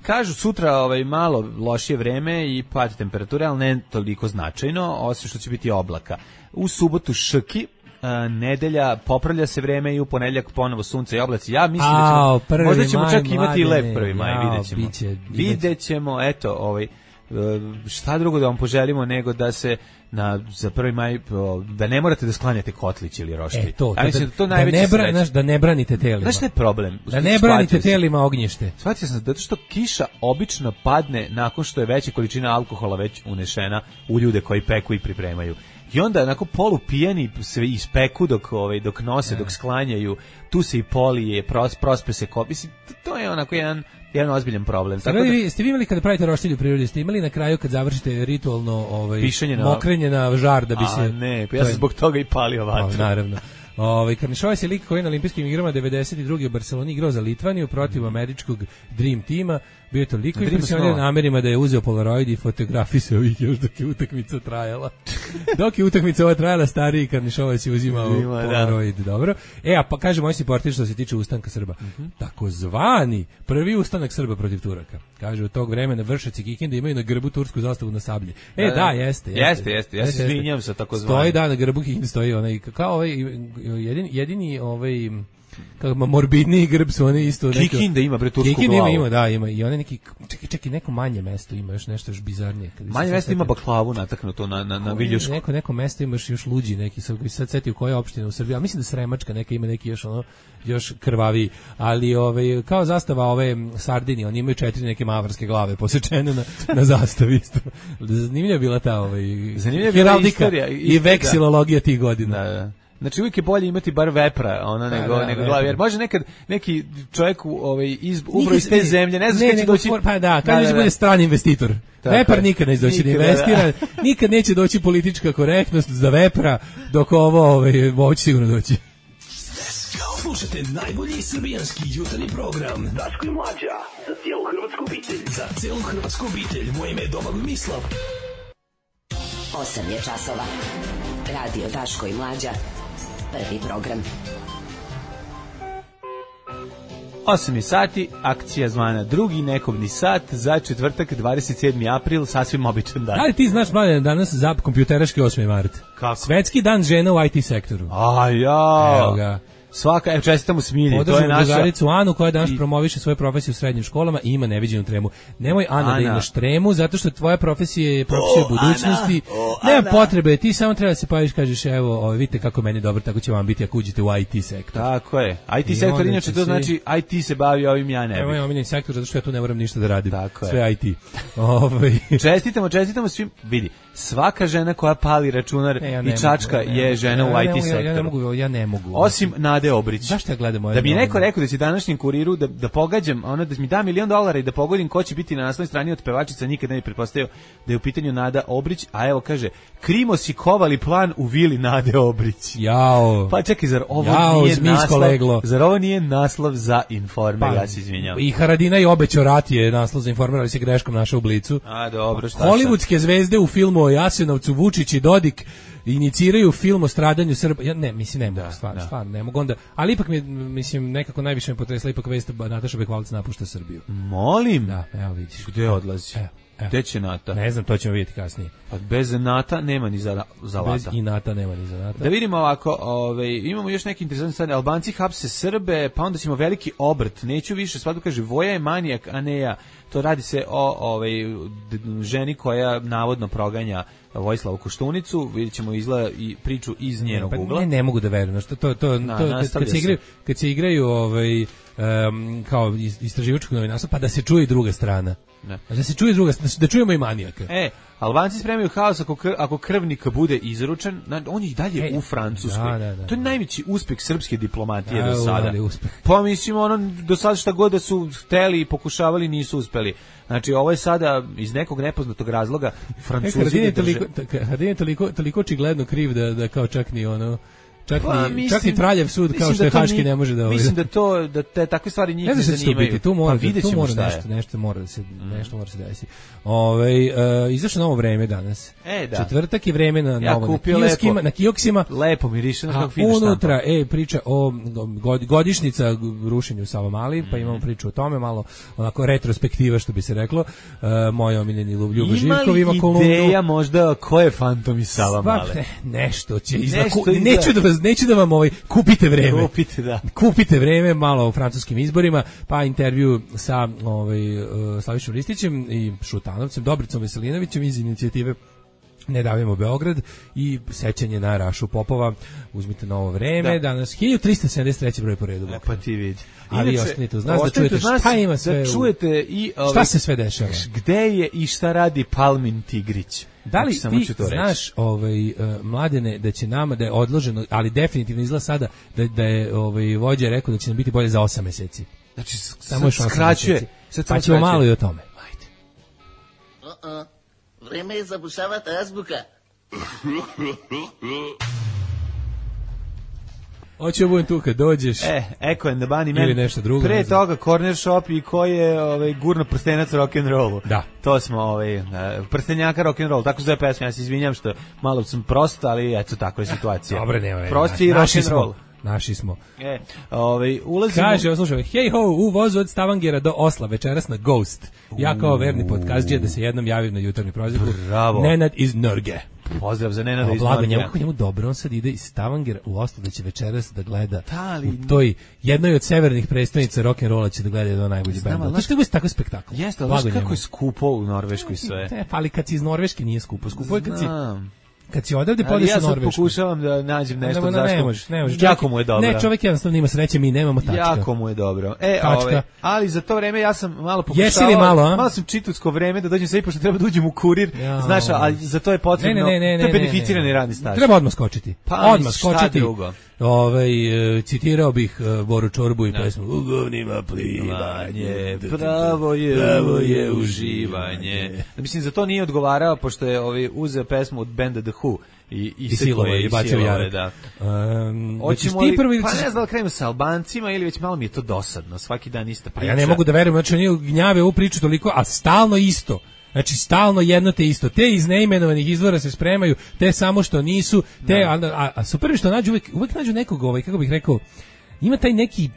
G: Kažu sutra ovaj malo lošije vreme i pad temperature, ali ne toliko značajno, osim što će biti oblaka. U subotu šrki, a, nedelja popravlja se vreme i u ponedeljak ponovo sunce i oblaci. Ja mislim
H: Ao,
G: da ćemo, možda ćemo
H: maj,
G: čak imati i lep
H: mladene,
G: prvi maj,
H: jao,
G: videćemo.
H: biće,
G: videćemo, eto, ovaj šta drugo da vam poželimo nego da se na za prvi maj da ne morate da sklanjate kotlić ili roštilj.
H: E to,
G: ja mislim
H: da,
G: da to
H: da,
G: najveći
H: ne bra, naš, da ne branite telima.
G: Znaš šta je problem?
H: Da ne branite telima ognjište.
G: Shvatio sam zato što kiša obično padne nakon što je veća količina alkohola već unešena u ljude koji peku i pripremaju. I onda onako polu pijani sve ispeku dok ovaj dok nose, dok sklanjaju, tu se i polije, pros, prospe se kopi. Mislim, to je onako jedan jedan ozbiljan problem.
H: Tako da vi ste vi imali kada pravite roštilj u prirodi, ste imali na kraju kad završite ritualno ovaj
G: na,
H: mokrenje na žar da bi
G: a,
H: se
G: ne, pa ja sam zbog toga i palio vatru.
H: Naravno. Ovaj Karnišovac je lik koji je na olimpijskim igrama devedeset druge u Barseloni igrao za Litvaniju protiv mm. američkog Dream tima. Bio je toliko impresioniran namerima da je uzeo Polaroid i fotografisao ih još dok je utakmica trajala. Dok je utakmica ova trajala, stariji Karnišovac je uzimao Ima, Polaroid. Da. Dobro. E, a pa kaže moj siportir što se tiče ustanka Srba. Mm-hmm. Takozvani prvi ustanak Srba protiv Turaka. Kaže, u tog vremena Vršac i Kikinda imaju na grbu tursku zastavu na sablji. E, da, da jeste.
G: Jeste, jeste. jeste. Ja se izvinjam sa takozvani.
H: Stoji da na grbu Kikinda stoji onaj, kao ovaj, jedini, jedini ovaj... kako morbidniji grb su oni isto neko.
G: Kikinda ima bre tursku
H: Kikinda
G: glavu.
H: Ima, ima, da, ima i one neki čekaj, čekaj, neko manje mesto ima, još nešto još bizarnije.
G: Manje mesto ima baklavu nataknuto na na na viljušku.
H: Neko neko mesto ima još luđi neki, sad koji sad setio koja opština u Srbiji. A mislim da Sremačka neka ima neki još ono još krvavi, ali ovaj kao zastava ove Sardinije, oni imaju četiri neke mavarske glave posečene na na zastavi isto. Zanimljiva bila ta ovaj
G: zanimljiva bila istorija
H: i veksilologija tih godina.
G: Da, da. Znači uvijek je bolje imati bar vepra, ona nego
H: da, da,
G: nego glavu, jer može nekad neki čovjek ovaj iz ubro iz te zemlje, ne znaš kada će doći.
H: Pa da, kaže da, da, da bude strani investitor. Tako vepar nikad neće doći da investira, nikad neće doći politička korektnost za vepra, dok ovo ovaj moći sigurno doći.
I: Slušajte najbolji srbijanski jutarnji program Daško i Mlađa za cijelu hrvatsku obitelj. Za cijelu hrvatsku obitelj. Moje ime je Domagoj Mislav.
A: osam je časova. Radio Daško i Mlađa. Prvi program.
G: osam je sati, akcija zvana drugi nekobni sat za četvrtak dvadeset sedmi april, sasvim običan dan.
H: Ali ti znaš, mladen, danas za kompjuteraški osmi mart.
G: Kako?
H: Svetski dan žena u I T sektoru.
G: A ja.
H: Evo ga.
G: Svaka, evo čestitamo Smilji, to je naša...
H: drugaricu Anu koja danas I... promoviše svoju profesiju u srednjim školama i ima neviđenu tremu. Nemoj, Ana, Ana. da imaš tremu, zato što tvoja profesija je profesija oh, budućnosti. Oh, nema potrebe, ti samo treba da se paviš, kažeš, evo, ovo, vidite kako meni dobro, tako će vam biti ako uđete u I T sektor.
G: Tako je. I T I sektor, inače to si... znači I T se bavi ovim, ja ne bih.
H: Evo je omiljeni sektor, zato što ja tu ne moram ništa da radim. Tako sve je. I T. Ove...
G: čestitamo, čestitamo svim, vidi, svaka žena koja pali računar e, ja i čačka mogu, je žena ja, u I T sektoru.
H: Ja, ja ne mogu, ja ne mogu.
G: Osim Nade Obrić.
H: Zašto ja gledam
G: da bi neko rekao da će današnjem kuriru da, da pogađam, ono da mi da milion dolara i da pogodim ko će biti na naslovnoj strani od pevačica, nikad ne bi pretpostavio da je u pitanju Nada Obrić, a evo kaže, Krimosi kovali plan u vili Nade Obrić.
H: Jao.
G: Pa čekaj, zar ovo
H: Jao,
G: nije naslov,
H: leglo.
G: Zar ovo nije naslov za Informer, pa, ja se izvinjavam.
H: I Haradina i obećao rat je naslov za Informer, ali se greškom našao u Blicu.
G: A dobro, šta
H: Hollywoodske zvezde u filmu o Jasenovcu, Vučić i Dodik iniciraju film o stradanju Srba. Ja ne, mislim ne mogu, stvarno, stvarno ne mogu onda, ali ipak mi mislim nekako najviše me potresla ipak vest Nataša Bekvalac napušta Srbiju.
G: Molim.
H: Da, evo vidiš.
G: Gde odlazi? Evo. Gde će Nata?
H: Ne znam, to ćemo vidjeti kasnije.
G: Pa bez Nata nema ni za, za lata.
H: Bez i Nata nema ni za Nata.
G: Da vidimo ovako, ove, imamo još neki interesantni stvari. Albanci hapse Srbe, pa onda ćemo veliki obrt. Neću više, svatko kaže, Voja je manijak, a ne ja. To radi se o ove, ženi koja navodno proganja Vojislavu Koštunicu. Vidjet ćemo izgleda i priču iz njenog
H: pa,
G: ugla.
H: Ne, ne mogu da verujem. To, to, to,
G: Na,
H: to, kad, kad, se igraju, kad se igraju ovaj, um, kao istraživačkog novinarstva, pa da se čuje i druga strana. Ne. Da se čuje druga, da čujemo i manijaka.
G: E, Albanci spremaju haos ako, krv, ako krvnik bude izručen, on je i dalje e, u Francuskoj. Da, da, da. To je najveći uspeh srpske diplomatije da, do sada. Pa mislim, ono, do sada šta god da su hteli i pokušavali, nisu uspeli. Znači, ovo je sada iz nekog nepoznatog razloga Francuzi
H: e, drže... Haradin je toliko, toliko očigledno kriv da, da kao čak ni ono... Čak, pa, ni, mislim, čak i Traljev sud kao što je Haški ne može da...
G: Mislim da to, da te takve stvari njih ne, ne zanimaju.
H: Biti, tu mora,
G: pa
H: tu mora nešto, nešto mora da se, nešto mora se desiti. Ove, uh, izašlo novo vreme danas.
G: E, da.
H: Četvrtak je vreme na
G: ja
H: novo. Na kioskima, na kioksima.
G: Lepo miriše, kako
H: fino štampa. Unutra, e, priča o godišnjica rušenju Savamali, mm. pa imamo priču o tome, malo onako retrospektiva, što bi se reklo. Uh, moj omiljeni Ljubo Živkov ima kolumnu.
G: Ima li ideja možda ko je fantom iz Savamale?
H: Ne, nešto će izlaku. Neću da vas neću da vam ovaj kupite vreme.
G: Kupite, da.
H: Kupite vreme malo u francuskim izborima, pa intervju sa ovaj uh, Slavišom Ristićem i Šutanovcem, Dobricom Veselinovićem iz inicijative Ne davimo Beograd i sećanje na Rašu Popova. Uzmite novo vreme, da. Danas hiljadu trista sedamdeset treći broj po redu.
G: E, pa ti vidi.
H: A vi ostanite uz nas da čujete šta ima sve.
G: Da čujete i
H: ove, šta se sve dešava.
G: Gde je i šta radi Palmin Tigrić.
H: Da li ti znaš, ovaj, uh, Mladene, da će nama, da je odloženo, ali definitivno izgleda sada, da, da je ovaj, vođa rekao da će nam biti bolje za osam meseci.
G: Znači, samo skraćuje.
H: Pa ćemo malo i o tome.
G: Ajde.
J: Uh-uh. Vreme je zabušavati azbuka.
H: Hoće da budem tu kad dođeš.
G: E, Eko and the Bunny Man.
H: Ili nešto drugo.
G: Pre toga Corner Shop i ko je ovaj, gurno prstenac rock'n'rollu.
H: Da.
G: To smo ovaj, prstenjaka rock'n'roll. Tako se zove pesma, ja se izvinjam što malo sam prost, ali eto, takva je situacija.
H: Dobre, nema.
G: Prost i rock'n'roll.
H: Naši smo.
G: E, ovaj, ulazimo...
H: Kaže, slušaj, hej ho, u vozu od Stavangera do Osla, večeras na Ghost. Ja kao verni podcastđija da se jednom javim na jutarnji prozivku.
G: Bravo.
H: Nenad iz Norge.
G: Pozdrav za Nenada iz
H: Norge.
G: Norge.
H: Kako njemu dobro, on sad ide iz Stavangera u Oslo da će večeras da gleda
G: Tali...
H: u toj jednoj od severnih predstavnica rock'n'rolla će da gleda jedan od najboljih benda. To što je tako spektakl.
G: Jeste, ali znaš kako je skupo u Norveškoj sve.
H: Te, ali kad si iz Norveške nije skupo. Skupo je kad si... Kad si odavde podeš
G: ja
H: u Norvešku.
G: Ja pokušavam da nađem nešto
H: ne,
G: zašto.
H: Ne možeš, ne možeš.
G: Jako mu je dobro.
H: Ne, čovjek jednostavno ima sreće, mi nemamo tačka.
G: Jako mu je dobro. E, ove, ali za to vreme ja sam malo pokušao.
H: Jesi li malo, a?
G: Malo sam čitutsko vreme da dođem sve pošto treba da uđem u kurir. Ja, znaš, a za to je potrebno.
H: Ne, ne, ne, ne,
G: to je beneficirani radni staž.
H: Treba odmah skočiti.
G: Pa,
H: odmah skočiti.
G: Drugo.
H: Ovaj citirao bih uh, Boru Čorbu i no. pesmu U govnima plivanje,
G: pravo je, pravo je uživanje. Mislim, za to nije odgovarao, pošto je ovaj uzeo pesmu od benda The Who i, i,
H: I silove i bacio jarak.
G: Da.
H: Um,
G: Hoćemo li, prvi, pa ne znam da li krenemo sa Albancima ili već malo mi je to dosadno, svaki dan ista priča.
H: Pa ja ne mogu da verujem, znači oni gnjave ovu priču toliko, a stalno isto. Znači stalno jedno te isto. Te iz neimenovanih izvora se spremaju, te samo što nisu, te a, a, a su prvi što nađu uvek, uvek nađu nekog, ovaj kako bih rekao, ima taj neki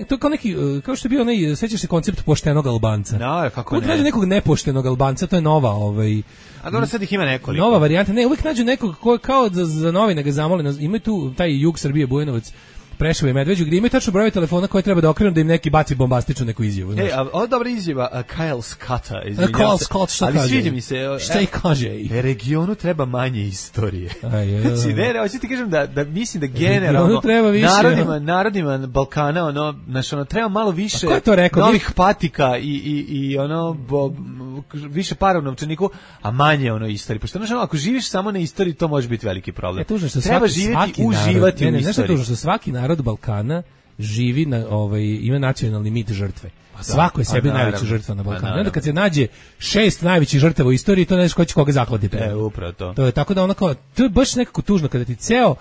H: to je kao neki, kao što je bio onaj, sećaš se koncept poštenog Albanca.
G: No, kako
H: uvijek
G: ne.
H: nađu nekog nepoštenog Albanca, to je nova, ovaj...
G: A dobro, sad ih ima nekoliko.
H: Nova varijanta, ne, uvijek nađu nekog ko kao za, za novine ga zamole, imaju tu taj jug Srbije, Bujanovac, Preševo i Medveđu, gdje imaju tačno brojeve telefona koje treba da okrenu da im neki baci bombastičnu neku izjavu.
G: E, a ovo dobra izjava, uh, Kyle Scotta, izvinjam
H: Kyle
G: se.
H: Scott, šta
G: ali
H: kaže?
G: sviđa mi se.
H: Šta i kaže?
G: E, regionu treba manje istorije.
H: Aj,
G: znači, ne, ne, hoću ti kažem da, da mislim da generalno
H: treba više,
G: narodima, narodima Balkana, ono, znaš, ono, treba malo više
H: rekao,
G: novih patika i, i, i ono, bo, više para u novčaniku, a manje ono istorije. Pošto, znaš, ono, ako živiš samo na istoriji, to može biti veliki problem.
H: E, tužno što
G: treba
H: svaki,
G: živjeti,
H: svaki
G: uživati
H: narod, ne, ne,
G: u istoriji.
H: Znaš tužno što svaki narod Balkana živi na ovaj ima nacionalni mit žrtve. Pa svako je sebi najveća žrtva na Balkanu. Onda kad se nađe šest najvećih žrtava u istoriji, to ne znaš ko će koga zaklati.
G: E, upravo to.
H: To je tako da ono kao, to je baš nekako tužno kada ti ceo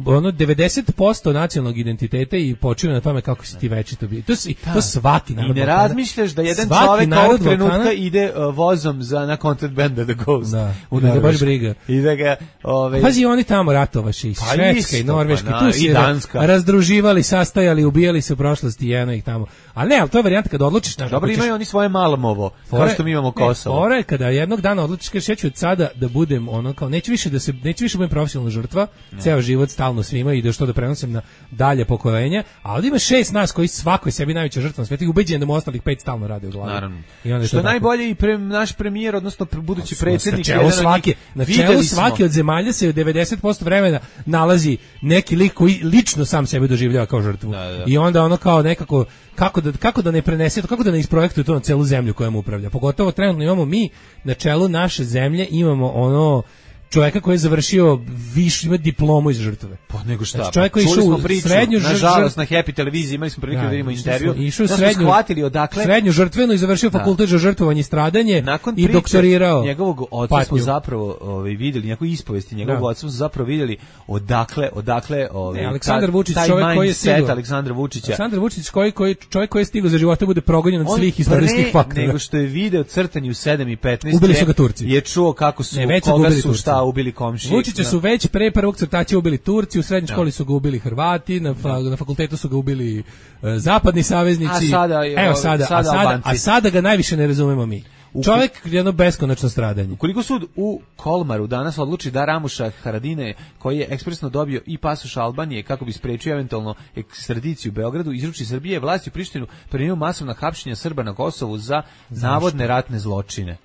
H: ono devedeset posto nacionalnog identiteta i počiva na tome kako si ti večito bio. To si to svaki narod.
G: I ne razmišljaš da jedan čovjek ovog trenutka Balkana ide uh, vozom za na koncert benda The Ghost.
H: Da, u da baš briga.
G: I da ga ovaj
H: pazi, oni tamo ratovaše i
G: pa
H: Švedska i Norveška,
G: pa,
H: tu se
G: Danska
H: razdruživali, sastajali, ubijali se u prošlosti jedno ih tamo. Ali ne, ali to je varijanta kada odlučiš
G: da. Dobro, imaju oni svoje Malamovo, kao što mi imamo Kosovo.
H: Fora je kada jednog dana odlučiš kažeš ja ću od sada da budem ono kao neću više da se neću više budem profesionalna žrtva, ceo život stalno svima i da što da prenosim na dalje pokolenja, ali ima šest nas koji svako je sebi najveća žrtva na svijetu i ubeđen da mu ostalih pet stalno rade u glavi.
G: Naravno.
H: I onda
G: što je najbolje i pre, naš premijer, odnosno budući predsjednik,
H: na čelu svake, na čelu svake od zemalja se devedeset posto vremena nalazi neki lik koji lično sam sebe doživljava kao žrtvu.
G: Da, da.
H: I onda ono kao nekako kako da kako da ne prenese to, kako da ne isprojektuje to na celu zemlju kojom upravlja. Pogotovo trenutno imamo mi na čelu naše zemlje imamo ono čovjeka koji je završio više ima diplomu iz žrtve.
G: Pa nego šta?
H: Znači, čovjek koji
G: čuli smo
H: u
G: priču,
H: srednju
G: nažalost na Happy televiziji imali smo prilike da vidimo intervju.
H: Išao
G: da
H: srednju,
G: shvatili odakle
H: srednju žrtvenu i završio da. fakultet za žrtvovanje i stradanje
G: nakon
H: i doktorirao.
G: Njegovog oca smo zapravo ovaj vidjeli, njegovu ispovesti njegovog oca smo zapravo vidjeli odakle, odakle ovaj
H: Aleksandar Vučić, čovjek koji je stigao.
G: Aleksandra Vučića.
H: Aleksandar Vučić koji koji čovjek koji je stigao za života bude progonjen od svih istorijskih faktora.
G: Nego što je video crtanje u sedam i petnaest.
H: Ubili su ga Turci.
G: Je čuo kako su koga su šta ubili komšije.
H: Vučića su već pre prvog crtaća ubili Turci, u srednjoj školi su ga ubili Hrvati, na, fa, na fakultetu su ga ubili uh, zapadni saveznici.
G: A sada,
H: Evo sada, sada, a, sada, a sada ga najviše ne razumemo mi.
G: U,
H: Čovjek jedno beskonačno stradanje.
G: Ukoliko sud u Kolmaru danas odluči da Ramuša Haradine, koji je ekspresno dobio i pasoš Albanije kako bi sprečio eventualno ekstradiciju u Beogradu, izruči Srbije, vlasti u Prištinu primio masovna hapšenja Srba na Kosovu za navodne ratne zločine.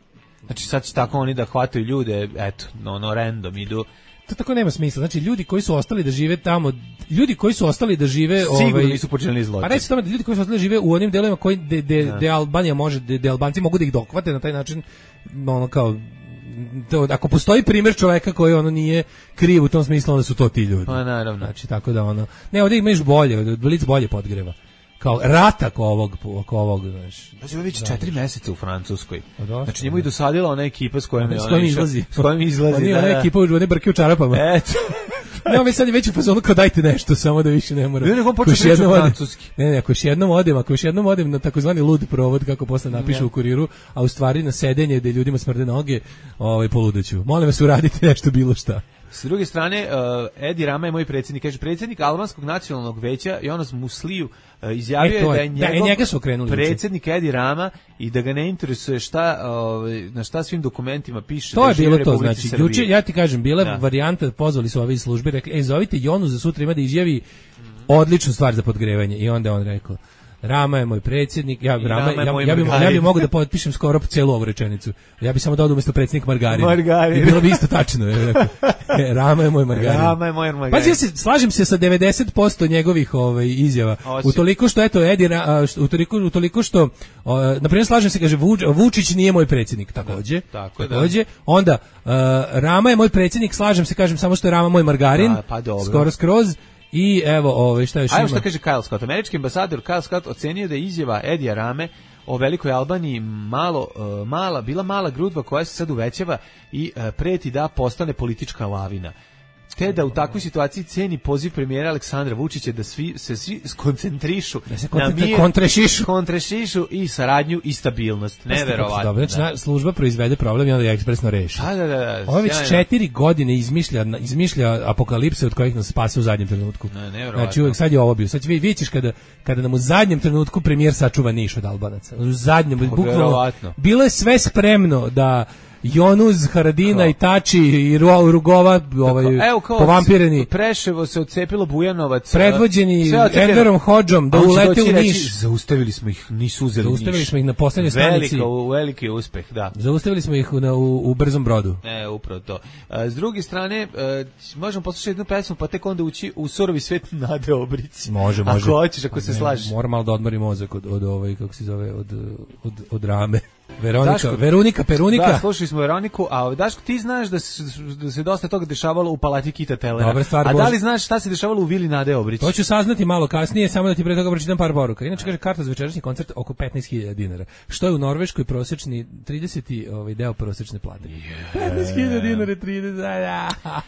G: Znači sad će tako oni da hvataju ljude, eto, no, no random idu.
H: To tako nema smisla. Znači ljudi koji su ostali da žive tamo, ljudi koji su ostali da žive,
G: sigurno
H: ovaj
G: nisu počinili zločin.
H: Pa reći tome da ljudi koji su ostali da žive u onim delovima koji de, de,
G: da.
H: de Albanija može, de, de Albanci mogu da ih dohvate na taj način, ono kao to, ako postoji primjer čoveka koji ono nije kriv u tom smislu, onda su to ti ljudi.
G: Pa naravno.
H: Znači tako da ono, ne, ovdje imaš bolje, Blic bolje podgreva. Kao rata ko ovog, ko ovog, znaš.
G: Znači, ovo već četiri meseca u Francuskoj.
H: Dosta,
G: znači, njemu i dosadila ona ekipa s kojom je
H: s kojom izlazi.
G: S kojom izlazi,
H: Oni,
G: da,
H: ona
G: da.
H: ekipa, one brke u čarapama.
G: Eto.
H: Ne, mi sad je već u fazonu kao dajte nešto, samo da više ne moram.
G: Ne, nego on počeo pričati francuski.
H: Ne, ne, ako još jednom odem, ako još jednom odem na takozvani lud provod, kako posle napiše u Kuriru, a u stvari na sedenje gde ljudima smrde noge, ovaj, poludeću. Molim vas, uradite nešto bilo šta.
G: S druge strane, uh, Edi Rama je moj predsjednik, kaže predsjednik Albanskog nacionalnog veća Jonas Musliju uh, izjavio
H: e, je,
G: da je njegov
H: da, njega su okrenuli
G: predsjednik Edi Rama i da ga ne interesuje šta, uh, na šta svim dokumentima piše.
H: To
G: da
H: je bilo to,
G: Republici
H: znači,
G: Srbije.
H: juče, ja ti kažem, bila
G: da.
H: varijanta, pozvali su ove iz službe, rekli, ej, zovite Jonu za sutra ima da izjavi odličnu stvar za podgrevanje. I onda on rekao, Rama je moj predsjednik, ja, Rama,
G: Rama
H: ja,
G: moj
H: ja, bi,
G: Margarin.
H: ja bi mogao da potpišem skoro celu ovu rečenicu. Ja bi samo dodao umjesto predsjednik Margarin.
G: Margarin.
H: I bilo bi isto tačno. Je, rekao, e, Rama je moj Margarin.
G: Rama je moj Margarin.
H: Pazi, ja se, slažem se sa devedeset posto njegovih ovaj, izjava.
G: Osim.
H: Utoliko što, eto, Edi, utoliko, utoliko što, o, na primjer, slažem se, kaže, Vuč, Vučić nije moj predsjednik, takođe.
G: Tako je,
H: takođe. Onda, uh, Rama je moj predsjednik, slažem se, kažem, samo što je Rama moj Margarin.
G: Da, pa dobro.
H: Skoro skroz. I evo, ovaj šta još ima.
G: Ajmo što kaže Kyle Scott. Američki ambasador Kyle Scott ocenio da je izjava Edija Rame o velikoj Albaniji malo, uh, mala, bila mala grudva koja se sad uvećava i uh, preti da postane politička lavina. Te da u takvoj situaciji ceni poziv premijera Aleksandra Vučića da svi se svi skoncentrišu
H: da se
G: na mir,
H: kontrešišu.
G: kontrešišu i saradnju i stabilnost. Neverovatno.
H: Dobro, znači, da. Služba proizvede problem i onda je ekspresno reši.
G: Da, da, da.
H: Ovo već četiri godine izmišlja, izmišlja apokalipse od kojih nas spase u zadnjem trenutku.
G: Ne, neverovatno. Znači
H: uvek sad je ovo bio. Sad vi vidite kada, kada nam u zadnjem trenutku premijer sačuva Niš od Albanaca. U zadnjem, bukvalno, bilo je sve spremno da Jonuz, Haradina kao. I Tači i Rugova ovaj,
G: evo, kao
H: povampireni.
G: Preševo se odcepilo Bujanovac.
H: Predvođeni Enverom Hodžom da ulete u Niš.
G: Reći, zaustavili smo ih, nisu uzeli Niš.
H: Zaustavili smo ih na poslednjoj stanici.
G: Veliko, veliki uspeh, da.
H: Zaustavili smo ih na, u, u brzom brodu.
G: E, upravo to. A, s druge strane, a, možemo poslušati jednu pesmu, pa tek onda ući u surovi svet Nade Obrić.
H: Može, može.
G: Ako hoćeš, ako se slažeš.
H: Moram malo da odmori mozak od, od, ovaj, kako se zove, od, od, od Rame. Veronika, Daško, Veronika, Perunika.
G: Da, slušali smo Veroniku, a Daško, ti znaš da se, da se dosta toga dešavalo u palati Kita Telera.
H: Dobre stvar,
G: a
H: Bož...
G: da li znaš šta se dešavalo u vili Nade Obrić?
H: To ću saznati malo kasnije, samo da ti pre toga pročitam par poruka. Inače, kaže, karta za večerašnji koncert oko petnaest hiljada dinara. Što je u Norveškoj prosječni trideseti ovaj, deo prosječne plate. Yeah. petnaest hiljada dinara, trideset.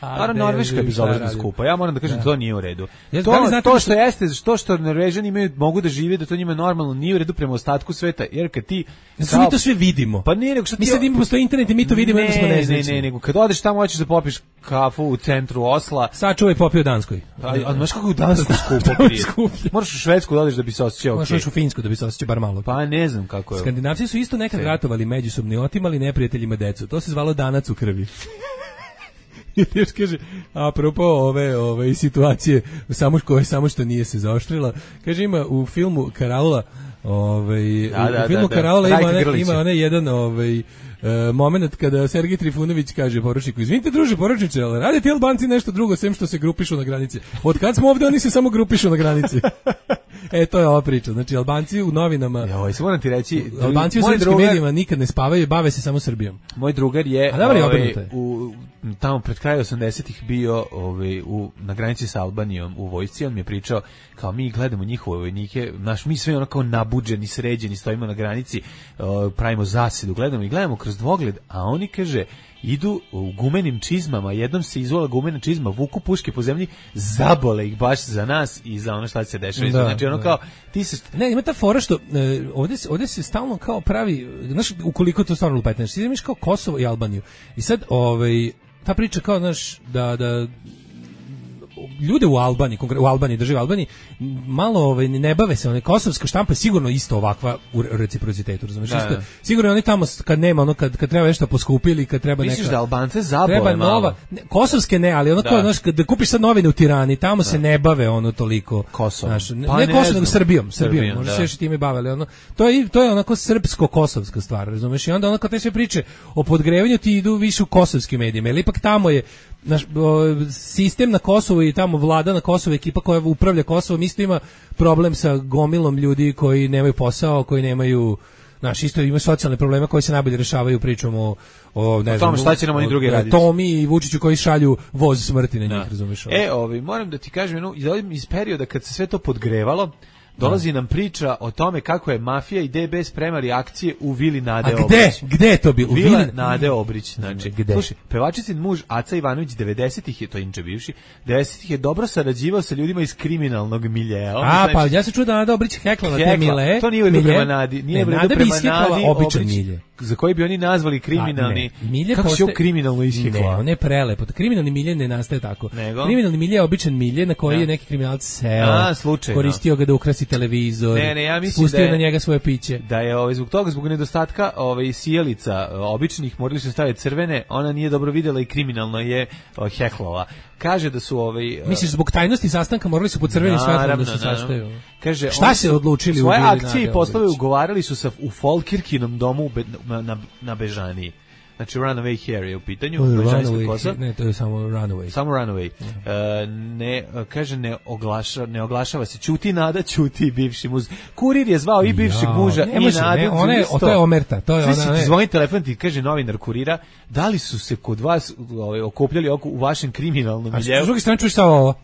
G: Naravno, Norveška je bezobrazno skupa. Ja moram da kažem, da. To nije u redu.
H: Ja,
G: to,
H: da znate
G: to što jeste, to što Norvežani imaju, mogu da žive, da to njima normalno nije u redu prema ostatku sveta, jer kad ti...
H: Kao, mi to sve vidimo.
G: Pa nije, nego što ti...
H: Mi sad imamo postoji internet i mi to vidimo,
G: ne,
H: da smo neznačni.
G: Ne, ne, nego kad odeš tamo hoćeš da popiš kafu u centru Osla.
H: Sačuvaj popio u Danskoj.
G: A, a znaš kako u Danskoj skupo prije? Moraš u Švedsku da odeš da bi se osjećao okej.
H: Moraš u Finsku da bi se osjećao bar malo.
G: Pa ne znam kako je.
H: Skandinavci su isto nekad ratovali međusobno i otimali neprijateljima decu. To se zvalo danac u krvi. I još kaže, apropo ove, ove situacije, samo, koje, samo što nije se zaoštrila, kaže ima u filmu Karaula, ovaj,
G: da,
H: u,
G: da,
H: u filmu
G: da,
H: Karaula
G: da.
H: ima, one, ima onaj jedan ovaj, Uh, moment kada Sergej Trifunović kaže poručniku, izvinite druže poručniče, ali rade ti Albanci nešto drugo sem što se grupišu na granici. Od kad smo ovde oni se samo grupišu na granici. E, to je ova priča. Znači, Albanci u novinama...
G: Ja, ovaj, moram ti reći...
H: Albanci u srpskim drugar, medijima nikad ne spavaju, bave se samo Srbijom.
G: Moj drugar je...
H: A dobro,
G: ovaj, u, tamo pred kraju osamdesetih bio ovaj, u, na granici sa Albanijom u vojsci. On mi je pričao, kao mi gledamo njihove vojnike, naš, mi sve ono kao nabuđeni, sređeni, stojimo na granici, uh, pravimo zasedu, gledamo i gledamo kroz dvogled, a oni, kaže... idu u gumenim čizmama, jednom se izvola gumena čizma, vuku puške po zemlji, zabole ih baš za nas i za ono šta se dešava. Da, znači ono da. Kao ti se
H: ne, ima ta fora što e, ovde se ovde se stalno kao pravi, znaš, ukoliko to stvarno lupetneš, ti imaš kao Kosovo i Albaniju. I sad ovaj ta priča kao znaš da da ljude u Albaniji, u Albaniji, drži u Albaniji, malo ovaj, ne bave se, one kosovska štampa je sigurno isto ovakva u reciprocitetu, razumiješ? Isto, sigurno oni tamo kad nema, ono, kad, kad treba nešto poskupili, kad treba neka...
G: Misliš da Albance zabole
H: treba
G: malo?
H: Nova, ne, kosovske ne, ali ono kao, znaš, da kupiš sad novine u Tirani, tamo da. se ne bave ono toliko...
G: Kosovo.
H: Znaš, ne,
G: pa
H: ne
G: ne
H: Kosovo, nego
G: Srbijom,
H: Srbijom, Srbijom, možda se još i time bavili, ono, to je, to je onako srpsko-kosovska stvar, razumiješ? I onda ono kad te sve priče o podgrevanju ti idu više u kosovskim medijima, jer ipak tamo je naš, o, sistem na Kosovu i tamo vlada na Kosovu, ekipa koja upravlja Kosovom, isto ima problem sa gomilom ljudi koji nemaju posao, koji nemaju, znaš, isto ima socijalne probleme koji se najbolje rešavaju pričom o, o ne
G: o
H: znam,
G: tom šta će nam oni drugi raditi.
H: Tomi i Vučiću koji šalju voz smrti na njih,
G: da.
H: razumiješ?
G: E, ovi, moram da ti kažem, jednu, iz perioda kad se sve to podgrevalo, dolazi nam priča o tome kako je mafija i D B spremali akcije u vili Nade Obrić.
H: A gde? Gde je to bilo?
G: Vila
H: Vili...
G: Nade Obrić, znači.
H: Gde?
G: Slušaj, pevačicin muž Aca Ivanović devedesetih je, to inče bivši, devedesetih je dobro sarađivao sa ljudima iz kriminalnog miljea.
H: A, znači, pa ja se čuo da Nada Obrić heklala te mile.
G: To nije u redu prema Nadi. Nije u redu prema Nadi
H: običan milje.
G: Za koji bi oni nazvali kriminalni.
H: A, milje
G: kako
H: postaje...
G: se kriminalno ishekla?
H: Ne, on je prelepo. Kriminalni milje ne nastaje tako.
G: Nego?
H: Kriminalni milje je običan milje na koji
G: ja.
H: je neki kriminalac seo,
G: A, slučajno.
H: koristio ga da ukrasi televizor,
G: ne, ne, ja mislim
H: pustio
G: da je,
H: na njega svoje piće.
G: Da je ovaj, zbog toga, zbog nedostatka ovaj, sijalica običnih, morali su staviti crvene, ona nije dobro vidjela i kriminalno je o, heklova. Kaže da su ovaj
H: misliš zbog tajnosti sastanka morali su pod crvenim svetlom da se saštaju.
G: Kaže
H: šta se odlučili
G: svoje
H: u
G: akcije i poslove ugovarali su sa u Folkirkinom domu u Be, na, na, na Bežaniji. Znači Runaway Hair je u pitanju, Bežanijska kosa.
H: Ne, to je samo Runaway.
G: Samo Runaway. Yeah. Uh, ne, kaže, ne, oglaša, ne oglašava se. Ćuti Nada, ćuti bivši muz. Kurir je zvao i bivšeg ja, muža i
H: može,
G: Nadu.
H: Ne, one, o, to je omerta. To je
G: ona,
H: ona, ne.
G: Zvoni telefon ti kaže novinar Kurira, da li su se kod vas ovaj, okupljali oko, u vašem kriminalnom miljeu?
H: A s druge strane čuješ samo ovo.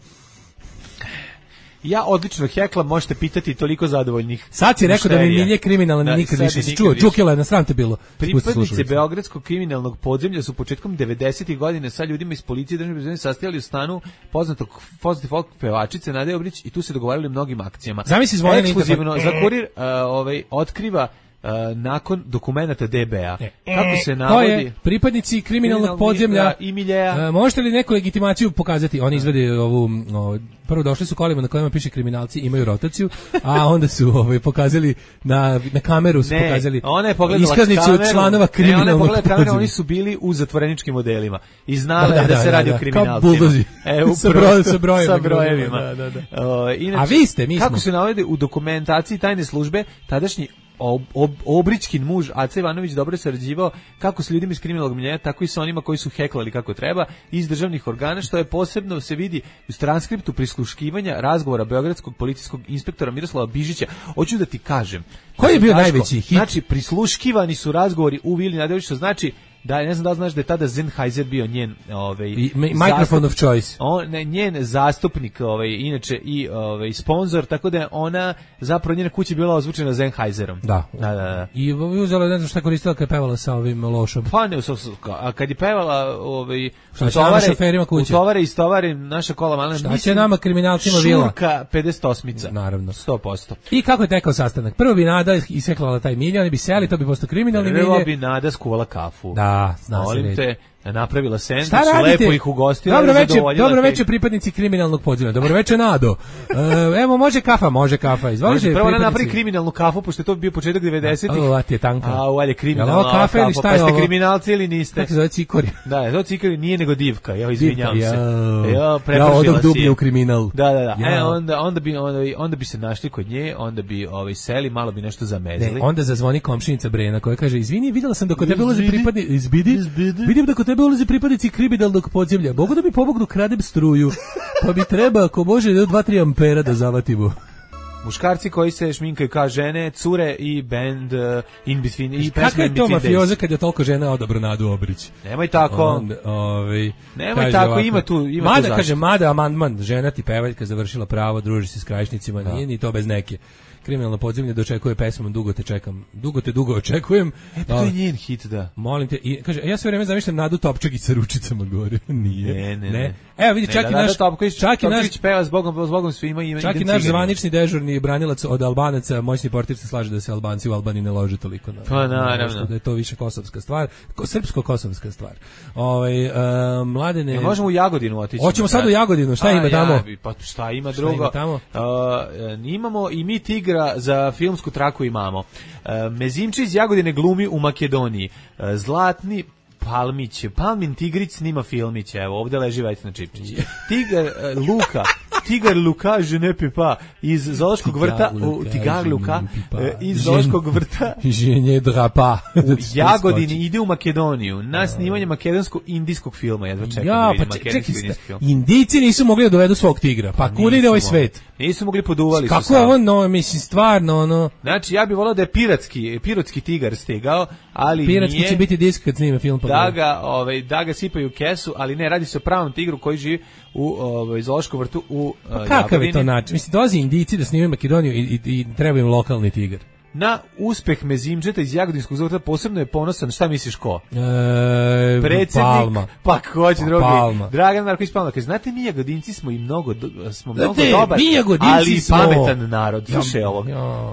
G: Ja odlično heklam, možete pitati toliko zadovoljnih.
H: Sad si rekao da mi milje kriminalan da, nikad više se čuo. Čukila je na sram te bilo.
G: Pripadnici beogradskog kriminalnog podzemlja su početkom devedesetih godina sa ljudima iz policije državne bezbednosti sastajali u stanu poznatog poznati folk pevačice Nade Obrić i tu se dogovarali o mnogim akcijama.
H: Zamisli zvone
G: ekskluzivno za Kurir uh, ovaj otkriva Uh, nakon dokumenata D B A. Kako se navodi?
H: To je pripadnici kriminalnog podzemlja
G: i miljeja.
H: Uh, možete li neku legitimaciju pokazati? Oni izvede ovu, o, prvo došli su kolima na kojima piše kriminalci imaju rotaciju, a onda su ovaj, pokazali na, na kameru su
G: ne,
H: pokazali
G: ona je
H: iskaznicu
G: kameru,
H: članova kriminalnog
G: ne, podzemlja. Oni su bili u zatvoreničkim modelima i znali da, da, da, da se radi da, o kriminalcima.
H: E, sa, broj, sa brojevima.
G: Sa brojevima.
H: Da, da, da.
G: Uh, inače,
H: a vi ste, mi smo.
G: Kako se navodi u dokumentaciji tajne službe, tadašnji Ob, ob, Obrićkin muž Aca Ivanović dobro sarađivao kako s ljudima iz kriminalnog miljeja, tako i sa onima koji su heklali kako treba iz državnih organa, što je posebno se vidi u transkriptu prisluškivanja razgovora beogradskog policijskog inspektora Miroslava Bižića. Hoću da ti kažem.
H: Koji je bio Daško, najveći hit?
G: Znači, prisluškivani su razgovori u Vili Nade Obrić, što znači da, ne znam da li znaš da je tada Sennheiser bio njen ovaj
H: I, microphone of choice.
G: On ne, njen zastupnik, ovaj inače i ovaj sponzor, tako da je ona zapravo njena kuća bila ozvučena Sennheiserom.
H: Da.
G: Da, da, da.
H: I uzela ne znam šta koristila kad je pevala sa ovim lošom.
G: Pa ne, a kad je pevala ovaj
H: tovare,
G: u tovare i stovare naša kola malena.
H: Šta će nama kriminalcima vila?
G: Šurka pedeset osmica.
H: Naravno.
G: sto posto.
H: I kako je tekao sastanak? Prvo bi Nada iseklala taj milje, oni bi seli, to bi postao kriminalni milje.
G: Prvo bi Nada skuvala kafu.
H: Da, zna
G: Molim te, napravila sendvič, lepo ih ugostila.
H: Dobro večer, dobro večer pripadnici kriminalnog podzemlja. Dobro večer Nado. E, evo može kafa, može kafa. Izvolite.
G: Prvo ona napravi kriminalnu kafu pošto je to bio početak devedesetih.
H: A ti je tanka.
G: A u ajde kriminalna kafa ili šta je ovo? Pa ste kriminalci ili niste?
H: Kako se zove cikori?
G: Da, to cikori nije nego divka. Ja izvinjavam se.
H: Ja, prepržila si. Ja u kriminal.
G: Da, da, da. E onda onda bi onda, onda bi se našli kod nje, onda bi ovaj seli, malo bi nešto zamezili.
H: Ne, onda zazvoni komšinica Brena koja kaže: "Izvini, videla sam da kod tebe ulaze pripadnici izbidi. Vidim da kod tebe ulaze pripadnici kriminalnog podzemlja. Mogu da mi pomognu kradem struju. Pa mi treba, ako može, dva tri ampera da zavatimo."
G: Muškarci koji se šminkaju kao žene, cure i band uh, In Between i
H: pesma In Between Days. Kako je to mafioza kad je toliko žena odabro Nadu Obrić?
G: Nemoj tako.
H: On, ovaj,
G: Nemoj tako, ovako, ima tu ima
H: Mada,
G: tu
H: kaže, Mada, amandman, žena ti pevaljka završila pravo, druži se s krajišnicima, da. Nije ni to bez neke. Kriminalno podzemlje dočekuje pesmom Dugo te čekam. Dugo te dugo očekujem.
G: E, pa to je njen hit, da.
H: Molim te, i kaže, ja sve vreme zamišljam Nadu Topčagić sa ručicama gore. Nije.
G: Ne, ne, ne.
H: Evo vidi, čak
G: ne,
H: i
G: da,
H: naš,
G: da, Topković,
H: čak i naš,
G: Topković peva zbogom, zbogom svima ima.
H: Čak i naš zvanični dežurni branilac od Albanaca, moćni portir se slaže da se Albanci u Albaniji ne lože toliko na.
G: Pa naravno.
H: Da je to više kosovska stvar, ko, srpsko-kosovska stvar. Ovaj uh, mladene.
G: Ne možemo u Jagodinu otići.
H: Hoćemo sad u Jagodinu, šta A, ima tamo?
G: Ja, pa šta ima drugo? Šta ima
H: tamo?
G: Uh, imamo i mi tigra za filmsku traku imamo. Uh, Mezimči iz Jagodine glumi u Makedoniji. Uh, Zlatni Palmić, Palmin Tigrić snima filmić, evo, ovde leži Vesna Čipčić. Tigar uh, Luka, Tigar Luka, je ne pipa, iz Zoološkog vrta, u Tigar Luka, uh, iz Zoološkog vrta,
H: ženje drapa.
G: U Jagodini ide u Makedoniju, na snimanje makedonsko-indijskog filma, jedva čekam
H: ja,
G: da vidim
H: pa
G: makedonsko-indijski film.
H: Indijci nisu mogli da dovedu svog tigra, pa, pa kuda ide ovaj svet?
G: Nisu mogli, poduvali su.
H: Kako je ovo, no, mislim, stvarno, ono...
G: Znači, ja bih volao da je piratski, pirotski tigar stigao, ali
H: piratski
G: nije...
H: će biti disk kad snime film. Pa
G: da ga, ovaj, da ga sipaju u kesu, ali ne, radi se o pravom tigru koji živi u ovaj, zoološkom vrtu u
H: pa uh, kakav je to način? Mislim, dolazi Indijci da snimaju Makedoniju i, i, i treba im lokalni tigar.
G: Na uspeh Mezimdžeta iz Jagodinskog zavrta posebno je ponosan, šta misliš ko?
H: E,
G: Predsjednik,
H: Palma.
G: Pa ko će drugi?
H: Palma.
G: Dragan Marković Palma. Kaže, znate, mi Jagodinci smo i mnogo, smo mnogo
H: znate,
G: dobar, ali i
H: smo...
G: pametan narod. Slušaj ovo.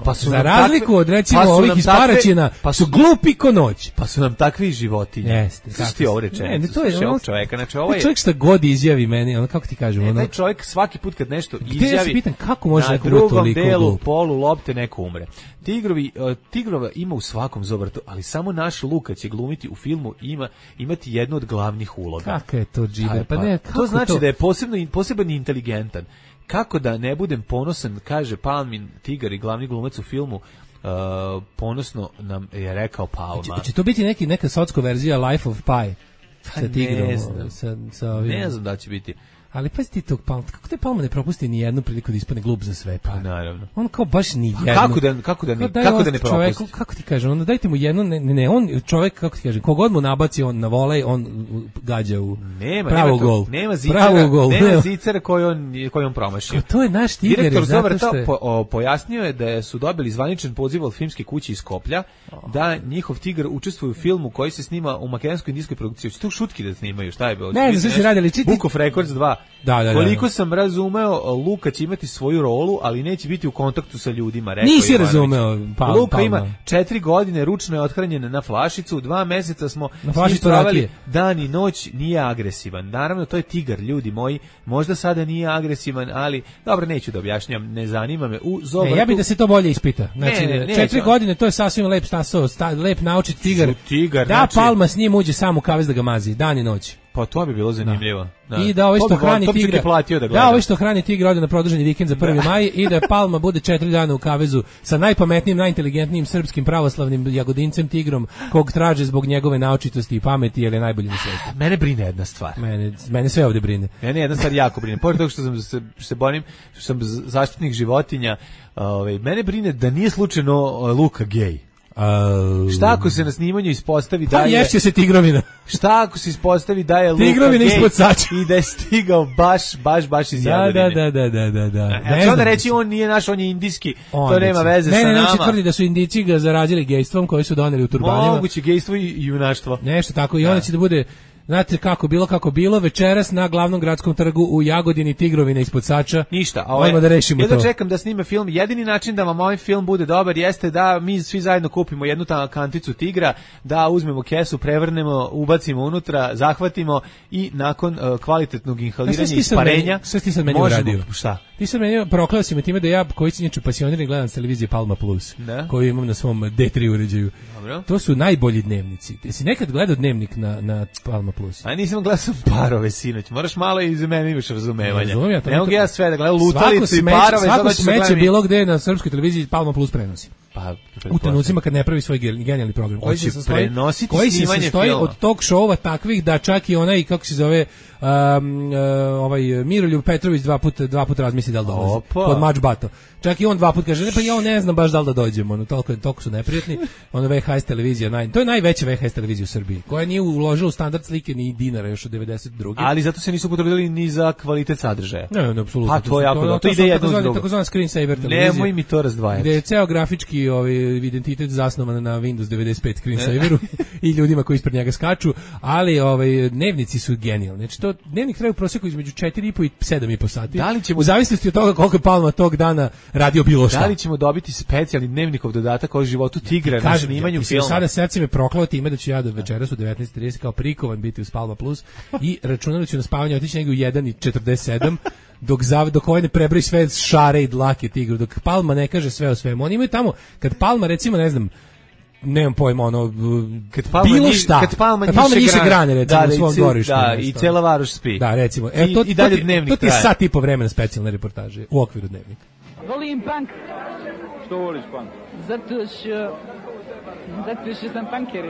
H: Pa su za razliku takve, od recimo pa ovih iz Paraćina, pa su glupi ko noć.
G: Pa su nam takvi životinje.
H: Jeste.
G: Slušaj ti ovo rečenicu.
H: Ne, ne, to je
G: ono čovjeka. Znači, ovo je...
H: čovjek šta god izjavi meni, ono, kako ti kažem? Ono...
G: Taj čovjek svaki put kad nešto
H: izjavi,
G: ja se
H: pitam, kako može
G: na drugom delu polu lopte neko umre. Tigrovi, uh, tigrova ima u svakom zovrtu, ali samo naš Luka će glumiti u filmu ima imati jednu od glavnih uloga.
H: Kako je to džiber? Pa ne, kako
G: to znači
H: to?
G: da je posebno poseban i inteligentan. Kako da ne budem ponosan, kaže Palmin tigar i glavni glumac u filmu. Uh, ponosno nam je rekao Palma.
H: Će, će to biti neki neka socko verzija Life of Pi
G: sa
H: tigrom?
G: Ne znam,
H: sa, sa ovim.
G: Ne znam da će biti.
H: Ali pa ti tog Palma, kako te Palma ne propusti ni jednu priliku da ispadne glup za sve? Pa
G: naravno.
H: On kao baš ni jednu.
G: Kako da kako da ne, kako da ne propusti?
H: Čovjeku, kako ti kažem, onda dajte mu jedno, ne, ne, on čovjek, kako ti kažem, kogod mu nabaci on na volej, on gađa u
G: nema,
H: pravo
G: nema to,
H: gol.
G: Nema zicera,
H: gol.
G: nema zicera koji on koji on promašio.
H: To je naš tigar.
G: Direktor Zovrta
H: je...
G: po, o, pojasnio je da su dobili zvaničan poziv od filmske kuće iz Skoplja oh. da njihov tigar učestvuje u filmu koji se snima u makedonsko-indijskoj produkciji. Hoće tu šutki da snimaju, šta je bilo?
H: Ne, ne, se radili čiti.
G: Book of Records dva.
H: Da, da,
G: koliko sam razumeo, Luka će imati svoju rolu, ali neće biti u kontaktu sa ljudima. Rekao
H: Nisi razumeo,
G: pa, Luka Palma. Ima četiri godine, ručno je othranjen na flašicu, dva meseca smo
H: stravali
G: dan i noć, nije agresivan. Naravno, to je tigar, ljudi moji, možda sada nije agresivan, ali, dobro, neću da objašnjam, ne zanima me. U Zovrtu...
H: Ne, ja bih da se to bolje ispita. Znači,
G: ne, ne,
H: četiri
G: neću.
H: godine, to je sasvim lep stasao, sta, lep naučiti tigar.
G: tigar
H: da,
G: znači...
H: Palma s njim uđe sam u kavez da ga mazi, dan i noć.
G: Pa to bi bilo zanimljivo.
H: Da. I da ovaj što hrani tigra,
G: da,
H: da ovaj što hrani tigra ode na produženi vikend za prvi maj i da Palma bude četiri dana u kavezu sa najpametnijim, najinteligentnijim srpskim pravoslavnim jagodincem tigrom kog traže zbog njegove naučitosti i pameti jer je najbolji na svijetu.
G: Mene brine jedna stvar.
H: Mene, mene sve ovdje brine.
G: Mene jedna stvar jako brine. Pored toga što sam se, što se borim, što sam zaštitnik životinja, ovaj, mene brine da nije slučajno Luka gej.
H: Uh,
G: šta ako se na snimanju ispostavi da
H: je... Pa ješće se tigrovina.
G: Šta ako se ispostavi da je Luka
H: tigrovina ispod sača
G: i da je stigao baš, baš, baš iz Jagodine.
H: Da, da, da, da, da.
G: Ne znači onda reći on nije naš, on je indijski, on to nema veze
H: ne,
G: sa
H: ne,
G: nama.
H: Ne, ne, tvrdi da su Indijci ga zarazili gejstvom koji su doneli u turbanima.
G: Moguće gejstvo i junaštvo.
H: Nešto tako i onda će da bude... Znate kako bilo kako bilo večeras na glavnom gradskom trgu u Jagodini tigrovina ispod sača.
G: Ništa,
H: a ovaj da rešimo
G: ja
H: to.
G: Ja čekam da snime film. Jedini način da vam ovaj film bude dobar jeste da mi svi zajedno kupimo jednu tamo kanticu tigra, da uzmemo kesu, prevrnemo, ubacimo unutra, zahvatimo i nakon uh, kvalitetnog inhaliranja i isparenja
H: sve ti sad meni uradio.
G: Šta?
H: Ti sad meni prokleo si me time da ja koji sam inače pasionirani gledam s televizije Palma Plus,
G: ne?
H: Koju imam na svom D tri uređaju.
G: Dobro.
H: To su najbolji dnevnici. Jesi nekad gledao dnevnik na na Palma Plus?
G: A nisam gledao sam Parove sinoć. Moraš malo i za mene imaš razumevanja.
H: Ne,
G: ne mogu ja sve da gledam Lutalicu i Parove.
H: Svako smeće bilo gde na srpskoj televiziji Palma Plus prenosi.
G: Pa,
H: u trenucima kad ne pravi svoj genijalni program koji se sastoji,
G: koji
H: se sastoji od talk showa takvih da čak i onaj, kako se zove, um, uh, ovaj Miroljub Petrović dva puta dva puta razmisli da li dolazi pod mač bato. Čak i on dva puta kaže, ne, pa ja ne znam baš da li da dođemo, ono, toliko, toliko su neprijatni. Ono V H S televizija, naj, to je najveća V H S televizija u Srbiji, koja nije uložila u standard slike ni dinara još od devedeset druge.
G: Ali zato se nisu potrudili ni za kvalitet sadržaja.
H: Ne, ne, apsolutno.
G: Pa to je jako dobro. To ide jedno s drugom.
H: Takozvana screensaver televizija.
G: Nemoj mi to razdvajati.
H: Gde je ceo grafički ovaj identitet zasnovan na Windows devedeset pet screensaveru i ljudima koji ispred njega skaču, ali ovaj dnevnici su genijalni. Znači to dnevnik traje u proseku između četiri i po i sedam i po sati.
G: Da li ćemo,
H: u zavisnosti od toga koliko je Palma tog dana radio bilo šta.
G: Da li ćemo dobiti specijalni dnevnikov dodatak o životu tigra na snimanju
H: ja,
G: filma?
H: Sada srce me proklao time da ću ja do večeras u devetnaest trideset kao prikovan biti uz Palma Plus i računam ću na spavanje otići negdje u jedan i četrdeset sedam dok zav, dok ovaj ne prebroji sve šare i dlake tigru, dok Palma ne kaže sve o svemu. Oni imaju tamo, kad Palma recimo, ne znam, nemam pojma, ono,
G: kad Palma
H: bilo
G: nji,
H: šta,
G: kad Palma
H: kad Palma niše grane, recimo,
G: da,
H: u svom dvorištu.
G: Da, i cela varoš spi.
H: Da, recimo. E, to,
G: I, i dalje
H: to,
G: dnevnik
H: to ti je
G: traje.
H: sat i po vremena specijalne reportaže u okviru dnevnika.
K: Volim punk.
L: Što voliš punk?
K: Zato što... Zato što sam punker.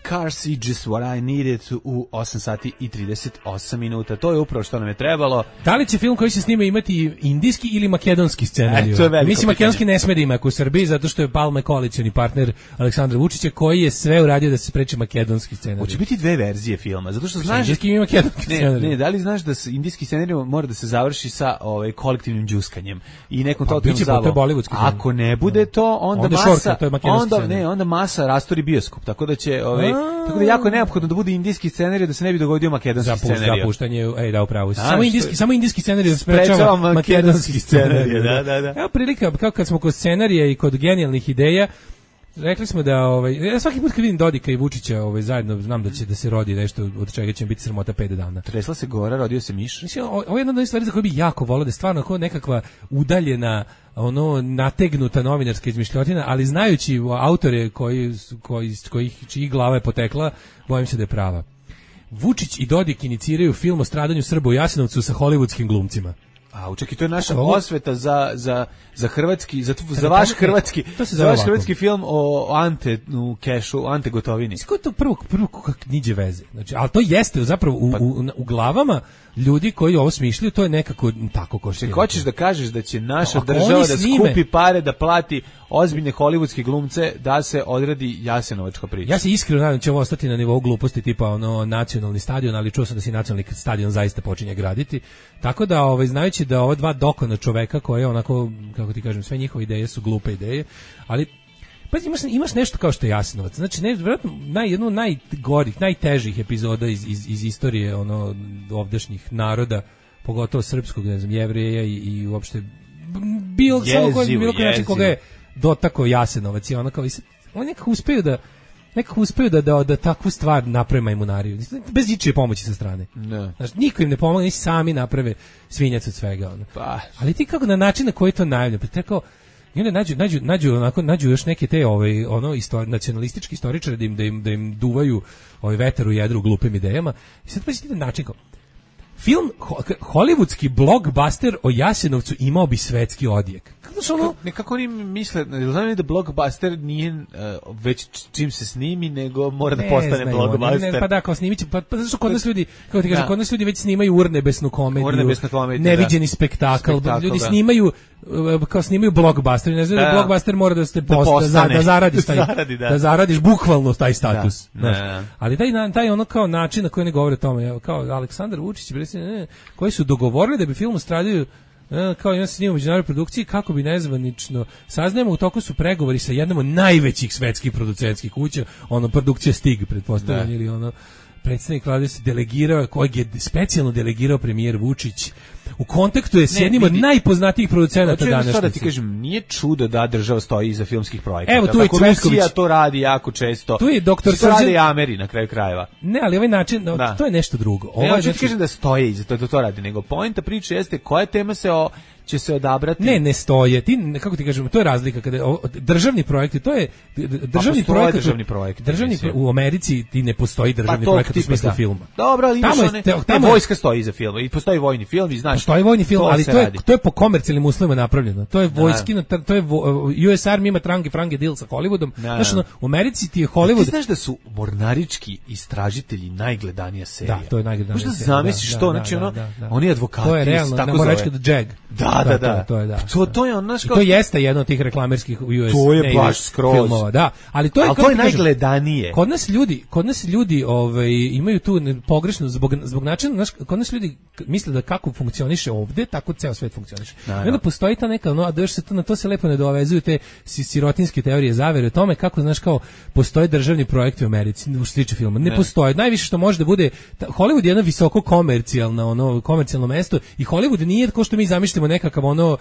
G: Cars is just what I needed u osam sati i trideset osam minuta. To je upravo što nam je trebalo.
H: Da li će film koji se snima imati indijski ili makedonski scenarij?
G: E,
H: Mislim, makedonski ne sme da ima u Srbiji, zato što je Palma koalicioni partner Aleksandra Vučića, koji je sve uradio da se spreči makedonski scenarij.
G: Hoće biti dve verzije filma, zato što znaš...
H: Indijski i makedonski scenarij.
G: Ne, ne, da li znaš da se indijski scenarij mora da se završi sa ovaj, kolektivnim džuskanjem i nekom
H: pa,
G: totalnom zabavom. Ako ne bude to, onda,
H: onda
G: masa...
H: Šorka, to je makedonski
G: onda, ne, onda masa rastori bioskop, tako da će... Ovaj, tako da jako je neophodno da bude indijski scenarij da se ne bi dogodio makedonski
H: Zapuš,
G: scenarij.
H: Zapuštanje, ej da upravo. Samo indijski, samo indijski scenarij sprečava makedonski scenarij.
G: Da, da, da.
H: Evo prilika, kao kad smo kod scenarija i kod genijalnih ideja, rekli smo da ovaj ja svaki put kad vidim Dodika i Vučića ovaj zajedno znam da će da se rodi nešto od čega će biti sramota pet dana.
G: Tresla se gora, rodio se miš.
H: Mislim, ovo je jedna od onih stvari za koje bi jako voleo da je stvarno kao nekakva udaljena, ono nategnuta novinarska izmišljotina, ali znajući autore koji koji kojih čiji glava je potekla, bojim se da je prava. Vučić i Dodik iniciraju film o stradanju Srba u Jasenovcu sa hollywoodskim glumcima.
G: A, čekaj, to je naša osveta za, za, za hrvatski, za, za vaš hrvatski, za vaš hrvatski film o Ante u kešu, Ante Gotovini.
H: Kako to prvo, prvo kak niđe veze. Znači, ali to jeste zapravo u, u, u glavama ljudi koji ovo smišljaju, to je nekako tako ko što je.
G: Hoćeš da kažeš da će naša no, država da snime, skupi pare da plati ozbiljne hollywoodske glumce da se odradi Jasenovačka priča.
H: Ja se iskreno nadam da će ovo ostati na nivou gluposti tipa ono nacionalni stadion, ali čuo sam da se nacionalni stadion zaista počinje graditi. Tako da ovaj znajući da ova dva dokona čoveka koje onako kako ti kažem sve njihove ideje su glupe ideje, ali pa imaš, imaš nešto kao što je Jasenovac. Znači, ne, vjerojatno, naj, jednu od najgorih, najtežih epizoda iz, iz, iz istorije ono, ovdašnjih naroda, pogotovo srpskog, ne znam, Jevreja i, i uopšte bilo, samo koji, bilo koji način koga je dotakao Jasenovac i ono kao, on nekako uspeju da nekako uspeju da, da, da takvu stvar naprave majmunariju. Bez ičije pomoći sa strane.
G: Ne.
H: Znači, niko im ne pomogne, ni sami naprave svinjac od svega. Ono.
G: Pa.
H: Ali ti kako na način na koji to najavlja, pa tako i onda nađu, nađu, nađu, onako, nađu još neke te ovaj, ono, istor, nacionalistički istoričari da im, da im, da im duvaju ovaj vetar u jedru glupim idejama. I sad pa si ti način kao, film, ho, hollywoodski blockbuster o Jasenovcu imao bi svetski odjek. Kako su ono?
G: Nekako oni misle, znam da blockbuster nije uh, već čim se snimi, nego mora da postane
H: znaju,
G: blockbuster.
H: Ne, ne, pa da, kao snimit će, pa, pa zato što kod nas ljudi, kako ti kažem, kod nas ljudi već snimaju urnebesnu komediju,
G: urnebesnu komediju
H: neviđeni
G: da.
H: spektakl,
G: spektakl,
H: ljudi
G: da.
H: snimaju, kao snimaju blockbuster, ne znam da, da blockbuster mora da ste post, da, za, da zaradiš taj, Zaradi, da. da zaradiš bukvalno taj status.
G: Da. Da.
H: Ali taj, taj ono kao način na koji ne govore o tome, kao Aleksandar Vučić, ne, koji su dogovorili da bi film stradio kao ja snimam u međunarodnoj produkciji kako bi nezvanično saznajemo u toku su pregovori sa jednom od najvećih svetskih producentskih kuća, ono produkcija Stig pretpostavljam ili ono predstavnik vlade se delegirao, kojeg je specijalno delegirao premijer Vučić. U kontaktu je s jednim od najpoznatijih producenata današnjice.
G: Da ti kažem, nije čudo da država stoji iza filmskih projekata.
H: Evo tu je Cvetković.
G: Rusija to radi jako često.
H: Tu je doktor
G: Srđan. To radi Ameri na kraju krajeva.
H: Ne, ali ovaj način, da. To je nešto drugo.
G: Ovo ne, hoću ti kažem da stoje iza to, to, to radi, nego poenta priče jeste koja tema se o će se odabrati.
H: Ne, ne stoje. Ti kako ti kažemo, to je razlika kada o, državni projekti, to je državni
G: pa
H: projekat.
G: Državni projekti.
H: Državni pro, u Americi ti ne postoji državni
G: pa
H: projekat u smislu filma.
G: Dobro, ali imaš
H: tamo
G: one,
H: te, tamo
G: ne, vojska stoji iza filma i postoji vojni film i znaš.
H: Postoji vojni film,
G: to
H: ali to je
G: radi.
H: to je po komercijalnim uslovima napravljeno. To je vojskina, to je U S Army ima trange frange deal sa Hollywoodom. Znaš, no, u Americi ti je Hollywood.
G: Ti znaš da su Mornarički istražitelji najgledanija serija.
H: Da, to je najgledanija
G: serija.
H: serija.
G: Možda zamisliš to, znači ono, oni advokati.
H: To je realno,
G: tako
H: Mornarički Jag.
G: Da, da, da.
H: To je da.
G: To to je ono
H: što to jeste jedno od tih reklamerskih U S
G: to je baš skroz
H: filmova, da. Ali to je,
G: ali to je najgledanije.
H: Kod nas ljudi, kod nas ljudi, ovaj imaju tu pogrešno zbog zbog načina, znaš, kod nas ljudi misle da kako funkcioniše ovde, tako ceo svet funkcioniše. I onda postoji ta neka, no, a da još se to na to se lepo ne dovezuju te sirotinske teorije zavere o tome kako, znaš, kao postoje državni projekti u Americi u što se tiče filma. Ne, ne postoji. Najviše što može da bude ta, Hollywood je jedno visoko komercijalno, ono komercijalno mesto i Hollywood nije kao što mi zamišljamo nekakav ono uh,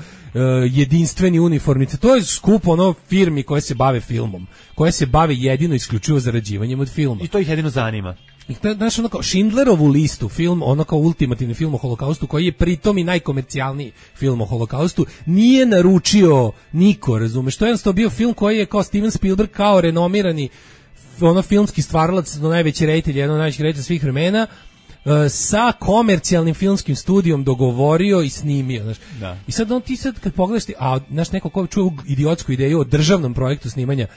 H: jedinstveni uniformice. To je skup ono firmi koje se bave filmom, koje se bave jedino isključivo zarađivanjem od filma.
G: I to ih jedino zanima.
H: I to je, znaš, ono kao Schindlerovu listu, film, ono kao ultimativni film o holokaustu, koji je pritom i najkomercijalniji film o holokaustu, nije naručio niko, razumeš? To je jednostavno bio film koji je kao Steven Spielberg, kao renomirani ono filmski stvaralac, do najveći reditelj, jedan od najvećih reditelja svih vremena, sa komercijalnim filmskim studijom dogovorio i snimio, znaš.
G: Da.
H: I sad on ti sad kad pogledaš ti, a znaš, neko ko čuje idiotsku ideju o državnom projektu snimanja,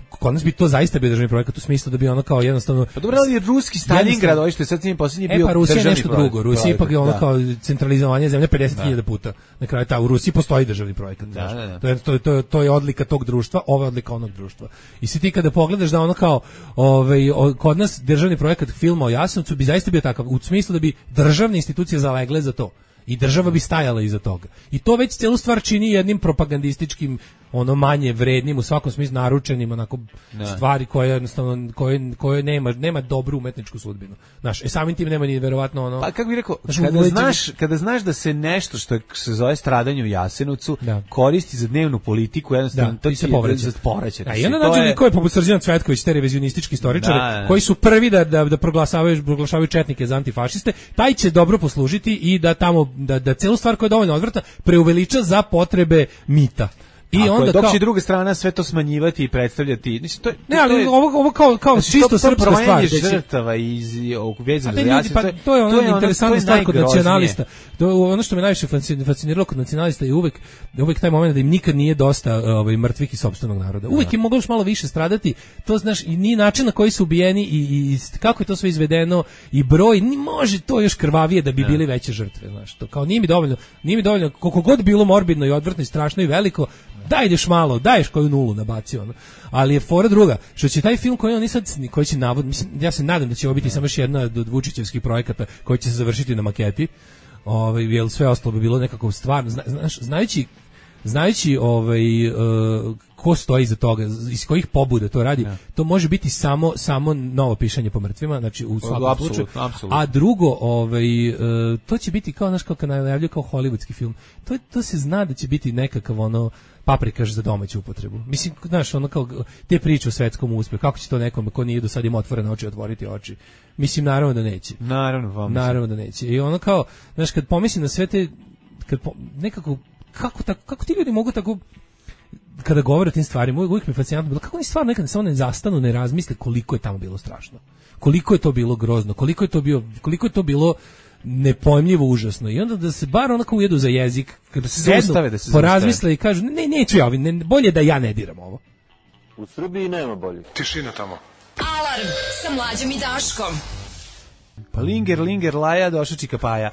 H: kod nas bi to zaista bio državni projekat u smislu da bi ono kao jednostavno.
G: Pa dobro, ali ruski Stalingrad, ovaj što je sad njim posljednji bio.
H: E pa Rusija je nešto
G: projekt,
H: drugo. Rusija ipak je ono
G: da.
H: kao centralizovanje zemlje pedeset hiljada puta. Na kraju ta u Rusiji postoji državni projekat.
G: Da, da, da.
H: To je to je to je to je odlika tog društva, ova je odlika onog društva. I si ti kada pogledaš da ono kao ovaj kod nas državni projekat filma o Jasenovcu bi zaista bio takav u smislu da bi državne institucije zalegle za to. I država bi stajala iza toga. I to već celu stvar čini jednim propagandističkim, ono manje vrednim, u svakom smislu naručenim, onako ne. stvari koje jednostavno koje, koje nema, nema dobru umetničku sudbinu. Znaš, e samim tim nema ni verovatno ono.
G: Pa kako bih rekao, znaš, kada znaš, kada znaš da se nešto što je, se zove stradanje u Jasenovcu da. koristi za dnevnu politiku, jednostavno
H: da,
G: to
H: se povraća.
G: povraća.
H: A jedan način je koji poput Srđana Cvetković, te revizionistički istoričari, da, da. koji su prvi da da, da proglašavaju proglašavaju četnike za antifašiste, taj će dobro poslužiti i da tamo da da celu stvar koja je dovoljno odvrta preuveliča za potrebe mita. I
G: Ako
H: onda
G: je, dok
H: kao,
G: će druga strana sve to smanjivati i predstavljati, mislim to je
H: ne, ali
G: to je,
H: ovo ovo kao kao
G: znači,
H: čisto
G: to,
H: srpska
G: to
H: stvar,
G: žrtava iz ovog vezano za
H: Jasen, pa to je ono interesantna stvar kod nacionalista. To ono što me najviše fasciniralo kod nacionalista je uvek uvek taj momenat da im nikad nije dosta ovaj mrtvih iz sopstvenog naroda. Uvek im moglo još malo više stradati. To znaš i ni način na koji su ubijeni i, i kako je to sve izvedeno i broj ni može to još krvavije da bi bili veće žrtve, znaš. To kao nije mi dovoljno, nije mi dovoljno koliko god bilo morbidno i odvrtno i strašno i veliko. Daj ideš malo, daješ koju nulu nabacio ono. Ali je fora druga, što će taj film koji oni sad koji će navod, mislim ja se nadam da će ovo biti samo još jedna od Vučićevskih projekata koji će se završiti na maketi. Ovaj jel sve ostalo bi bilo nekako stvarno, zna, znaš, znajući znajući ovaj uh, ko stoji iza toga, iz kojih pobuda to radi, ja. to može biti samo samo novo pišanje po mrtvima, znači u svakom slučaju. A drugo, ovaj uh, to će biti kao naš kao najavljuje kao hollywoodski film. To to se zna da će biti nekakav ono paprikaš za domaću upotrebu. Mislim, znaš, ono kao te priče o svetskom uspehu, kako će to nekom ko nije do sad ima otvorene oči otvoriti oči. Mislim, naravno da neće.
G: Naravno, vam
H: naravno da neće. I ono kao, znaš, kad pomislim na sve te, kad po, nekako, kako, tako, kako ti ljudi mogu tako, kada govore o tim stvarima, uvijek mi je fascinantno bilo, kako oni stvarno nekada samo ne zastanu, ne razmisle koliko je tamo bilo strašno. Koliko je to bilo grozno, koliko je to bio, koliko je to bilo nepojmljivo užasno. I onda da se bar onako ujedu za jezik, kada se zastave, da se porazmisle i kažu, ne, neću ja ovim, ne, bolje da ja ne diram ovo.
L: U Srbiji nema bolje.
E: Tišina tamo.
F: Alarm sa Mlađom i Daškom.
G: Pa Linger, Linger, Laja, došao Čika Paja.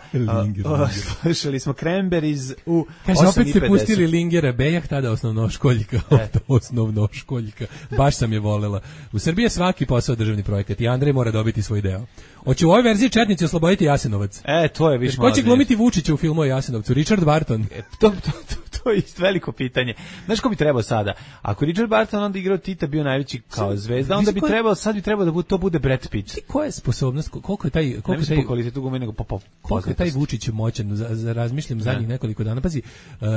G: Slušali smo Cranberries u
H: Kaže, opet ste pustili Lingera, Bejah, tada osnovnoškoljka. E. osnovnoškoljka. Baš sam je volela. U Srbiji je svaki posao državni projekat i Andrej mora dobiti svoj deo. Hoće u ovoj verziji četnici osloboditi Jasenovac.
G: E, to je više malo.
H: Ko će glumiti Vučića u filmu o Jasenovcu? Richard Barton.
G: E, to, to, to, to. to je isto veliko pitanje. Znaš ko bi trebao sada? Ako Richard Burton onda igrao Tita, bio najveći kao zvezda, onda bi trebao, sad bi trebao da bude, to bude Brad Pitt.
H: Koja je sposobnost, koliko je taj... Koliko
G: ne mislim po kvalitetu gume, nego po, po
H: koliko je taj Vučić moćan, za, za razmišljam zadnjih nekoliko dana. Pazi, uh,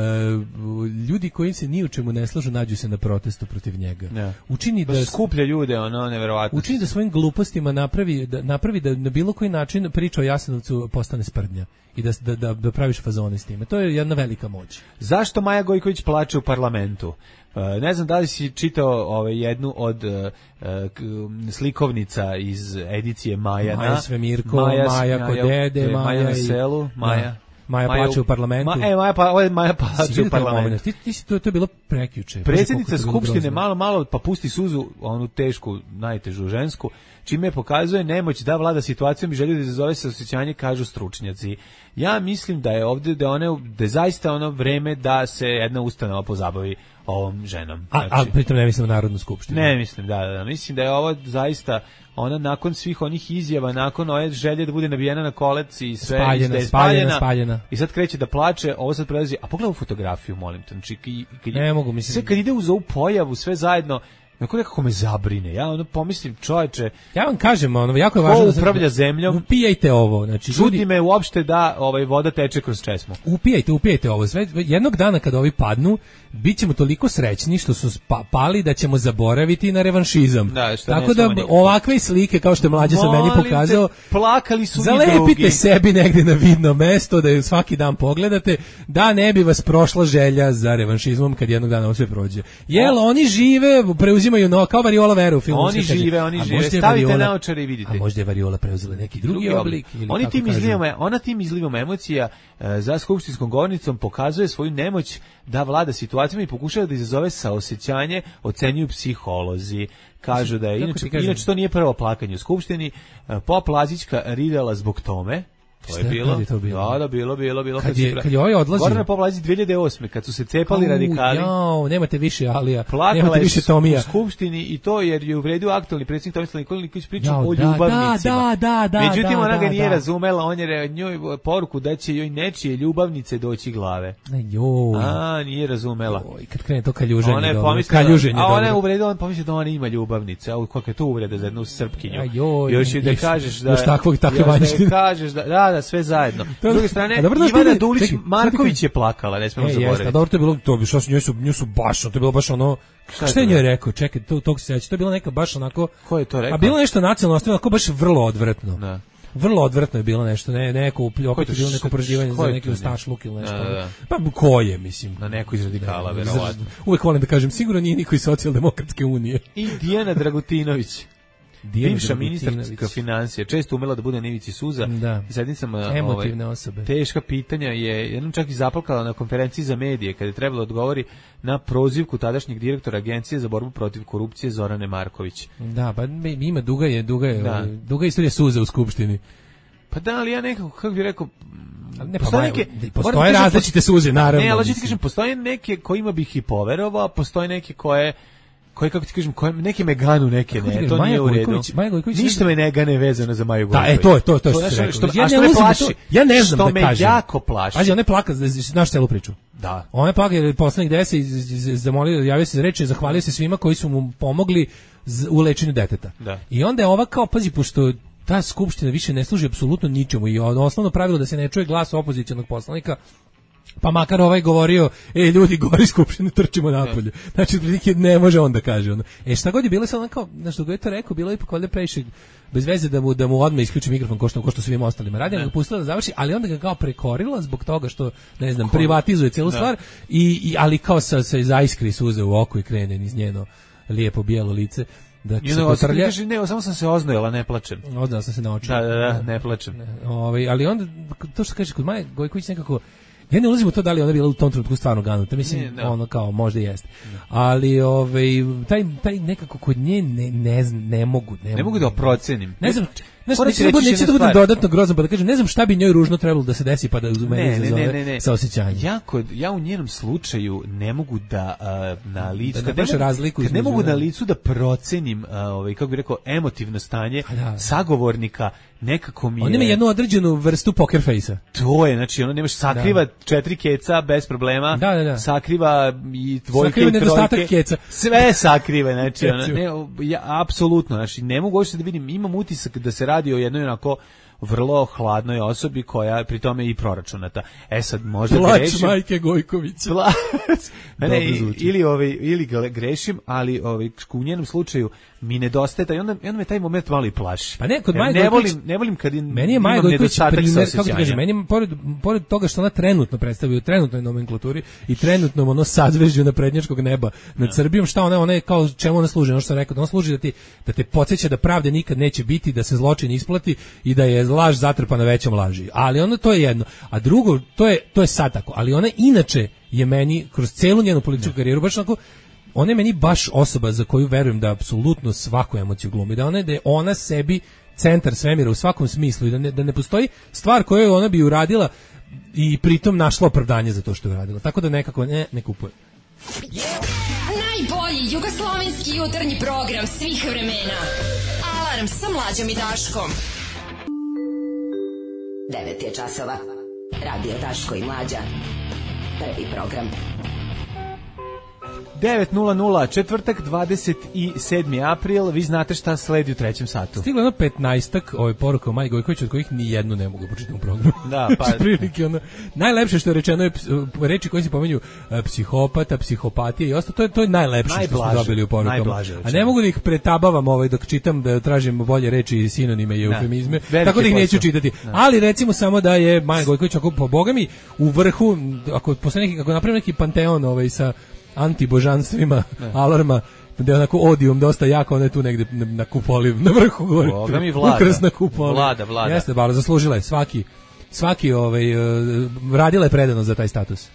H: ljudi koji se ni u čemu ne slažu nađu se na protestu protiv njega.
G: Ja.
H: Učini da...
G: skuplja ljude, ono, neverovatno.
H: Učini da svojim glupostima napravi da, napravi da na bilo koji način priča o Jasenovcu postane sprdnja. I da, da, da, da praviš fazone s time. To je jedna velika moć.
G: Zašto Maja Gojković plače u parlamentu? Uh, ne znam da li si čitao ovaj, jednu od uh, uh, slikovnica iz edicije Maja.
H: Maja Svemirko, Maja, Maja kod dede, Maja,
G: Maja na
H: i,
G: selu, Maja.
H: Maja plače u parlamentu.
G: Ma, e, Maja, pa, ovo je Maja plače u parlamentu.
H: Ti, ti si, to, to je bilo prekjuče.
G: Predsjednica Skupštine malo, malo pa pusti suzu, onu tešku, najtežu žensku, čime pokazuje nemoć da vlada situacijom i želju da izazove se osjećanje, kažu stručnjaci. Ja mislim da je ovdje, da, one, da je zaista ono vreme da se jedna ustanova pozabavi ovom ženom.
H: Znači, a, a pritom ne mislim na Narodnu skupštinu.
G: Ne mislim, da, da, da. Mislim da je ovo zaista ona nakon svih onih izjava, nakon ove želje da bude nabijena na kolec i sve,
H: spaljena,
G: i
H: spaljena, spaljena.
G: I sad kreće da plače, ovo sad prelazi, a pogledaj ovu fotografiju, molim te, znači, kad,
H: ne mogu, mislim.
G: Sve kad ide uz ovu pojavu, sve zajedno, Neko nekako me zabrine. Ja ono pomislim, čoveče,
H: ja vam kažem, ono jako je važno
G: da upravlja zemljom.
H: Upijajte ovo, znači
G: čudi ljudi, me uopšte da ovaj voda teče kroz česmu.
H: Upijajte, upijajte ovo. Sve jednog dana kada ovi padnu, bićemo toliko srećni što su pali da ćemo zaboraviti na revanšizam.
G: Da,
H: tako da ovakve slike kao što je Mlađa sa meni pokazao,
G: te, plakali su
H: zalepite sebi negde na vidno mesto da je svaki dan pogledate, da ne bi vas prošla želja za revanšizmom kad jednog dana ovo sve prođe. Jel oni žive, preuzimaju no kao variola veru u filmu.
G: Oni žive, oni žive. Stavite naočare i vidite.
H: A možda je variola preuzela neki drugi, drugi oblik. Ili
G: oni tim izlivama, ona tim izlivom emocija e, za skupštinskom govornicom pokazuje svoju nemoć da vlada situacijama i pokušava da izazove saosećanje, ocenjuju psiholozi. Kažu da je, inače, inače to nije prvo plakanje u skupštini. Pop Lazićka ridala zbog tome. To je bilo.
H: To bilo?
G: Da, da, bilo, bilo, bilo.
H: Kad, kad je, kad je ovaj odlazio.
G: Gorana Povlazi dve hiljade osme kad su se cepali Au, radikali.
H: Jao, nemate više Alija,
G: plakala
H: nemate više Tomija.
G: U skupštini i to jer je uvredio aktualni predsjednik Tomislav Nikolić pričao o ljubavnicima.
H: Da, da, da,
G: Međutim,
H: da,
G: ona ga
H: da,
G: nije
H: da.
G: razumela, on je njoj poruku da će joj nečije ljubavnice doći glave.
H: Joj.
G: A, nije razumela.
H: Joj, kad krene to kaljuženje.
G: Ona je
H: pomislila,
G: a ona je uvredila, on pomislio da ona ima ljubavnice. A kakva je to uvreda za jednu Srpkinju.
H: Joj,
G: još da kažeš da
H: još takvog takve vanjštine.
G: Kažeš da, da, da, sve zajedno. S druge strane, Ivana Dulić Marković je plakala, ne smemo zaboraviti.
H: Jeste, dobro, to je bilo, to bi što su, nju su, nju su baš, to je bilo baš ono, šta je njoj rekao, čekaj, to, tog se seća, to je bilo neka baš onako,
G: ko je to rekao?
H: A bilo nešto nacionalno, ostavljeno, onako baš vrlo odvratno.
G: Da.
H: Vrlo odvratno je bilo nešto, ne, neko, opet je bilo neko proživanje za neki ustašluk ili nešto.
G: Da, da.
H: Pa ko je, mislim?
G: Na neko iz radikala, verovatno.
H: Uvijek volim da kažem, sigurno nije niko iz Socijaldemokratske unije.
G: I Dijana Dragutinović.
H: Dijana
G: bivša ministarka financija, često umela da bude na ivici suza.
H: Da.
G: I sad nisam,
H: emotivne
G: ovaj,
H: osobe.
G: Teška pitanja je, jednom čak i zaplakala na konferenciji za medije, kada je trebalo odgovori na prozivku tadašnjeg direktora Agencije za borbu protiv korupcije Zorane Marković.
H: Da, pa ima duga je, duga je, da. duga istorija suza u skupštini.
G: Pa da, ali ja nekako, kako bih rekao,
H: ne, postoje, neke, postoje različite suze, naravno.
G: Ne, ali ti kažem, postoje neke kojima bih i poverovao, a postoje neke koje koje, kako ti kažem, koje, neke me ganu, neke ne, to nije u redu. Ništa me ne gane vezano za Maju Gojković.
H: Da, e, to je, to je, to što se rekao. Ja ne plaši, ja ne znam da kažem.
G: Što me jako plaši.
H: Pazi, ona je plaka, znaš celu priču.
G: Da.
H: Ona je plaka jer poslanik deset zamolio, javio se za reč, zahvalio se svima koji su mu pomogli u lečenju deteta.
G: Da.
H: I onda je ova kao, pazi, pošto ta skupština više ne služi apsolutno ničemu i osnovno pravilo da se ne čuje glas opozicionog poslanika, pa makar ovaj govorio, e, ljudi, gori skupštine, trčimo napolje. Znači, ne može on da kaže. Ono. E, šta god je bilo, sad on kao, znaš, što ga je to rekao, bilo je ipak valjda previše bez veze da mu, da mu odmah isključi mikrofon ko što, ko što svim ostalima radi, ga pustila da završi, ali onda ga kao prekorila zbog toga što, ne znam, privatizuje cijelu stvar, i, i, ali kao sa, sa zaiskri suze u oko i krene niz njeno lijepo bijelo lice. Da
G: se potrlja. Kaže, ne, samo sam se oznojila, ne plačem.
H: Oznojila sam se na oči.
G: Da, da, da, ne plačem.
H: Ne, ovaj, ali onda, to što kaže, kod Maje Gojković nekako, ja ne ulazim u to da li ona bila u tom trenutku stvarno ganuta, mislim, ne, ono kao, možda jeste. Ne. Ali ovaj, taj, taj nekako kod nje ne, ne, ne mogu. Ne,
G: ne mogu da procenim.
H: Ne znam, Znaš, neće da bude, neće da bude dodatno grozno, pa da kažem, ne znam šta bi njoj ružno trebalo da se desi, pa da uz mene izazove ne, ne, ne, ne. saosećanje.
G: Ja, kod, ja u njenom slučaju ne mogu da uh, na licu,
H: da, da
G: kad, ne,
H: razliku
G: kad ne mogu na licu da procenim, uh, ovaj, kako bih rekao, emotivno stanje da. sagovornika, nekako mi je...
H: On ima jednu određenu vrstu poker face-a.
G: To je, znači, ono nemaš, sakriva da. četiri keca bez problema,
H: da, da, da.
G: sakriva i dvojke
H: sakriva
G: i trojke.
H: Nedostatak keca.
G: Sve sakriva, znači, ono, ne, ja, apsolutno, znači, ne mogu uopšte da vidim, imam utisak da se radi o jednoj onako vrlo hladnoj osobi koja pri tome i proračunata. E sad možda
H: Plač
G: grešim.
H: Plač majke Gojkovića.
G: Plač. Ne, ili ovaj ili grešim, ali ovaj u njenom slučaju mi nedostaje taj, onda onda me taj moment malo i plaši.
H: Pa ne, kod Maje
G: ne volim, ne volim kad
H: meni je Maja Gojković primer, kako ti kažem, meni je, pored, pored toga što ona trenutno predstavlja u trenutnoj nomenklaturi i trenutnom ono sadzvežđu naprednjačkog neba nad Srbijom, šta ona, ona je kao čemu ona služi, ono što sam rekao, da ona služi da ti da te podsjeća da pravde nikad neće biti, da se zločin isplati i da je laž zatrpana većom laži. Ali ono to je jedno, a drugo to je to je sad tako, ali ona inače je meni kroz celu njenu političku karijeru baš onako, ona je meni baš osoba za koju verujem da apsolutno svaku emociju glumi, da ona, da je ona sebi centar svemira u svakom smislu i da ne, da ne postoji stvar koju ona bi uradila i pritom našla opravdanje za to što je uradila. Tako da nekako ne, ne kupuje.
M: Najbolji jugoslovenski jutarnji program svih vremena. Alarm sa Mlađom i Daškom.
A: devet je časova. Radio Daško i Mlađa. Prvi program.
G: devet nula nula, četvrtak, dvadeset sedmi april, vi znate šta sledi u trećem satu.
H: Stiglo jedno petnaestak ove poruka o Maji Gojković, od kojih ni jednu ne mogu početi u programu.
G: Da, pa...
H: prilike, ono, najlepše što je rečeno je reči koje se pomenju psihopata, psihopatija i ostalo, to je, to je najlepše najblaže, što smo dobili u porukama. A ne mogu da ih pretabavam ovaj, dok čitam, da tražim bolje reči i sinonime i eufemizme, tako da ih neću čitati. Ne. Ali recimo samo da je Maja Gojković, ako po Boga mi, u vrhu, ako, posle neki, ako napravim neki panteon ovaj, sa antibožanstvima, ne. Alarma, da je onako odijum dosta jako, ona je tu negde na, na kupoli, na vrhu gore.
G: Boga mi vlada.
H: Ukrasna kupoli.
G: Vlada, vlada.
H: Jeste, bar zaslužila je svaki, svaki ovaj, uh, radila je predano za taj status.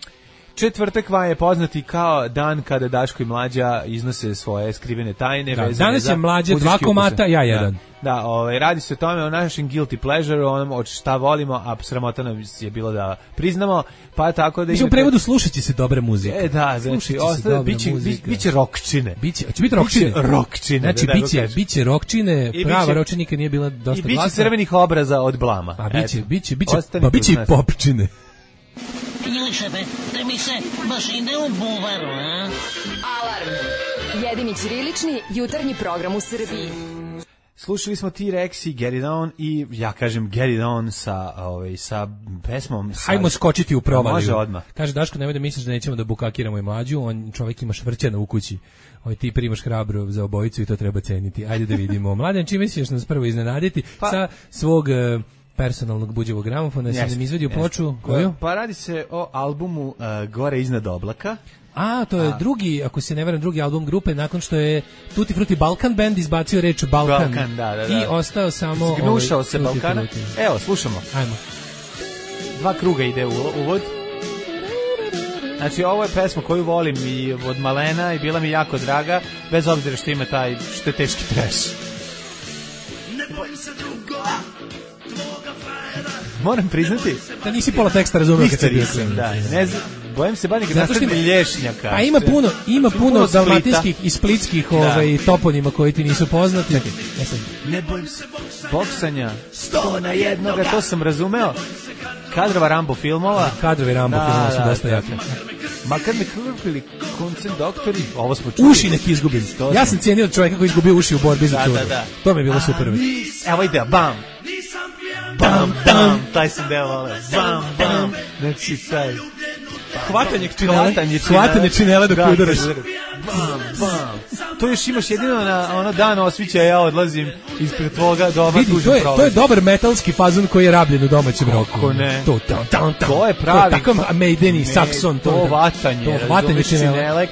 G: Četvrtak vam je poznati kao dan kada Daško i Mlađa iznose svoje skrivene tajne.
H: Da, danas je Mlađa dva komata, ja jedan.
G: Da, da ovaj, radi se o tome, o našem guilty pleasure, onom od šta volimo, a sramota nam je bilo da priznamo, pa tako da...
H: Mislim, u prevodu slušat će se dobre muzike.
G: E, da, znači, ostane, biće, biće rokčine.
H: Biće, će biti rokčine?
G: Biće rokčine,
H: znači,
G: da
H: biće, biće rokčine, prava biće, rokčina nikad nije bila dosta glasna.
G: I biće crvenih obraza od blama.
H: A biće, Eto, biće, biće, pa biće i popčine.
N: Miliše, be, da mi se baš ide u buvaru, a?
M: Alarm. Jedini ćirilični jutarnji program u Srbiji.
G: Slušali smo T-Rex i Get It On i ja kažem Get It On sa, ovaj, sa pesmom. Sa...
H: Hajmo skočiti u provaliju.
G: Može odmah.
H: Kaže Daško, nemoj da misliš da nećemo da bukakiramo i Mlađu, on čovjek ima švrćana u kući. Ovaj, ti primaš hrabro za obojicu i to treba ceniti. Ajde da vidimo. Mladen, čime ćeš nas prvo iznenaditi pa... sa svog... personalnog buđevog gramofona, yes, sam izvadio yes. ploču, koju?
G: Pa radi se o albumu uh, Gore iznad oblaka.
H: A, to je A. drugi, ako se ne varam, drugi album grupe, nakon što je Tutti Frutti Balkan Band izbacio reč Balkan.
G: Balkan, da, da, da.
H: I ostao samo...
G: Zgnušao
H: ovaj,
G: se Balkana. Frutti. Evo, slušamo.
H: Ajmo.
G: Dva kruga ide u uvod. Znači, ovo je pesma koju volim i od malena i bila mi jako draga, bez obzira što ima taj, što je teški trash. Ne bojim se drugova. Moram priznati
H: da nisi pola teksta razumeo kad se
G: nisam, da, ne znam, bojim se banje kad nastane lješnjaka.
H: Pa ima puno, ima puno, puno dalmatinskih i splitskih da. ovaj, toponima koji ti nisu poznati.
G: Čekaj, ne, sam, ne bojim se boksanja, sto na jednoga, to sam razumeo. Kadrova Rambo filmova.
H: Kadrovi Rambo da, filmova su da, dosta jaki.
G: Ma kad me krupili koncem doktori, ovo smo čuli.
H: Uši nek izgubim. Ja sam cijenio čovjeka koji izgubio uši u borbi za curu. Da, da, da. To mi je bilo super.
G: Evo ide, bam. Bam, bam, taj sam deo vole. Bam, bam. Znači, taj.
H: Hvatanje činela. Hvatanje činela dok udaraš.
G: Bam, bam. To još imaš jedino na ono dan osvića, ja odlazim ispred tvoga doma.
H: Vidi, to je, to je dobar metalski fazon koji je rabljen u domaćem roku.
G: Kako ne?
H: To, to, to, to,
G: to je pravi.
H: To je takav Maideni, Saxon.
G: To, to vatanje.
H: To vatanje činela.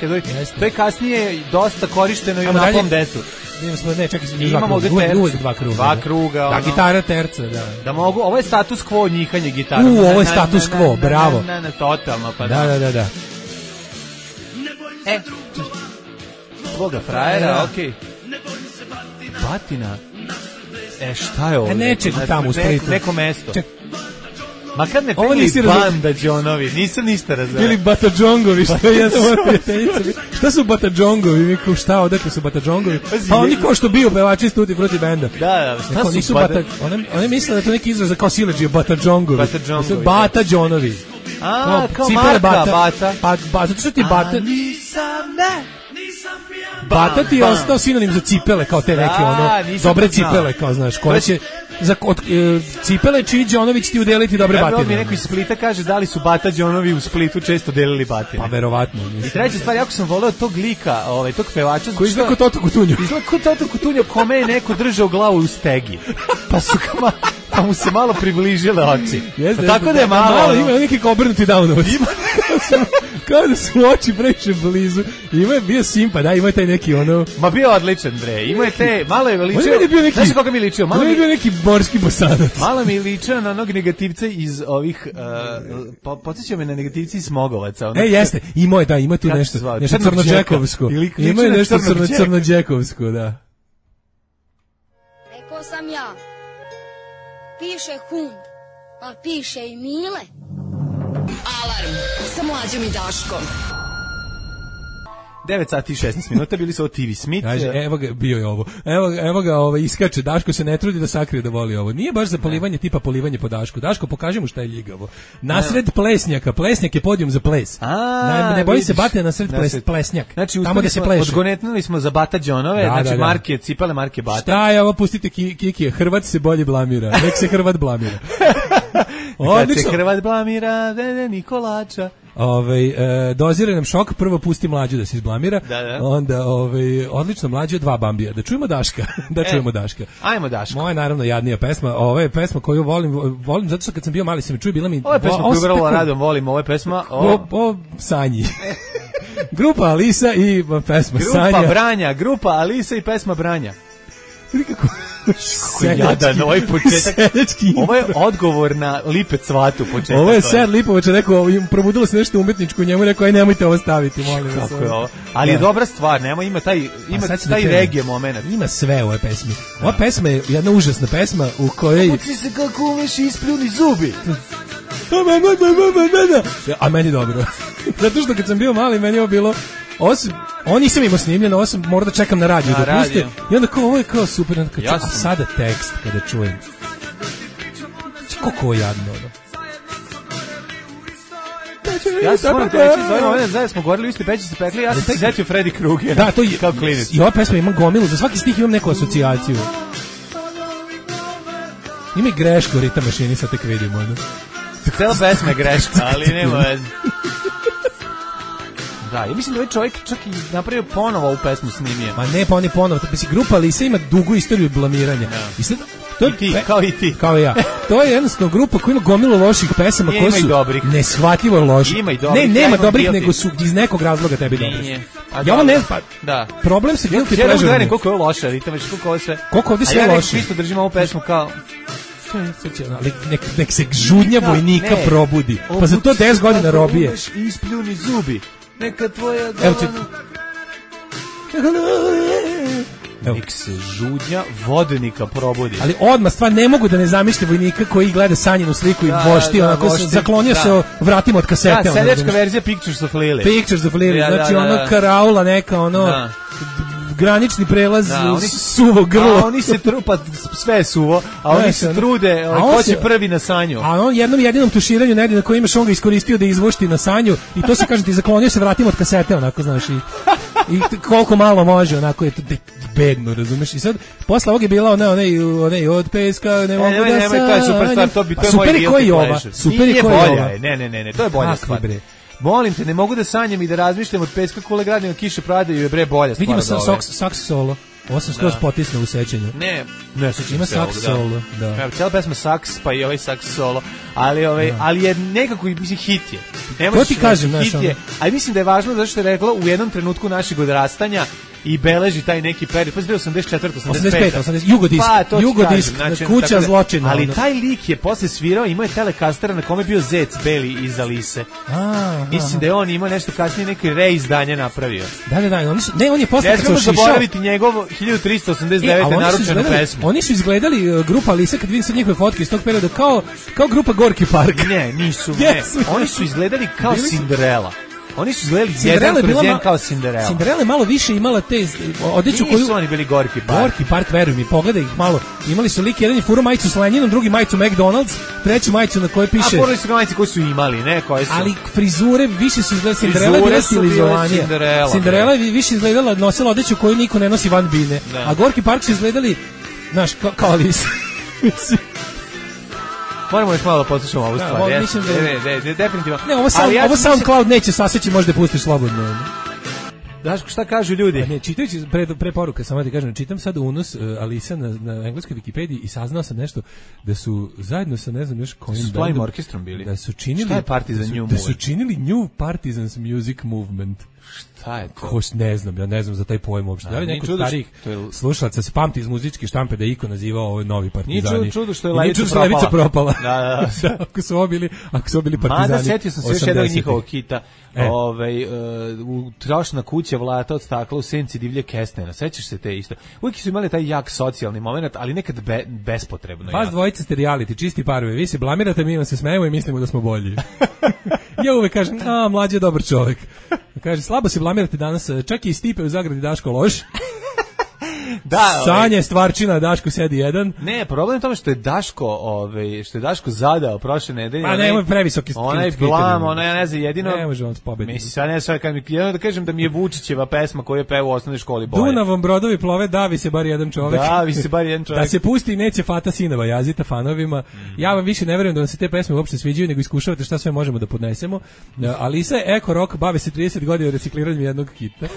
G: To je kasnije dosta korišteno i u napom decu.
H: Imamo, ne, čekaj,
G: imamo ovdje tercu,
H: dva kruga.
G: Dva kruga,
H: da, ono. Gitara terca, da.
G: Da mogu, ovo je status quo njihanje gitara.
H: U, ovo je status quo, bravo.
G: Ne, ne, totalno, pa
H: da. Da, da, da.
G: E, tvoga frajera, okej. Batina. E, šta je ovo?
H: E, nečeg tamo u Splitu.
G: Neko mesto.
H: Ček.
G: Ma kad ne
H: Ovo
G: pili
H: nisi
G: banda Đonovi, nisam ništa razumio.
H: Ili Batadžongovi, što je jedna moja prijateljica. Šta su Batadžongovi? Mi kao šta, odakle su Batadžongovi? Pa oni kao što bio pevači iz Tutti Frutti benda.
G: Da, da, šta su
H: nisu Bata... One, one misle da je to neki izraz za kao siledžije, Batadžongovi.
G: Batadžongovi.
H: Batadžonovi.
G: A, kao, kao marka Bata. Bata.
H: Pa, ba, zato što ti Bata...
G: A nisam, ne, nisam pijan.
H: Bata ti je ostao sinonim za cipele, kao te neke, ono, dobre cipele, kao znaš, koje će... Za od, e, cipele čiji Đonović ti udeliti dobre
G: ja,
H: batine.
G: Mi neko iz Splita kaže da li su Bata Đonovi u Splitu često delili batine.
H: Pa verovatno.
G: I treća stvar, jako sam voleo tog lika, ovaj, tog pevača.
H: Koji izgleda kao Toto Kutunjo.
G: Izgleda kao Toto Kutunjo, kome je neko držao glavu u stegi. Pa su kama, pa mu se malo približile oči.
H: Jeste,
G: pa tako da je malo.
H: malo ima neki kao obrnuti Downovac. Ima kao da su oči previše blizu. Ima je bio simpa, da, ima je taj neki ono...
G: Ma bio odličan, bre. Ima je te, malo je ličio.
H: Neki,
G: znaš koga mi ličio? Malo
H: je bio neki morski bosanac.
G: Malo mi ličio na onog negativca iz ovih, uh, po, podsjećao me na negativci iz Smogovaca.
H: Ono, e, jeste, ima je, da, ima tu nešto, nešto crnođekovsko. Ima je nešto crno, crnođekovsko, da.
O: Rekao sam ja, piše hum, pa piše i Mile.
M: Alarm sa Mlađom i Daškom.
G: devet sati i šesnaest minuta, bili su ovo T V Smith.
H: Kaže, evo ga, bio je ovo. Evo, evo ga, ovo, iskače, Daško se ne trudi da sakrije da voli ovo. Nije baš za polivanje, tipa polivanje po Dašku. Daško, pokaži mu šta je ljigavo. Nasred plesnjaka, plesnjak je podijum za ples.
G: A,
H: ne, ne boji se bate nasred ples, plesnjak.
G: Znači,
H: tamo gde se pleše.
G: Odgonetnuli smo za Bata Đonove,
H: da,
G: znači
H: da, da.
G: marke, cipele marke Bata.
H: Šta je ovo, pustite Kikije, Hrvat se bolje blamira. Nek se Hrvat blamira.
G: Kad se Hrvat blamira, vede Nikolača.
H: Ovaj e, dozira nam šok, prvo pusti Mlađu da se izblamira,
G: da, da.
H: onda ovaj odlično Mlađu, dva Bambija. Da čujemo Daška, da čujemo e, Daška.
G: Ajmo Daška.
H: Moja naravno jadnija pesma, ova je pesma koju volim, volim zato što kad sam bio mali se mi čuje, bila mi
G: ova je pesma koju vrlo radom volim, ova je pesma o,
H: o, o Sanji. Grupa Alisa i pesma
G: grupa
H: Sanja.
G: Grupa Branja, grupa Alisa i pesma Branja.
H: Kako
G: kako jadan ovaj početak. Ovo je odgovor na Lipe Cvatu početak.
H: Ovo je Ser Lipovac rekao, probudilo se nešto umetničko, njemu rekao aj nemojte ovo staviti, molim vas.
G: Kako je ovo? Ali je dobra stvar, nema ima taj ima taj reggae momenat.
H: Ima sve u ovoj pesmi. Ova pesma je jedna užasna pesma u kojoj
G: Puci se kako umeš ispljuni zubi.
H: A meni dobro. Zato što kad sam bio mali, meni je ovo bilo Osim, ovo nisam imao snimljeno, ovo sam morao da čekam na radiju da puste. I onda kao, ovo je kao super, onda kao, ja a sada tekst kada čujem. Kako je jadno, ono.
G: Ja sam moram te reći, zovemo ovdje, zajedno smo govorili, vi ste peći se pekli, ja sam se zetio Freddy Krueger.
H: Da, to je,
G: kao klinac.
H: I ova pesma ima gomilu, za svaki stih imam neku asocijaciju. Ima i grešku u ritam mašini, sad tek vidimo, ono.
G: Cela pesma je greška, ali nema veze. Da, ja mislim da ovaj čovjek čak i napravio ponovo ovu pesmu snimije.
H: Ma ne, pa on je ponovo. Mislim, grupa Alisa ima dugu istoriju blamiranja.
G: No.
H: I sad, to
G: I ti, pe, kao i ti.
H: Kao i ja. To je jednostavno grupa koja ima gomilu loših pesama koje su neshvatljivo loše.
G: Ima i dobrih.
H: Ne, nema dobrih, nego su iz nekog razloga tebi dobri. Ja ovo ne, pa,
G: da.
H: Problem se guilty
G: pleasure. Ja ne gledam
H: koliko
G: je ovo loše, ali koliko ovo sve.
H: Koliko ovdje sve loše.
G: A ja isto držim ovu pesmu kao...
H: Nek, nek se žudnja vojnika ne. probudi. Pa za to deset godina robije.
G: Ispljuni zubi. Neka tvoja
H: Evo ti...
G: Nek se žudnja vodnika probudi.
H: Ali odmah stvar, ne mogu da ne zamišlja vojnika koji gleda Sanjinu sliku da, i vošti, da, onako vošti, zaklonio da. se o vratima od kasete.
G: Da, seljačka verzija Pictures of Lily.
H: Pictures of Lily, da, znači da, da, da. ono karaula neka, ono... Da. granični prelaz da, oni, suvo grlo.
G: A oni se trupa, sve je suvo, a oni ne, se trude, on ko će prvi na sanju.
H: A on jednom jedinom tuširanju negdje na koji imaš, on ga iskoristio da izvošti na sanju i to se kaže ti zaklonio se vratima od kasete, onako, znaš, i, i koliko malo može, onako je to bedno, razumeš? I sad, posle ovog je bila ona, onaj, onaj od peska, ne mogu
G: e,
H: da
G: sanjam. To je super stvar, to bi, to je moj guilty pleasure.
H: Super je koji ova.
G: Ne, ne, ne, ne, to je bolja stvar. Molim te, ne mogu da sanjam i da razmišljam od peska kule gradnjega kiše pradaju je bre bolja stvar.
H: Vidimo sa saks solo. Ovo sam skroz potisnuo u sećanju.
G: Ne, ne sećam
H: ima
G: se
H: saks solo, da.
G: Evo, cijela pesma saks, pa i ovaj saks solo, ali ovaj, da. ali je nekako mislim hit je.
H: To ti kažem,
G: hit je. Ali mislim da je važno zato što je rekla u jednom trenutku našeg odrastanja i beleži taj neki period. Pa osamdeset četvrta, osamdeset peta.
H: osamdeset peta, Jugodisk,
G: pa,
H: Jugodisk,
G: znači,
H: kuća da, zločina.
G: Ali
H: ono.
G: taj lik je posle svirao, imao je telekastera na kome je bio zec beli iz Alise.
H: A,
G: mislim da je on imao nešto kasnije neki reizdanje napravio.
H: Da, da, da, oni su, ne, on je posle
G: ne
H: kad se ošišao.
G: Ne smemo zaboraviti njegovo hiljadu trista osamdeset devete. E, naručenu pesmu.
H: Oni su izgledali, uh, grupa Alisa, kad vidim sad njihove fotke iz tog perioda, kao, kao grupa Gorki Park.
G: Ne, nisu, ne. Oni su izgledali kao Cinderella. Oni su izgledali jedan kroz jedan kao Cinderella.
H: Cinderella je malo više imala te odeću koju...
G: Nisu oni bili Gorki Park.
H: Gorki Park, veruj mi, pogledaj ih malo. Imali su lik, jedan je furo majicu s Lenjinom, drugi majicu McDonald's, treću majicu na kojoj piše...
G: A furali su majice koje su imali, ne, koje su...
H: Ali frizure više su izgledali, Cinderella je bila stilizovanija.
G: Cinderella,
H: Cinderella je više izgledala, nosila odeću koju niko ne nosi van bine.
G: Da.
H: A Gorki Park su izgledali, znaš, kao, kao Alisa.
G: Moramo još malo poslušati ovu stvar.
H: Da, mislim da...
G: Ne, ne, ne, definitivno.
H: Ne, ovo, sound,
G: ja
H: ovo
G: mislim...
H: SoundCloud neće saseći, možda pustiš slobodno.
G: Daško, šta kažu ljudi?
H: Pa ne, čitajući pre, pre poruka, samo da ti kažem, čitam sad unos uh, Alisa na, na engleskoj Wikipediji i saznao sam nešto da su zajedno sa ne znam još kojim
G: s bandom orkestrom bili.
H: Da su činili,
G: šta je Partizan
H: da su,
G: New
H: da su činili New Partisans Music Movement.
G: Šta je to?
H: Ko, ne znam, ja ne znam za taj pojam uopšte. Da li neko od starih
G: je...
H: slušalaca se pamti iz muzičke štampe da iko nazivao ovo novi partizani?
G: Nije čudo što je
H: Levica
G: propala.
H: Levica propala.
G: Da, da, da.
H: ako su obili, ako su obili partizani.
G: Mada setio sam se još jednog njihovog hita. E. Ovaj uh, trošna kuća Vlata od stakla u senci divlje kestena. Sećaš se te isto? Uvijek su imali taj jak socijalni momenat, ali nekad be, bespotrebno.
H: Vas dvojice ste reality, čisti parovi. Vi se blamirate, mi vam se smejemo i mislimo da smo bolji. Ja uvek kažem, a, mlađi je dobar čovjek. Kaže, slabo se blamirate danas, čak i Stipe u zagradi Daško loš. Da, Sanje ovaj, stvarčina, Daško sedi jedan.
G: Ne, problem je tome što je Daško, ovaj, što je Daško zadao prošle nedelje.
H: Pa nemoj previsoki.
G: Onaj blam, ona ja ne znam, jedino.
H: Ne može on pobediti.
G: Mislim sad ne sad kad mi jedino da kažem da mi je Vučićeva pesma koju je pevao u osnovnoj školi bolje.
H: Dunavom brodovi plove, davi se bar jedan čovjek.
G: Davi se bar jedan čovjek.
H: Da se pusti i neće Fata sinova jazita fanovima. Mm. Ja vam više ne verujem da vam se te pesme uopšte sviđaju, nego iskušavate šta sve možemo da podnesemo. Alisa je eko rock, bave se trideset godina recikliranjem jednog hita.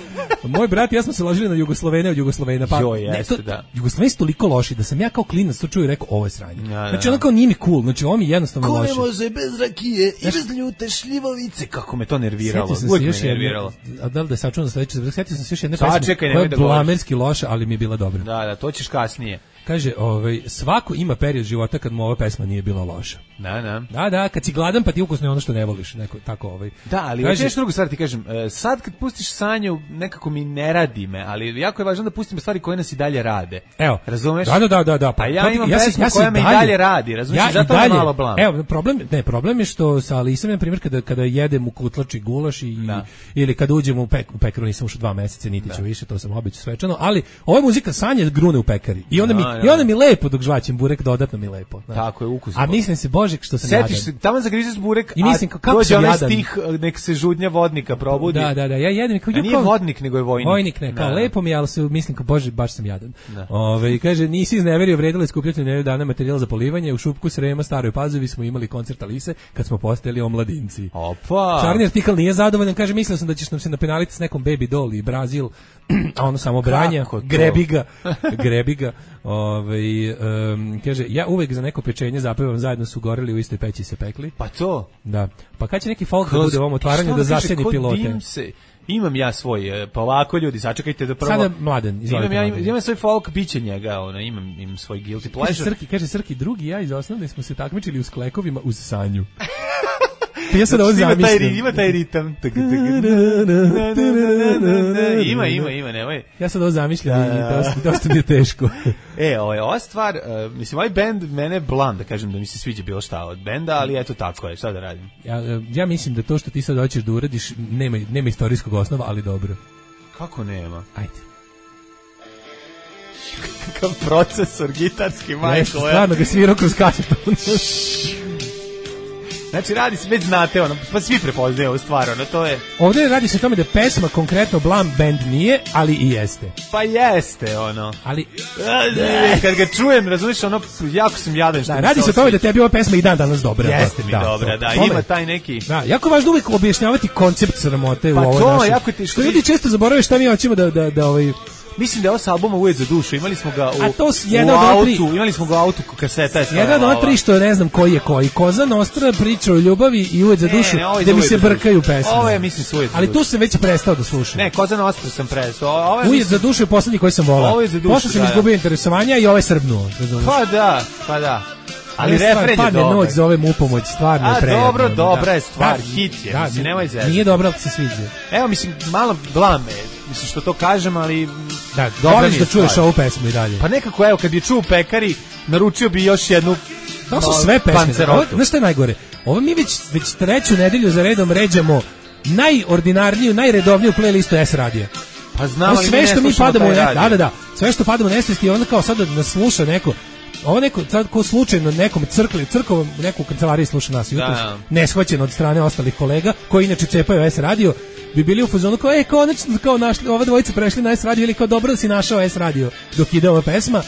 H: Moj brat i ja smo se ložili na Jugoslovene od Jugoslovena, pa
G: jo, jeste, da.
H: Jugoslaveni su toliko loši da sam ja kao klinac to čuo i rekao ovo je sranje. Ja, znači ono kao nije mi cool, znači ovo mi je jednostavno
G: ko
H: loše.
G: Ko ne može bez rakije i bez ljute šljivovice, kako me to nerviralo. Uvijek me nerviralo.
H: A da li da sačuvam za sledeće, sjetio sam se još jedne
G: pesme koja je
H: blamerski loša, ali mi je bila dobra.
G: Da, da, to ćeš kasnije.
H: Kaže, ovaj, svako ima period života kad mu ova pesma nije bila loša.
G: Da, da.
H: Da, da, kad si gladan pa ti ukusno je ono što ne voliš, neko tako ovaj.
G: Da, ali kaže, još drugu stvar ti kažem, sad kad pustiš Sanju, nekako mi ne radi me, ali jako je važno da pustimo stvari koje nas i dalje rade.
H: Evo,
G: razumeš?
H: Da, da, da, da.
G: Pa ja imam ja pesmu ja koja me i dalje radi, razumeš? Ja zato je malo blam.
H: Evo, problem, ne, problem je što sa Alisom, na primjer, kada kada jedem u kutlači gulaš i da. Ili kad uđemo u, pek, u pekaru, nisam ušao dva meseca, niti ću više, to sam obično svečano, ali ova muzika Sanje grune u pekari. I onda mi da, i onda mi lepo dok žvaćem burek, dodatno mi lepo. Znači.
G: Tako je, ukusno.
H: A mislim se, Bože, što sam
G: jadan. Setiš se, tamo zagrizeš burek,
H: i mislim,
G: a
H: kako
G: dođe onaj
H: jadan.
G: stih, nek se žudnja vodnika probudi.
H: Da, da, da, ja jedem kao...
G: A nije vodnik, nego je vojnik.
H: Vojnik, ne, kao da, lepo mi, ali se mislim kao, Bože, baš sam jadan. Ove, kaže, nisi izneverio, vredilo iskupljati nedelju dana materijal za polivanje, u Šupku Srema, Staroj Pazovi smo imali koncert Alise, kad smo postajali omladinci.
G: Opa!
H: Čarni artikl nije zadovoljan, kaže, mislio sam da ćeš nam se napenaliti s nekom Baby Doll i Brazil, a ono samo branja, grebi ga, grebi ga. Ovaj um, kaže ja uvek za neko pečenje zapevam zajedno su goreli u istoj peći se pekli.
G: Pa to.
H: Da. Pa kad će neki folk da bude u ovom otvaranju da zaseni pilote.
G: Se, imam ja svoj, pa ovako ljudi, sačekajte da prvo.
H: Sada Mladen, izvolite.
G: Imam ja imam svoj folk biće njega, ona imam im svoj guilty pleasure.
H: Kaže Srki, kaže Srki, drugi ja iz osnovne smo se takmičili u sklekovima uz Sanju. Ja sad ovo zamislim.
G: Ima taj ritam. Ima, ima, ima, nemoj.
H: Ja sad ovo zamišljam i dosta, dosta mi je teško.
G: E, ovo je ova stvar, uh, mislim, ovaj band mene blam, da kažem da mi se sviđa bilo šta od benda, ali eto tako je, šta da radim?
H: Ja, ja mislim da to što ti sad hoćeš da uradiš, nema, nema istorijskog osnova, ali dobro.
G: Kako nema?
H: Ajde.
G: Kakav procesor gitarski, majko.
H: Nešto, stvarno ga svirao kroz kasetu.
G: Znači radi se, već znate, ono, pa svi prepoznaju ovu stvar, ono, to je...
H: Ovdje radi se o tome da pesma konkretno Blam band nije, ali i jeste.
G: Pa jeste, ono.
H: Ali...
G: Kad ga čujem, razumiješ, ono, jako sam jadan što
H: da, radi se o tome da tebi ova pesma i dan danas dobra.
G: Jeste mi da, dobra, da, tome, ima taj neki...
H: Da, jako važno uvijek objašnjavati koncept sramote
G: pa
H: u ovoj
G: to,
H: našoj...
G: jako ti...
H: Što ljudi često zaboravaju šta mi hoćemo da, da, da, ovaj...
G: mislim da je ovo s albuma Ujed za dušu, imali smo ga u,
H: A to s-
G: u
H: jedan od ova tri-
G: autu, imali smo ga u autu, kaseta je
H: Jedan od ova tri što ne znam koji je koji. Koza Nostra, priča o ljubavi i Ujed za
G: Ne,
H: dušu,
G: ne, ovo je
H: gde
G: za
H: mi
G: Ujed
H: se
G: za dušu.
H: brkaju pesme.
G: Ovo je, mislim, s Ujed za
H: Ali
G: dušu.
H: tu sam već prestao da slušam.
G: Ne, Koza na Ostru sam presao. Ovo je,
H: Ujed
G: mislim,
H: za dušu je poslednji koji sam volao.
G: Ovo je za dušu,
H: Posle sam
G: da, da.
H: izgubio interesovanja i ovaj srbnuo. razumeš?
G: Pa da, pa da. Ali
H: Ova stvar,
G: refren je
H: Padne
G: dobar.
H: noć, zovem u pomoć, stvarno je
G: A,
H: prijatno.
G: dobro, dobra
H: Da.
G: je stvar,
H: Da,
G: hit je,
H: da,
G: mislim, nemoj zezati.
H: Nije dobro, ali se sviđa.
G: Evo, mislim, malo blame, mislim što to kažem, ali
H: Da,
G: dobra
H: voliš
G: mi je
H: da čuješ
G: stvar.
H: ovu pesmu i dalje.
G: Pa nekako, evo, kad bi je čuo u pekari, naručio bi još jednu
H: To su
G: no,
H: sve pesme. Ovo,
G: pancerotu.
H: znaš šta je najgore? Ovo mi već, već treću nedelju za redom ređamo najordinarniju, najredovniju playlistu S radija.
G: Pa znam,
H: Ovo
G: ali
H: sve
G: mi ne
H: što mi
G: slušamo
H: padamo u
G: taj
H: ne,
G: radio.
H: da, da, da, sve što padamo u nesvesti, onda kao sad da nas sluša neko. Ovo neko, sad ko slučajno nekom crkli, crkovom neku u kancelariji sluša nas jutros,
G: Da.
H: neshvaćen od strane ostalih kolega, koji inače cepaju S radio, bi bili u fazonu kao, e, konačno, kao našli, ova dvojica prešli na S radio, ili kao dobro da si našao S radio dok ide ova pesma,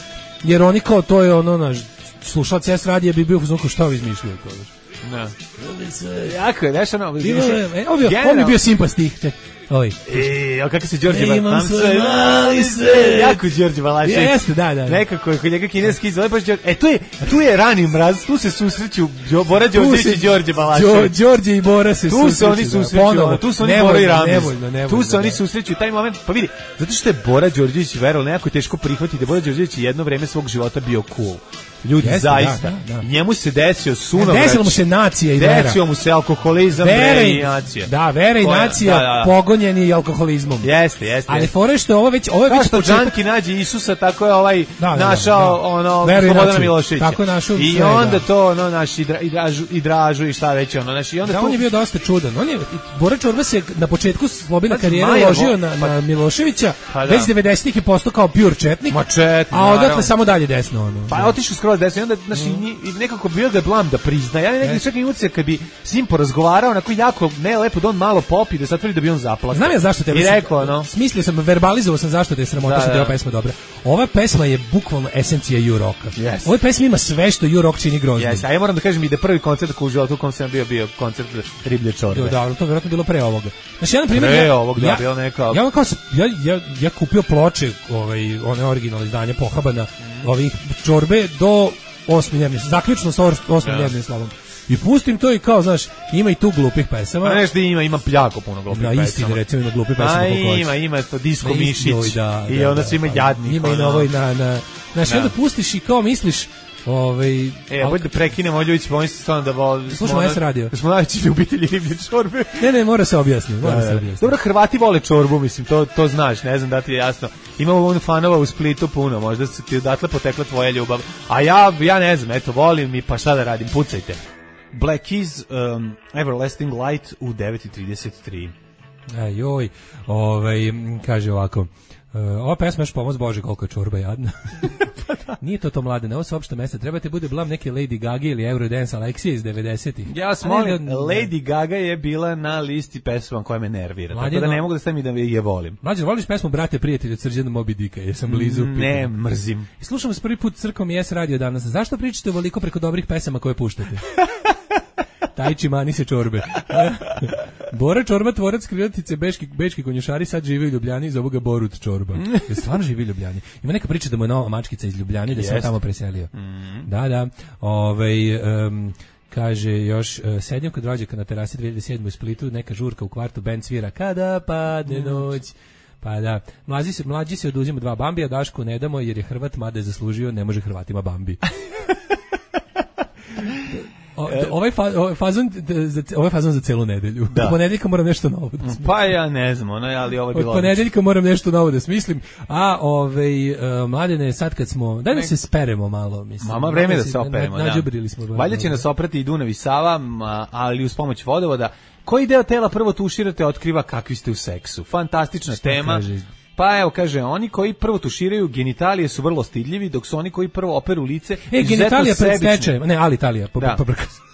H: jer oni kao, to je ono, naš, slušalac S radija bi bio u fazonu kao, šta vi izmišljaju, kao, znaš.
G: Da. Jako je, znaš ono...
H: Bilo je, e, ovo je- ovo mi je bio simpa stih, ček, ovaj.
G: E, a kako se Đorđe
H: E, imam
G: Balašević?
H: svoj mali svet.
G: Jako Đorđe Balašević.
H: Jeste, da, da.
G: Nekako je kod njega kineski izgleda baš Đorđe. E, tu je, tu je rani mraz, tu se susreću Đo- Bora Đorđević
H: se-
G: i Đorđe
H: Đo-
G: Balašević.
H: Đorđe i Bora se
G: Tu
H: susreću,
G: se oni
H: da,
G: susreću,
H: ponovo.
G: ono, tu su oni
H: Nevoljno,
G: Bora i Ramez.
H: nevoljno, nevoljno,
G: Tu se oni
H: da.
G: susreću taj moment. Pa vidi, zato što je Bora Đorđević verovao, nekako je teško prihvatiti da Bora Đorđević je jedno vreme svog života bio cool. Ljudi,
H: Jeste,
G: zaista.
H: da, da, da.
G: Njemu se desio sunovrać.
H: Desilo mu se nacija i vera.
G: Desio mu se alkoholizam,
H: Vera
G: bre,
H: i
G: i nacija.
H: Da, vera i
G: To je-
H: nacija
G: da, da.
H: pogonjeni i alkoholizmom.
G: Jeste, jeste.
H: Ali
G: jeste.
H: fore je što je ovo već ovo je
G: Kao
H: već
G: što
H: početak.
G: Đanki nađe Isusa, tako je ovaj
H: Da, da, da,
G: našao
H: da.
G: ono
H: Veru i
G: Slobodana
H: naciju.
G: Miloševića.
H: Tako je našao
G: I
H: sve,
G: onda
H: da.
G: to ono naš i, dra, i, dražu, i dražu i šta već ono naš i onda
H: Da,
G: tu
H: on je bio dosta čudan. On je Bora Čorba se na početku slobodne
G: Pa,
H: karijere
G: Maja,
H: ložio
G: vo-
H: na,
G: pa-
H: na Miloševića,
G: Pa da.
H: već devedesetih je postao kao pure četnik.
G: Ma četnik,
H: a odatle
G: naravno.
H: samo dalje desno ono.
G: Pa je otišao skroz desno i onda znači i nekako bio ga blam da prizna. Ja nekako čak i ucek kad bi s njim porazgovarao, onako jako ne lepo da on malo popi da satvori da bi on zaplakao.
H: Znam ja zašto te
G: I rekao ono.
H: Smislio sam, verbalizovao sam zašto te je sramota
G: Da,
H: što je
G: da.
H: ova pesma dobra. Ova pesma je bukvalno esencija ju-roka.
G: Yes.
H: Ova pesma ima sve što ju-rock čini groznim.
G: Jes, a ja moram da kažem i da prvi koncert koji u životu u kom sam bio bio koncert Riblje čorbe.
H: Jo, da, to je vjerojatno bilo pre ovoga. Znači, ja, na primjer,
G: Pre
H: ja,
G: ovog, da,
H: ja,
G: bilo neka-
H: Ja, ono kao, s- ja, ja, ja kupio ploče, ovaj, one originalne izdanje Pohabana, ovih čorbe do osme njevne, zaključno sa or- osmim
G: Da.
H: njevnim slavom. I pustim to i kao, znaš, ima i tu glupih pesama.
G: Ma nešto ima, ima jako puno glupih
H: Na
G: pesama.
H: istini, recimo, ima glupih pesama.
G: A
H: koliko hoćeš.
G: ima, ima to Disko
H: Na istini,
G: Mišić.
H: oj, da,
G: I
H: da,
G: onda
H: da,
G: su ima
H: pa,
G: jadnih.
H: Ima i
G: ono.
H: na ovoj, na, na, znaš,
G: Da.
H: onda pustiš i kao misliš, ovaj...
G: E, bolje da prekinemo Ljubić, pa oni se stvarno da vole.
H: Slušamo S radio.
G: Da smo najveći ljubitelji riblje čorbe.
H: Ne, ne, mora se objasniti, mora
G: Da,
H: se
G: da.
H: objasniti.
G: Dobro, Hrvati vole čorbu, mislim, to, to znaš, ne znam da ti je jasno. Imamo on fanova u Splitu puno, možda se ti odatle potekla tvoja ljubav. A ja, ja ne znam, eto, volim i pa šta da radim, pucajte. Black Keys, um, Everlasting Light u devet i trideset tri.
H: Aj, joj, ovaj, m, kaže ovako, e, ova pesma još pomoz Bože koliko je čorba jadna. Nije to to mlade, ovo su opšte mesta, trebate bude blam neke Lady Gaga ili Eurodance Aleksija iz devedesetih.
G: Ja vas
H: A ne
G: molim,
H: da-
G: Lady Gaga je bila na listi pesma koja me nervira, tako
H: Mladino-
G: da ne mogu da stavim da je volim.
H: Mlađe, voliš pesmu Brate prijatelju od Srđana Moby Dicka, jesam blizu.
G: Ne,
H: pitam.
G: mrzim.
H: I slušamo se prvi put Crkom i S radio danas. Zašto pričate ovoliko preko dobrih pesama koje puštate? Tajči mani se čorbe. Bora Čorba, tvorac krilatice, beški, bečki konjušari, sad živi u Ljubljani, zovu ga Borut Čorba. Je stvarno živi u Ljubljani. Ima neka priča da mu je nova mačkica iz Ljubljane, da se on
G: Jest.
H: tamo preselio. Da, da. Ovaj, em, kaže još, e, sedim kod rođaka na terasi dve hiljade sedme u Splitu, neka žurka u kvartu, bend svira Kada padne noć. Pa da, mlađi se, mlađi se oduzima dva Bambija, Dašku ne damo jer je Hrvat, mada je zaslužio, ne može Hrvatima Bambi. O, d- ovaj, fa, ovaj, fazon, d- za, ovaj fazon za celu nedelju.
G: Da.
H: Od ponedeljka moram nešto novo da smislim.
G: Pa ja ne znam, ono, ali ovo je
H: Od
G: bilo...
H: ponedeljka moram nešto novo da smislim. A ovaj uh, mladene, sad kad smo, daj da se speremo malo, mislim.
G: Mama, vreme
H: Malo
G: da se operemo,
H: na,
G: da.
H: nađubrili smo. bar,
G: Valjda će
H: ono.
G: nas oprati i Dunav i Sava, ma, ali uz pomoć vodovoda. Koji deo tela prvo tuširate otkriva kakvi ste u seksu? Fantastična
H: Šta
G: tema.
H: kaže?
G: Pa evo, kaže, oni koji prvo tuširaju genitalije su vrlo stidljivi, dok su oni koji prvo operu lice
H: E,
G: izuzetno
H: genitalija pred
G: sebični.
H: stečajem. Ne, ali Italija. Po,
G: Da.
H: pobrkao sam.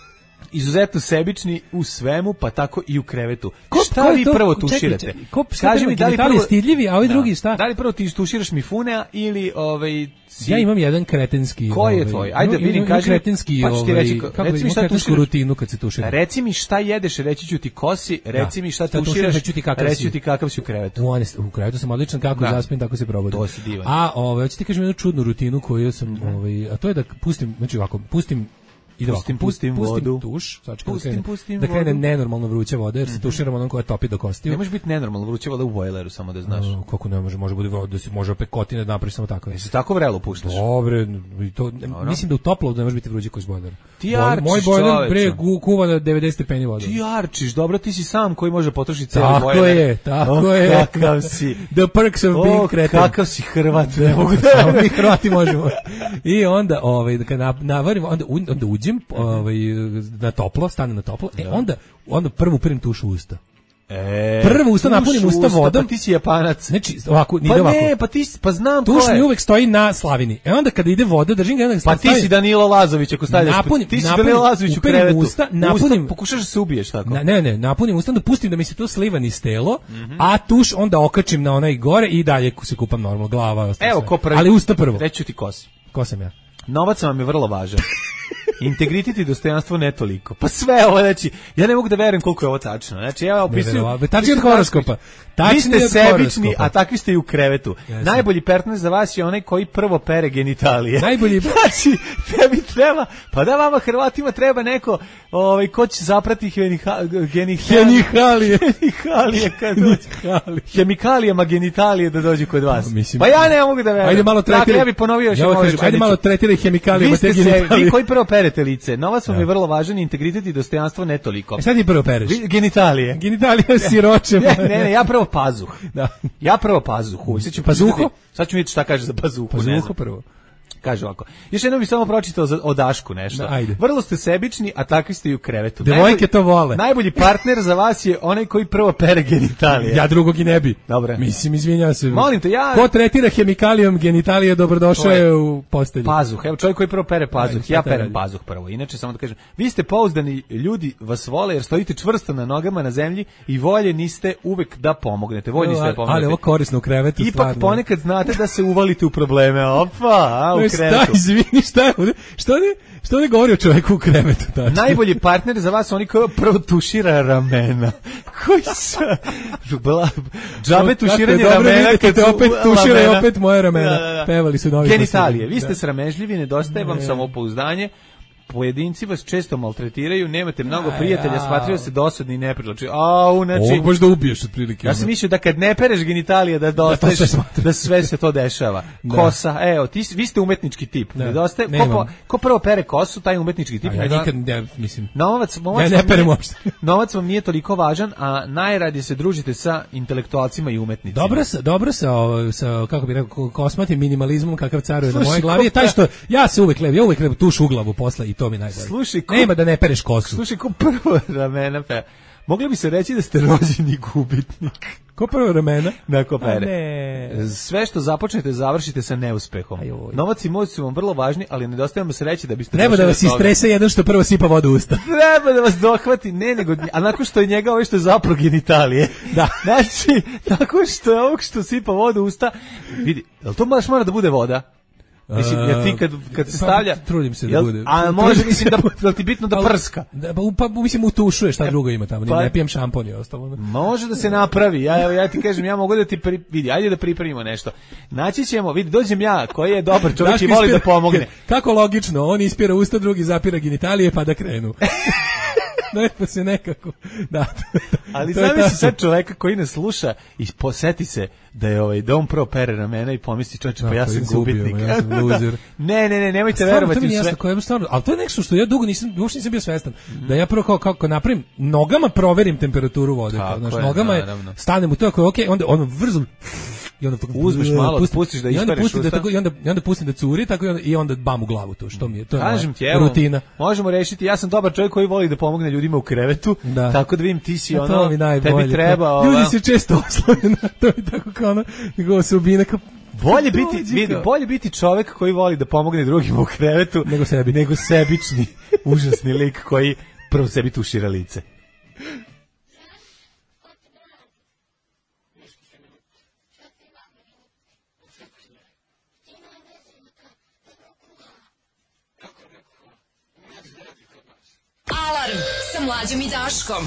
G: izuzetno sebični u svemu, pa tako i u krevetu.
H: Ko,
G: šta
H: ko
G: vi
H: to,
G: prvo
H: čekaj,
G: tuširate?
H: čekaj, ko,
G: Kaži mi da li prvo
H: stidljivi, a ovi
G: da.
H: drugi šta?
G: Da li prvo ti tuširaš mifunea ili ovaj si...
H: Ja imam jedan kretenski.
G: Koji je
H: ovaj,
G: tvoj? Ajde
H: imam,
G: vidim, kaži.
H: Kretenski,
G: pa ću ti reći,
H: ovaj, kako
G: reci mi šta tuširaš
H: rutinu kad se tušira.
G: Reci mi šta jedeš, reći ću ti kosi, reci
H: da.
G: mi šta,
H: šta
G: tuširaš,
H: reći ću ti kakav
G: reći
H: si.
G: ću ti kakav si u krevetu.
H: U, u krevetu sam odličan, kako da. zaspim, tako se probudim.
G: To si divan.
H: A ovaj, hoćete ti kažem jednu čudnu rutinu koju sam, mm-hmm. ovaj, a to je da pustim, znači ovako, pustim Ide
G: pustim,
H: ovako,
G: pustim,
H: pustim
G: vodu.
H: tuš, znači
G: pustim,
H: da krene,
G: pustim
H: da krene
G: vodu.
H: nenormalno vruća voda, jer se
G: mm-hmm.
H: tuširamo onom koja topi do kostiju.
G: Ne može biti nenormalno vruća voda u bojleru, samo da znaš.
H: No, kako ne može, može bude voda, da se može opet kotine da napraviš samo tako.
G: Jesi tako vrelo puštaš?
H: Dobre, i to, Dobro. Mislim da u toplo ne može biti vruće koji bojler.
G: Ti arčiš,
H: moj bojler bre kuva na devedeset stepeni voda.
G: Ti arčiš, dobro, ti si sam koji može potrošiti ceo bojler.
H: Tako je, tako
G: oh,
H: je.
G: Kakav si.
H: The perks of being
G: oh,
H: Cretan.
G: Kakav si Hrvat, ne mogu da.
H: Mi Hrvati možemo. I onda, ovaj, kad navarimo, onda, onda uđem, ovaj, na toplo, stane na toplo, e, onda, onda prvo upirim tuš u usta.
G: E,
H: prvo usta napunim usta vodom.
G: Pa ti si Japanac.
H: Znači, ovako,
G: pa
H: ovako.
G: ne, pa ti pa znam
H: tuš mi uvek stoji na slavini. E onda kada ide voda, držim ga, onda
G: pa ti si Danilo Lazović ako stavljaš.
H: Napunim,
G: ti si
H: napunim,
G: Danilo Lazović u krevetu.
H: Usta, napunim,
G: usta, pokušaš da se ubiješ tako.
H: Na, ne, ne, napunim usta, da pustim da mi se to sliva niz telo, mm-hmm. a tuš onda okačim na onaj gore i dalje se kupam normalno, glava.
G: Evo ko prvi.
H: Ali usta prvo.
G: Reću ti kosi.
H: Ko sam ja?
G: Novac vam je vrlo važan. Integritet i dostojanstvo ne toliko. Pa sve ovo, znači, ja ne mogu da verujem koliko je ovo tačno. Znači, ja opisujem...
H: Tačni od horoskopa.
G: Vi ste sebični, a takvi ste i u krevetu. Yes. Najbolji partner za vas je onaj koji prvo pere genitalije.
H: Najbolji...
G: znači, tebi treba, pa da vama Hrvatima treba neko ovaj, ko će zaprati hemikalije.
H: Hemikalije.
G: Hemikalije kad dođe. Hemikalijama genitalije da dođe kod vas.
H: Mislim,
G: pa ja ne mogu da verujem.
H: Ajde malo tretiraj.
G: Dakle, ja bih ponovio još
H: ja
G: jednu
H: kažem, ajde malo tretiraj hemikalijama te genitalije.
G: Vi koji prvo perete lice, novac vam je vrlo važan, integritet i dostojanstvo ne toliko.
H: E sad ti prvo pereš?
G: Vi, genitalije.
H: Genitalije siroče.
G: Ne, ne, ne, ja prvo pazuh.
H: Da.
G: Ja prvo pazuhu. Sad ću
H: pazuho?
G: Sad ću vidjeti šta kaže za pazuhu.
H: Pazuho prvo.
G: Kaže ovako. Još jednom bih samo pročitao za, o Dašku nešto.
H: Da,
G: vrlo ste sebični, a takvi ste i u krevetu.
H: Devojke to vole.
G: Najbolji partner za vas je onaj koji prvo pere genitalije.
H: Ja drugog i ne bi.
G: Dobre.
H: Mislim, izvinjavam se.
G: Molim te, ja...
H: Ko tretira hemikalijom genitalije, dobrodošao je u postelju.
G: Pazuh. Evo, čovjek koji prvo pere pazuh. Ja perem pazuh prvo. Inače, samo da kažem, vi ste pouzdani ljudi, vas vole jer stojite čvrsto na nogama na zemlji i volje niste uvek da pomognete. Voljni ste da pomognete.
H: Ali ovo korisno u krevetu.
G: Ipak
H: stvarno.
G: ponekad znate da se uvalite u probleme. Opa, a, u krevetu.
H: Ni šta je ovdje, što ne, što ne govori o čovjeku u krevetu, tačno.
G: Najbolji partner za vas oni koji prvo tušira ramena. Koji su džabe tuširanje ramena
H: kad te opet tušira i opet moje ramena.
G: Da, da, da.
H: Pevali su novi.
G: Genitalije, vi ste sramežljivi, nedostaje vam samopouzdanje. Pojedinci vas često maltretiraju, nemate mnogo a, prijatelja, ja. Smatraju se dosadni i neprivlačni. Au, znači,
H: ovo baš da ubiješ otprilike.
G: Ja sam mislio da kad ne pereš genitalije da dostaješ, da, sve, da sve se to dešava. Da. Kosa, evo, ti, vi ste umetnički tip. Da. Nedostaje, ko, ko prvo pere kosu, taj umetnički tip.
H: A ja nikad ne, mislim.
G: Novac, novac,
H: ja ne perem uopšte.
G: Novac vam nije toliko važan, a najradije se družite sa intelektualcima i umetnicima.
H: Dobro sa, dobro sa, sa kako bih rekao, kosmatim minimalizmom kakav caruje na mojoj glavi je taj što ja se uvek lev, ja uvek lev tuš u glavu posle i to mi najbolje.
G: Slušaj, ko,
H: nema da ne pereš kosu.
G: Slušaj, ko prvo ramena pe. Mogli bi se reći da ste rođeni gubitnik.
H: Ko prvo ramena?
G: Da, ko pere.
H: Ne.
G: Sve što započnete, završite sa neuspehom. Ajoj. Novac i moć su vam vrlo važni, ali nedostaje vam se reći da biste...
H: Treba da vas istrese jedan što prvo sipa vodu u usta.
G: Treba da vas dohvati, ne, nego, a nakon što je njega ovaj što je zapro genitalije.
H: Da.
G: Znači, nakon što je ovog što sipa vodu u usta, vidi, jel to baš mora da bude voda? Mislim, jer ti kad, kad se stavlja...
H: Pa, trudim se da
G: jel,
H: bude.
G: A može, mislim, da, da ti bitno da prska.
H: Da, pa, mislim, utušuje šta drugo ima tamo. Pa, ne pijem šampon i ostalo.
G: Može da se napravi. Ja, evo, ja ti kažem, ja mogu da ti... Pri, vidi, ajde da pripremimo nešto. Naći ćemo, vidi, dođem ja, koji je dobar čovjek i voli da pomogne.
H: Kako logično, on ispira usta, drugi zapira genitalije, pa da krenu. Ne, pa se nekako. Da.
G: Ali zamisli sad čoveka koji nas sluša i poseti se da je ovaj dom prvo pere ramena i pomisli čovječe, pa ja sam gubitnik.
H: Ja sam loser.
G: Ne, ne, ne, nemojte verovati u sve.
H: Jasno, koje stvarno, ali to je nešto što ja dugo nisam, uopšte nisam bio svestan. Mm. Da ja prvo kao kako napravim, nogama proverim temperaturu vode, kao, znači nogama je, stanem u to ako je okej, okay, onda ono vrzum i onda
G: uzmeš malo, pusti, pustiš da ispereš usta.
H: Da tako, i onda i onda pustim da curi, tako i onda, i onda bam u glavu to, što mi je, to je
G: kažem ti, evo,
H: rutina.
G: Možemo rešiti, ja sam dobar čovjek koji voli da pomogne ljudima u krevetu, da. Tako da vidim ti si
H: ja,
G: ono, tebi treba ova.
H: Ljudi se često oslone na to i tako kao ono, nego se ubine kao
G: bolje biti, vidi, bolje biti čovjek koji voli da pomogne drugima u krevetu
H: nego sebi,
G: nego sebični, užasni lik koji prvo sebi tušira lice.
M: Alarm sa Mlađom i Daškom.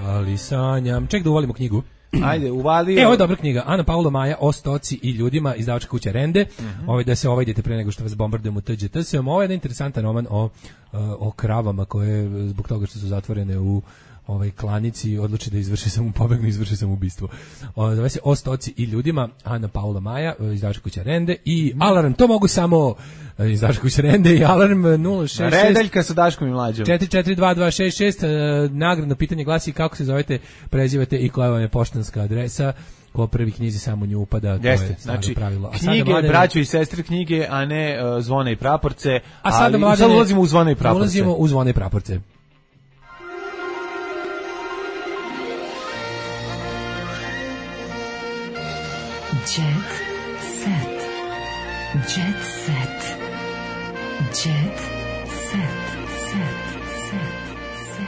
H: Ali sanjam. Ček da uvalimo knjigu.
G: Ajde, uvali.
H: E, ovo je dobra knjiga. Ana Paula Maja o stoci i ljudima, izdavačka kuća Rende. Uh-huh. Ovo da se ovaj idete pre nego što vas bombardujemo T G T S. Ovo je jedan interesantan roman o, o kravama koje zbog toga što su zatvorene u ovaj klanici odluči da izvrši samo pobegnu, izvrši samo ubistvo. O, zove se O stoci i ljudima, Ana Paula Maja, izdavačka kuća Rende i Alarm, to mogu samo izdavačka kuća Rende i Alarm nula šest šest
G: Redeljka sa Daškom i Mlađom.
H: četiri četiri dva dva šest šest. Nagradno pitanje glasi kako se zovete, prezivate i koja vam je poštanska adresa. Ko prvi knjizi samo nju upada, to
G: Jeste,
H: je staro
G: znači,
H: pravilo. A
G: knjige,
H: mladene,
G: braćo i sestre knjige, a ne uh, zvone i praporce.
H: A sada
G: ali,
H: mladene,
G: sad ulazimo u zvone i praporce.
H: Ulazimo u zvone i praporce.
F: Jet set. Jet set. Jet set. Set. Set.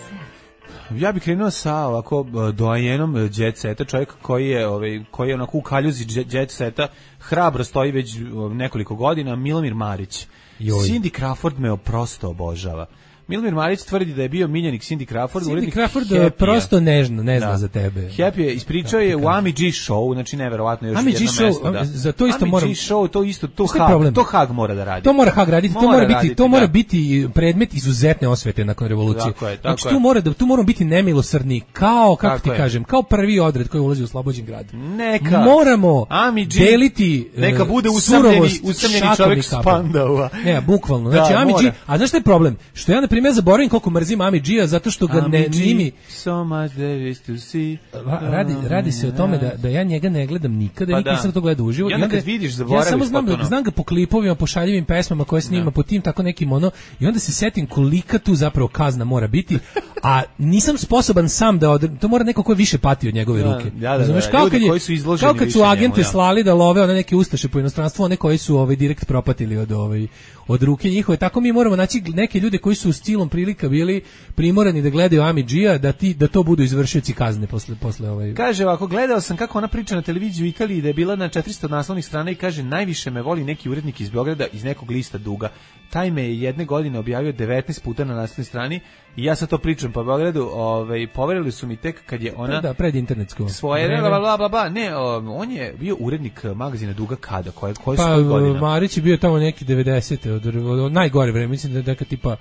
F: Set.
G: Ja bih krenuo sa ovako doajenom jet seta, čovjek koji je, ovaj, koji je onako u kaljuzi jet seta, hrabro stoji već nekoliko godina, Milomir Marić. Joj. Cindy Crawford me prosto obožava. Milomir Marić tvrdi da je bio miljenik Cindy Crawford.
H: Cindy Crawford prosto nežno, ne zna da. za tebe.
G: Happy je, ispričao je u Ami G Show, znači neverovatno još
H: Ami
G: jedno
H: G
G: mesto.
H: Da. Za to isto
G: Ami
H: moram...
G: G Show, to isto, to Hag, to Hag mora da radi.
H: To mora Hag raditi,
G: mora
H: to mora biti,
G: raditi,
H: to mora
G: da.
H: biti predmet izuzetne osvete nakon revolucije.
G: Tako je, tako
H: znači,
G: je.
H: tu mora da tu moramo biti nemilosrdni, kao kako
G: tako
H: ti
G: je.
H: kažem, kao prvi odred koji ulazi u Slobođen grad.
G: Neka.
H: Moramo
G: Ami G,
H: deliti
G: neka bude usamljeni, usamljeni čovjek s Pandova.
H: Ne, bukvalno. Znači
G: da,
H: Ami
G: mora.
H: G, a znaš šta je problem? Što ja na primjer zaboravim koliko mrzim Ami G-a zato što ga ne nimi
G: so much there is to see.
H: Radi, radi se o tome da, da ja njega ne gledam nikada,
G: pa
H: nikad nisam to gledao uživo.
G: I onda kad vidiš, zaboraviš.
H: Ja samo znam,
G: potpuno.
H: znam ga po klipovima, po šaljivim pesmama koje snima, da. po tim tako nekim ono, i onda se setim kolika tu zapravo kazna mora biti, a nisam sposoban sam da odre, to mora neko ko je više pati od njegove
G: da,
H: ruke.
G: Da, da,
H: Znaš,
G: da,
H: kao
G: ljudi
H: kad je,
G: koji su izloženi
H: kao kad su agente
G: njemu, ja.
H: slali da love one neke ustaše po inostranstvu, one koji su ovaj direkt propatili od ovaj od ruke njihove, tako mi moramo naći neke ljude koji su s cilom prilika bili primorani da gledaju Ami G-a, da ti da to budu izvršioci kazne posle posle ovaj.
G: Kaže ovako, gledao sam kako ona priča na televiziji u Italiji da je bila na četiristo naslovnih strana i kaže najviše me voli neki urednik iz Beograda iz nekog lista Duga. Taj me je jedne godine objavio devetnaest puta na naslovnoj strani i ja sad to pričam po Beogradu, ovaj poverili su mi tek kad je ona
H: da pred internetsko
G: svoje bla bla bla bla ne, on je bio urednik magazina Duga kada koje koje
H: pa,
G: su godine.
H: Marić je bio tamo neki devedesete od, od, od najgore vreme, mislim da je neka tipa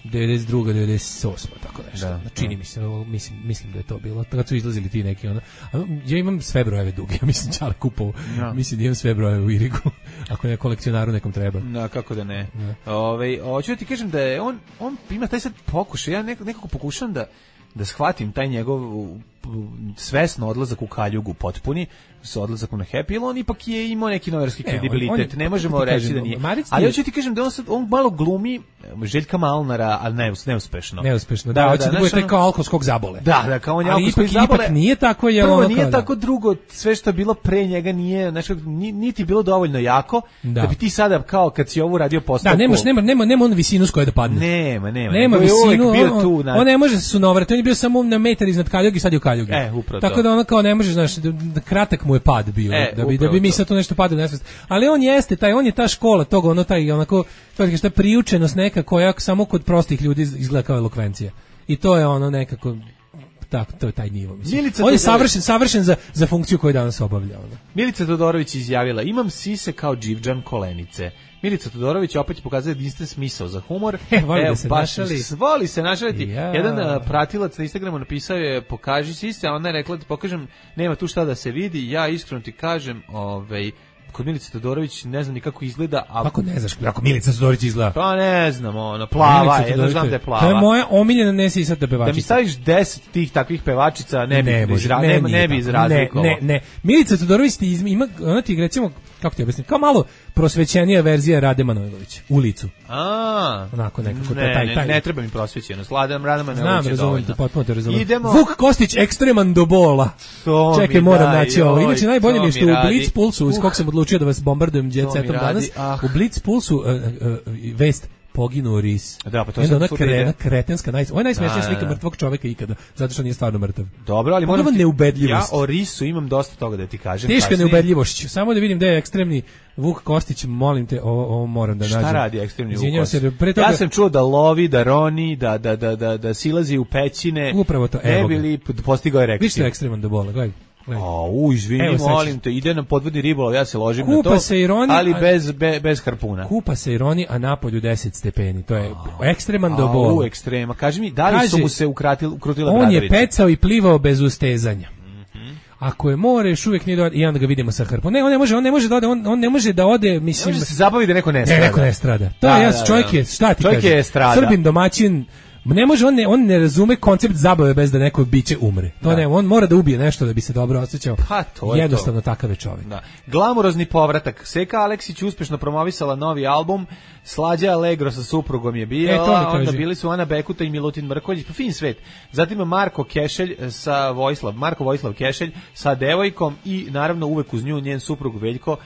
H: devedeset druga devedeset osma tako nešto.
G: Da,
H: čini
G: da.
H: mi se, mislim mislim da je to bilo. Kad su izlazili ti neki ono. Ja imam sve brojeve Duge, ja mislim čale kupovao. Ja. Mislim da imam sve brojeve u Irigu. Ako ne kolekcionaru nekom treba.
G: Da, kako da ne. Ovaj, hoću da ti kažem da je on on ima taj sad pokušaj, ja nekako, nekako pokušam da da shvatim taj njegov svesno odlazak u kaljugu potpuni, sa odlazak na Happy, on ipak je imao neki novinarski kredibilitet, on, on, ne možemo reći da nije. Ali hoću ti kažem da on sad on malo glumi Željka Malnara, ali ne, neuspešno.
H: Neuspešno, da, hoće da, da bude taj kao alkoholskog zabole.
G: Da, da, kao on je
H: alkoholskog zabole. Ipak nije tako, je
G: prvo,
H: ono
G: nije
H: kao,
G: tako,
H: da.
G: drugo, sve što je bilo pre njega nije, znači, niti bilo dovoljno jako, da. da bi ti sada, kao kad si ovo radio postavku.
H: Da, nemaš, nema, nema, nema on visinu s koje da padne.
G: Nema, nema.
H: Nema visinu,
G: bio
H: on,
G: tu, na...
H: on ne može se sunovrati, on je bio samo na metar iznad kaljugi, sad je u kaljugi.
G: E, upravo
H: tako
G: to.
H: da ono kao ne može, znaš, da, da kratak mu je pad bio,
G: e,
H: da bi da bi mi sad to nešto padalo nesvest. Ali on jeste taj, on je ta škola toga, ono taj onako, to je šta priučenost neka koja samo kod prostih ljudi izgleda kao elokvencija. I to je ono nekako tako, to je taj nivo, mislim. Milica on je savršen, savršen za, za funkciju koju danas obavlja. Ono.
G: Milica Todorović izjavila, imam sise kao Dživđan Kolenice. Milica Todorović opet pokazuje jedinstven smisao za humor.
H: E, voli da se našali.
G: Voli se našaliti.
H: Ja.
G: Jedan uh, pratilac na Instagramu napisao je, pokaži sise, a ona je rekla, ti pokažem, nema tu šta da se vidi, ja iskreno ti kažem, ovaj, kod Milice Todorović ne znam ni kako izgleda, a
H: kako ne znaš kako Milica Todorović izgleda?
G: Pa ne znam, ona plava, jedno znam da je plava.
H: To je moja omiljena nesisata pevačica.
G: Da mi staviš deset tih takvih pevačica, ne bi
H: ne,
G: izra,
H: ne,
G: ne,
H: ne,
G: ne bi izrazlikovao.
H: Ne, ne, ne. Milica Todorović ti ima, ona ti recimo, kako ti objasnim, kao malo prosvećenija verzija Rade Manojlović u licu.
G: A,
H: onako nekako
G: ne,
H: taj taj.
G: Ne, ne treba mi prosvećenost. Ladam Rada Manojlović.
H: Znam, razumem, potpuno te razumem.
G: Idemo.
H: Vuk Kostić ekstreman do bola.
G: To
H: čekaj, moram naći ovo. Inače najbolje mi je što u
G: radi.
H: Blitz Pulsu, iz kog sam odlučio da vas bombardujem jet setom danas,
G: ah.
H: u Blitz Pulsu uh, uh, vest poginuo ris.
G: Da, pa to
H: je
G: sam
H: ona
G: tu
H: krena,
G: vidio.
H: kretenska, naj... Ovo je najsmešnija
G: Da,
H: slika
G: da, da.
H: mrtvog čoveka ikada, zato što nije stvarno mrtav.
G: Dobro, ali moram
H: Pogledaj neubedljivost.
G: Ja o risu imam dosta toga da ti kažem.
H: Teška
G: kasnije.
H: neubedljivošću. Samo da vidim gde je ekstremni Vuk Kostić, molim te, ovo, ovo moram da
G: Šta
H: nađem.
G: Šta radi ekstremni Vuk
H: Izvinjavam
G: Kostić?
H: se, pre toga...
G: Ja sam čuo da lovi, da roni, da, da, da, da, da silazi u pećine.
H: Upravo to,
G: ne
H: evo
G: bi
H: ga.
G: li postigao erekciju.
H: Vi ste ekstreman do bola, gledaj.
G: A, u, izvini,
H: Evo, sad
G: molim
H: ću-
G: te, ide na podvodni ribolov, ja se ložim
H: Kupa
G: na to,
H: se i roni,
G: ali
H: a-
G: bez, be, bez harpuna.
H: Kupa se i roni, a napolju deset stepeni. To je ekstreman do
G: A,
H: bola.
G: u, ekstrema. Kaži mi, da li
H: Kaže,
G: su mu se ukratili, ukrutile
H: On je
G: bradarice?
H: pecao i plivao bez ustezanja. Ako je more, još uvijek nije do... i onda ga vidimo sa hrpom. Ne, on ne može, on ne može da ode, on, on ne može da ode, mislim...
G: Ne može da se zabavi da neko ne
H: Ne,
G: strada.
H: neko ne strada. To
G: Da,
H: je, ja,
G: da, da.
H: čovjek je, šta ti
G: Čovjek
H: kažem?
G: je estrada.
H: Srbin, domaćin, ne može, on ne, on ne razume koncept zabave bez da neko biće umre. To
G: Da.
H: ne, on mora da ubije nešto da bi se dobro osjećao.
G: Pa, to je
H: Jednostavno
G: to.
H: takav je čovjek.
G: Da. Glamurozni povratak. Seka Aleksić uspešno promovisala novi album. Slađa Allegro sa suprugom je bila.
H: E, to mi
G: Onda
H: kaži.
G: bili su Ana Bekuta i Milutin Mrkonjić. Pa fin svet. Zatim Marko Kešelj sa Vojislav, Marko Vojislav Kešelj sa devojkom i naravno uvek uz nju njen suprug Veljko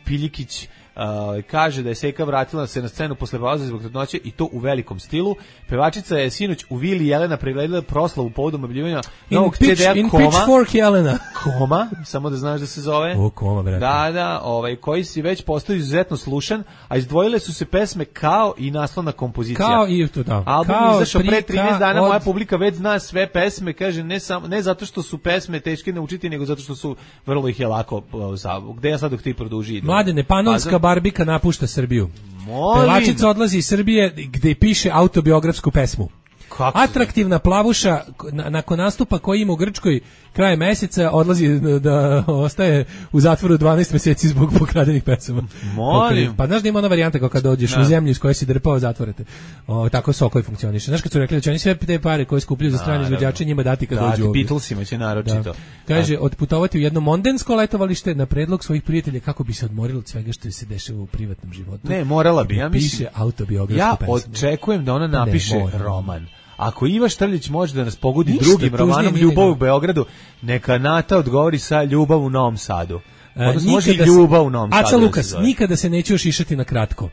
G: Piljikić. Uh, kaže da je Seka vratila se na scenu posle pauze zbog trudnoće i to u velikom stilu. Pevačica je sinoć u Vili Jelena pregledala proslavu povodom objavljivanja
H: In,
G: novog
H: pitch,
G: C D-a
H: in
G: Koma.
H: Pitchfork Jelena.
G: Koma, samo da znaš da se zove.
H: O, Koma, brate.
G: Da, da, ovaj, koji si već postao izuzetno slušan, a izdvojile su se pesme Kao i naslovna kompozicija.
H: Kao i to da.
G: Album
H: Kao
G: izašao pre
H: prika
G: trinaest dana,
H: od-
G: moja publika već zna sve pesme, kaže, ne, samo, ne zato što su pesme teške naučiti, nego zato što su, vrlo ih je lako, uh, za- gde ja sad dok ti produži. idem?
H: Mladene, Panonska
G: Pazar?
H: barbika napušta Srbiju.
G: Molim.
H: Pevačica odlazi iz Srbije gde piše autobiografsku pesmu.
G: Kako se
H: Atraktivna plavuša na- nakon nastupa koji ima u Grčkoj krajem meseca odlazi da, da ostaje u zatvoru dvanaest mjeseci zbog pokradenih pesama.
G: Molim.
H: Pa znaš da ima ona varijanta kao kad dođeš
G: Da.
H: u zemlju iz koje si drpao, zatvorete. O, tako Sokoj funkcioniše. Znaš kad su rekli da će oni sve te pare koje skupljaju za strane
G: Naravno.
H: izvođače njima dati kad
G: Da,
H: dođu ovdje.
G: Beatlesima će naročito.
H: Da. Kaže, otputovati u jedno mondensko letovalište na predlog svojih prijatelja kako bi se odmorili od svega što se dešava u privatnom životu.
G: Ne, morala
H: I
G: bi,
H: da
G: ja mislim.
H: piše autobiografsku
G: Ja
H: pesmu.
G: očekujem da ona
H: Pa ne,
G: napiše
H: mora.
G: roman. Ako Iva Štrljić može da nas pogodi
H: Ništa
G: drugim
H: tužnije
G: romanom
H: nije
G: Ljubav u
H: nego-
G: Beogradu, neka Nata odgovori sa Ljubav u Novom Sadu.
H: E,
G: Odnosno može i
H: nikada se-
G: Ljubav u Novom Sadu.
H: Aca
G: da se
H: Lukas,
G: zove.
H: nikada se neću još išati na kratko.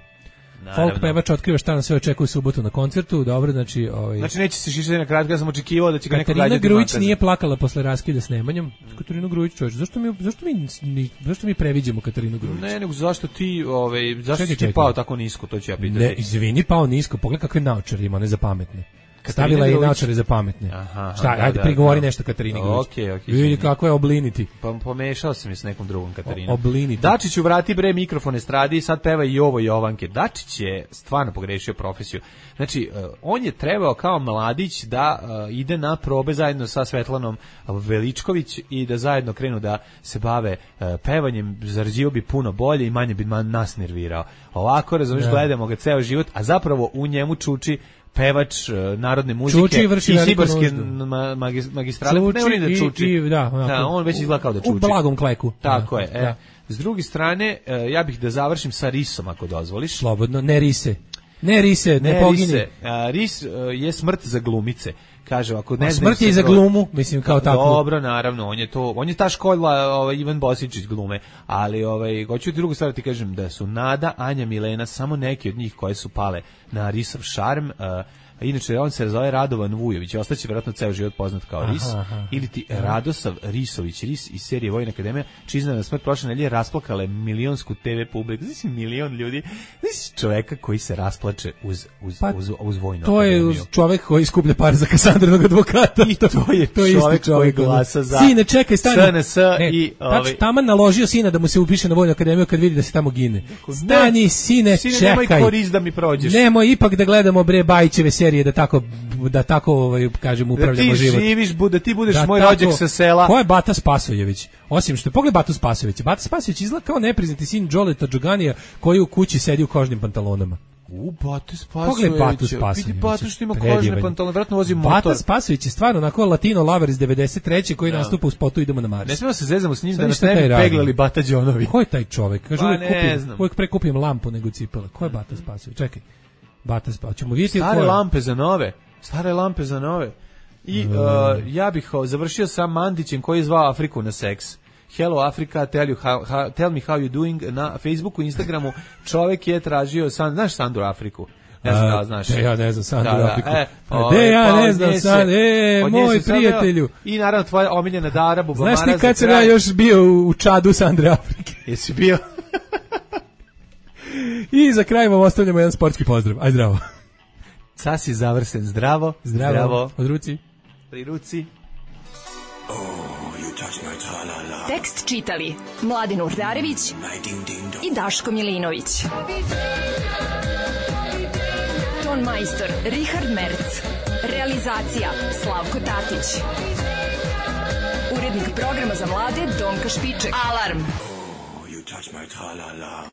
G: Naravno.
H: Folk pevač otkriva šta nam sve očekuje u subotu na koncertu, dobro, znači... Ovaj,
G: Znači neće se šišati na kratko, ja sam očekivao da će ga neko
H: Katarina
G: gađati
H: Grujić
G: makazom.
H: nije plakala posle raskida s Nemanjom. Katarina Grujić, čovječ, zašto mi, zašto mi, ni- zašto mi previđamo Katarinu Grujić?
G: Ne, nego zašto ti, ovaj, zašto
H: Čekaj,
G: si ti
H: čekaj.
G: pao tako nisko, to ću ja pitati.
H: Ne, izvini, pao nisko, pogledaj kakve naočare ima, ne za pametne.
G: Katarina
H: Stavila je i
G: Grujić.
H: naočare za pametne.
G: Aha,
H: Šta,
G: da,
H: ajde,
G: da,
H: prigovori
G: da.
H: nešto Katarini Grujić.
G: Okej, okej,
H: Vidi
G: izvini.
H: kako je obliniti.
G: Pa pomešao sam je s nekom drugom Katarinom.
H: O- obliniti.
G: Dačiću vrati bre mikrofon estradi i sad peva i ovo Jovanke. Dačić je stvarno pogrešio profesiju. Znači, uh, on je trebao kao mladić da uh, ide na probe zajedno sa Svetlanom Veličković i da zajedno krenu da se bave uh, pevanjem, zarađivao bi puno bolje i manje bi ma- nas nervirao. Ovako, razumiješ,
H: Da.
G: gledamo ga ceo život, a zapravo u njemu čuči pevač uh, narodne muzike
H: Čuči i vrši veliku
G: Sibarske
H: nuždu.
G: ma, magis, magistrale.
H: Čuči
G: ne volim da
H: i-
G: čuči.
H: i- da, onako,
G: da, on već izgleda kao da čuči.
H: U blagom kleku.
G: Tako
H: Da,
G: je. E,
H: da.
G: s druge strane, e, ja bih da završim sa risom, ako dozvoliš.
H: Slobodno, ne rise. Ne rise, ne,
G: Ne,
H: pogini.
G: rise. A, ris e, je smrt za glumice. Kaže, ako ne
H: A
G: znaju
H: smrt je i
G: se
H: za
G: broj-
H: glumu, mislim, kao tako.
G: Dobro, naravno, on je to, on je ta škola, ovaj Ivan Bosičić glume, ali ovaj hoću ti drugu stvar ti kažem da su Nada, Anja, Milena samo neki od njih koje su pale na risov šarm. e, Inače, on se zove Radovan Vujović, ostaće vjerojatno ceo život poznat kao
H: Aha,
G: Ris,
H: aha.
G: ili ti Radosav Risović, Ris iz serije Vojna akademija, čija iznenadna smrt prošle nedelje rasplakale milionsku te ve publiku. Znači, milion ljudi, znači čoveka koji se rasplače uz, uz,
H: Pa,
G: uz, uz Vojnu
H: To je
G: akademiju.
H: čovjek koji skuplja par za Kasandrinog advokata.
G: I to je
H: isti
G: čovjek koji glasa za
H: Sine, čekaj, stani.
G: S N S
H: Ne,
G: i,
H: tač-
G: ovaj-
H: taman naložio sina da mu se upiše na Vojnu akademiju kad vidi da se tamo gine. Stani, sine,
G: Sine,
H: čekaj.
G: nemoj korist da mi prođeš.
H: Nemoj ipak da gledamo bre Bajićeve serije da tako da tako ovaj kažem
G: Da
H: upravljamo
G: ti
H: život.
G: živiš, bu- da ti budeš
H: Da
G: moj
H: tako-
G: rođak sa sela.
H: Ko je Bata Spasojević? Osim što pogled Batu Spasojevića. Bata Spasojević izgleda kao nepriznati sin Đoleta Đoganija koji u kući sedi u kožnim pantalonama.
G: U, Batu Spasojevića.
H: Pogled Batu Spasojevića.
G: Vidi Batu što ima
H: Predivan.
G: kožne pantalone, vratno vozi motor.
H: Bata Spasojević je stvarno onako latino lover iz devedeset treće koji
G: Da.
H: nastupa u spotu Idemo na Mars.
G: Ne smemo se zezamo s njim
H: Sad
G: da nas
H: ništa
G: ne
H: taj
G: bi
H: radi.
G: peglali Bata Đonovi.
H: Ko je taj čovjek? Kaže,
G: Pa
H: uvijek,
G: ne
H: kupim,
G: znam.
H: uvijek prekupijem lampu nego cipele. Ko je Bata Spasojević? Čekaj. Bata Spasojević. Ćemo vidjeti ko
G: Stare
H: je.
G: lampe za nove. Stare lampe za nove. I uh, ja bih o, završio sa Mandićem koji je zvao Afriku na seks. Hello Africa, tell, you how, how, tell me how you doing na Facebooku, Instagramu. Čovjek je tražio, san, znaš Sandru Afriku? Ne znam da znaš.
H: De ja ne znam Sandru
G: Da, da,
H: Afriku.
G: e,
H: De ja
G: pa
H: ne
G: od
H: znam
G: nje se-
H: Sandru. E,
G: od nje
H: moj
G: se sad-
H: prijatelju.
G: I naravno tvoja omiljena Dara Bubamara.
H: Znaš ti
G: za
H: kad sam
G: kraj.
H: ja još bio u Čadu Sandre Afrike?
G: Jesi bio?
H: I za kraj vam ostavljamo jedan sportski pozdrav. Aj zdravo.
G: Sasi završen zdravo.
H: Zdravo.
G: Zdravo.
H: Od ruci.
G: Pri ruci.
M: Tekst čitali Mladin Urdarević i Daško Milinović. Ton majstor Richard Merc. Realizacija Slavko Tatić. Urednik programa za mlade Donka Špiček. Alarm!
I: You touch my tra-la-la.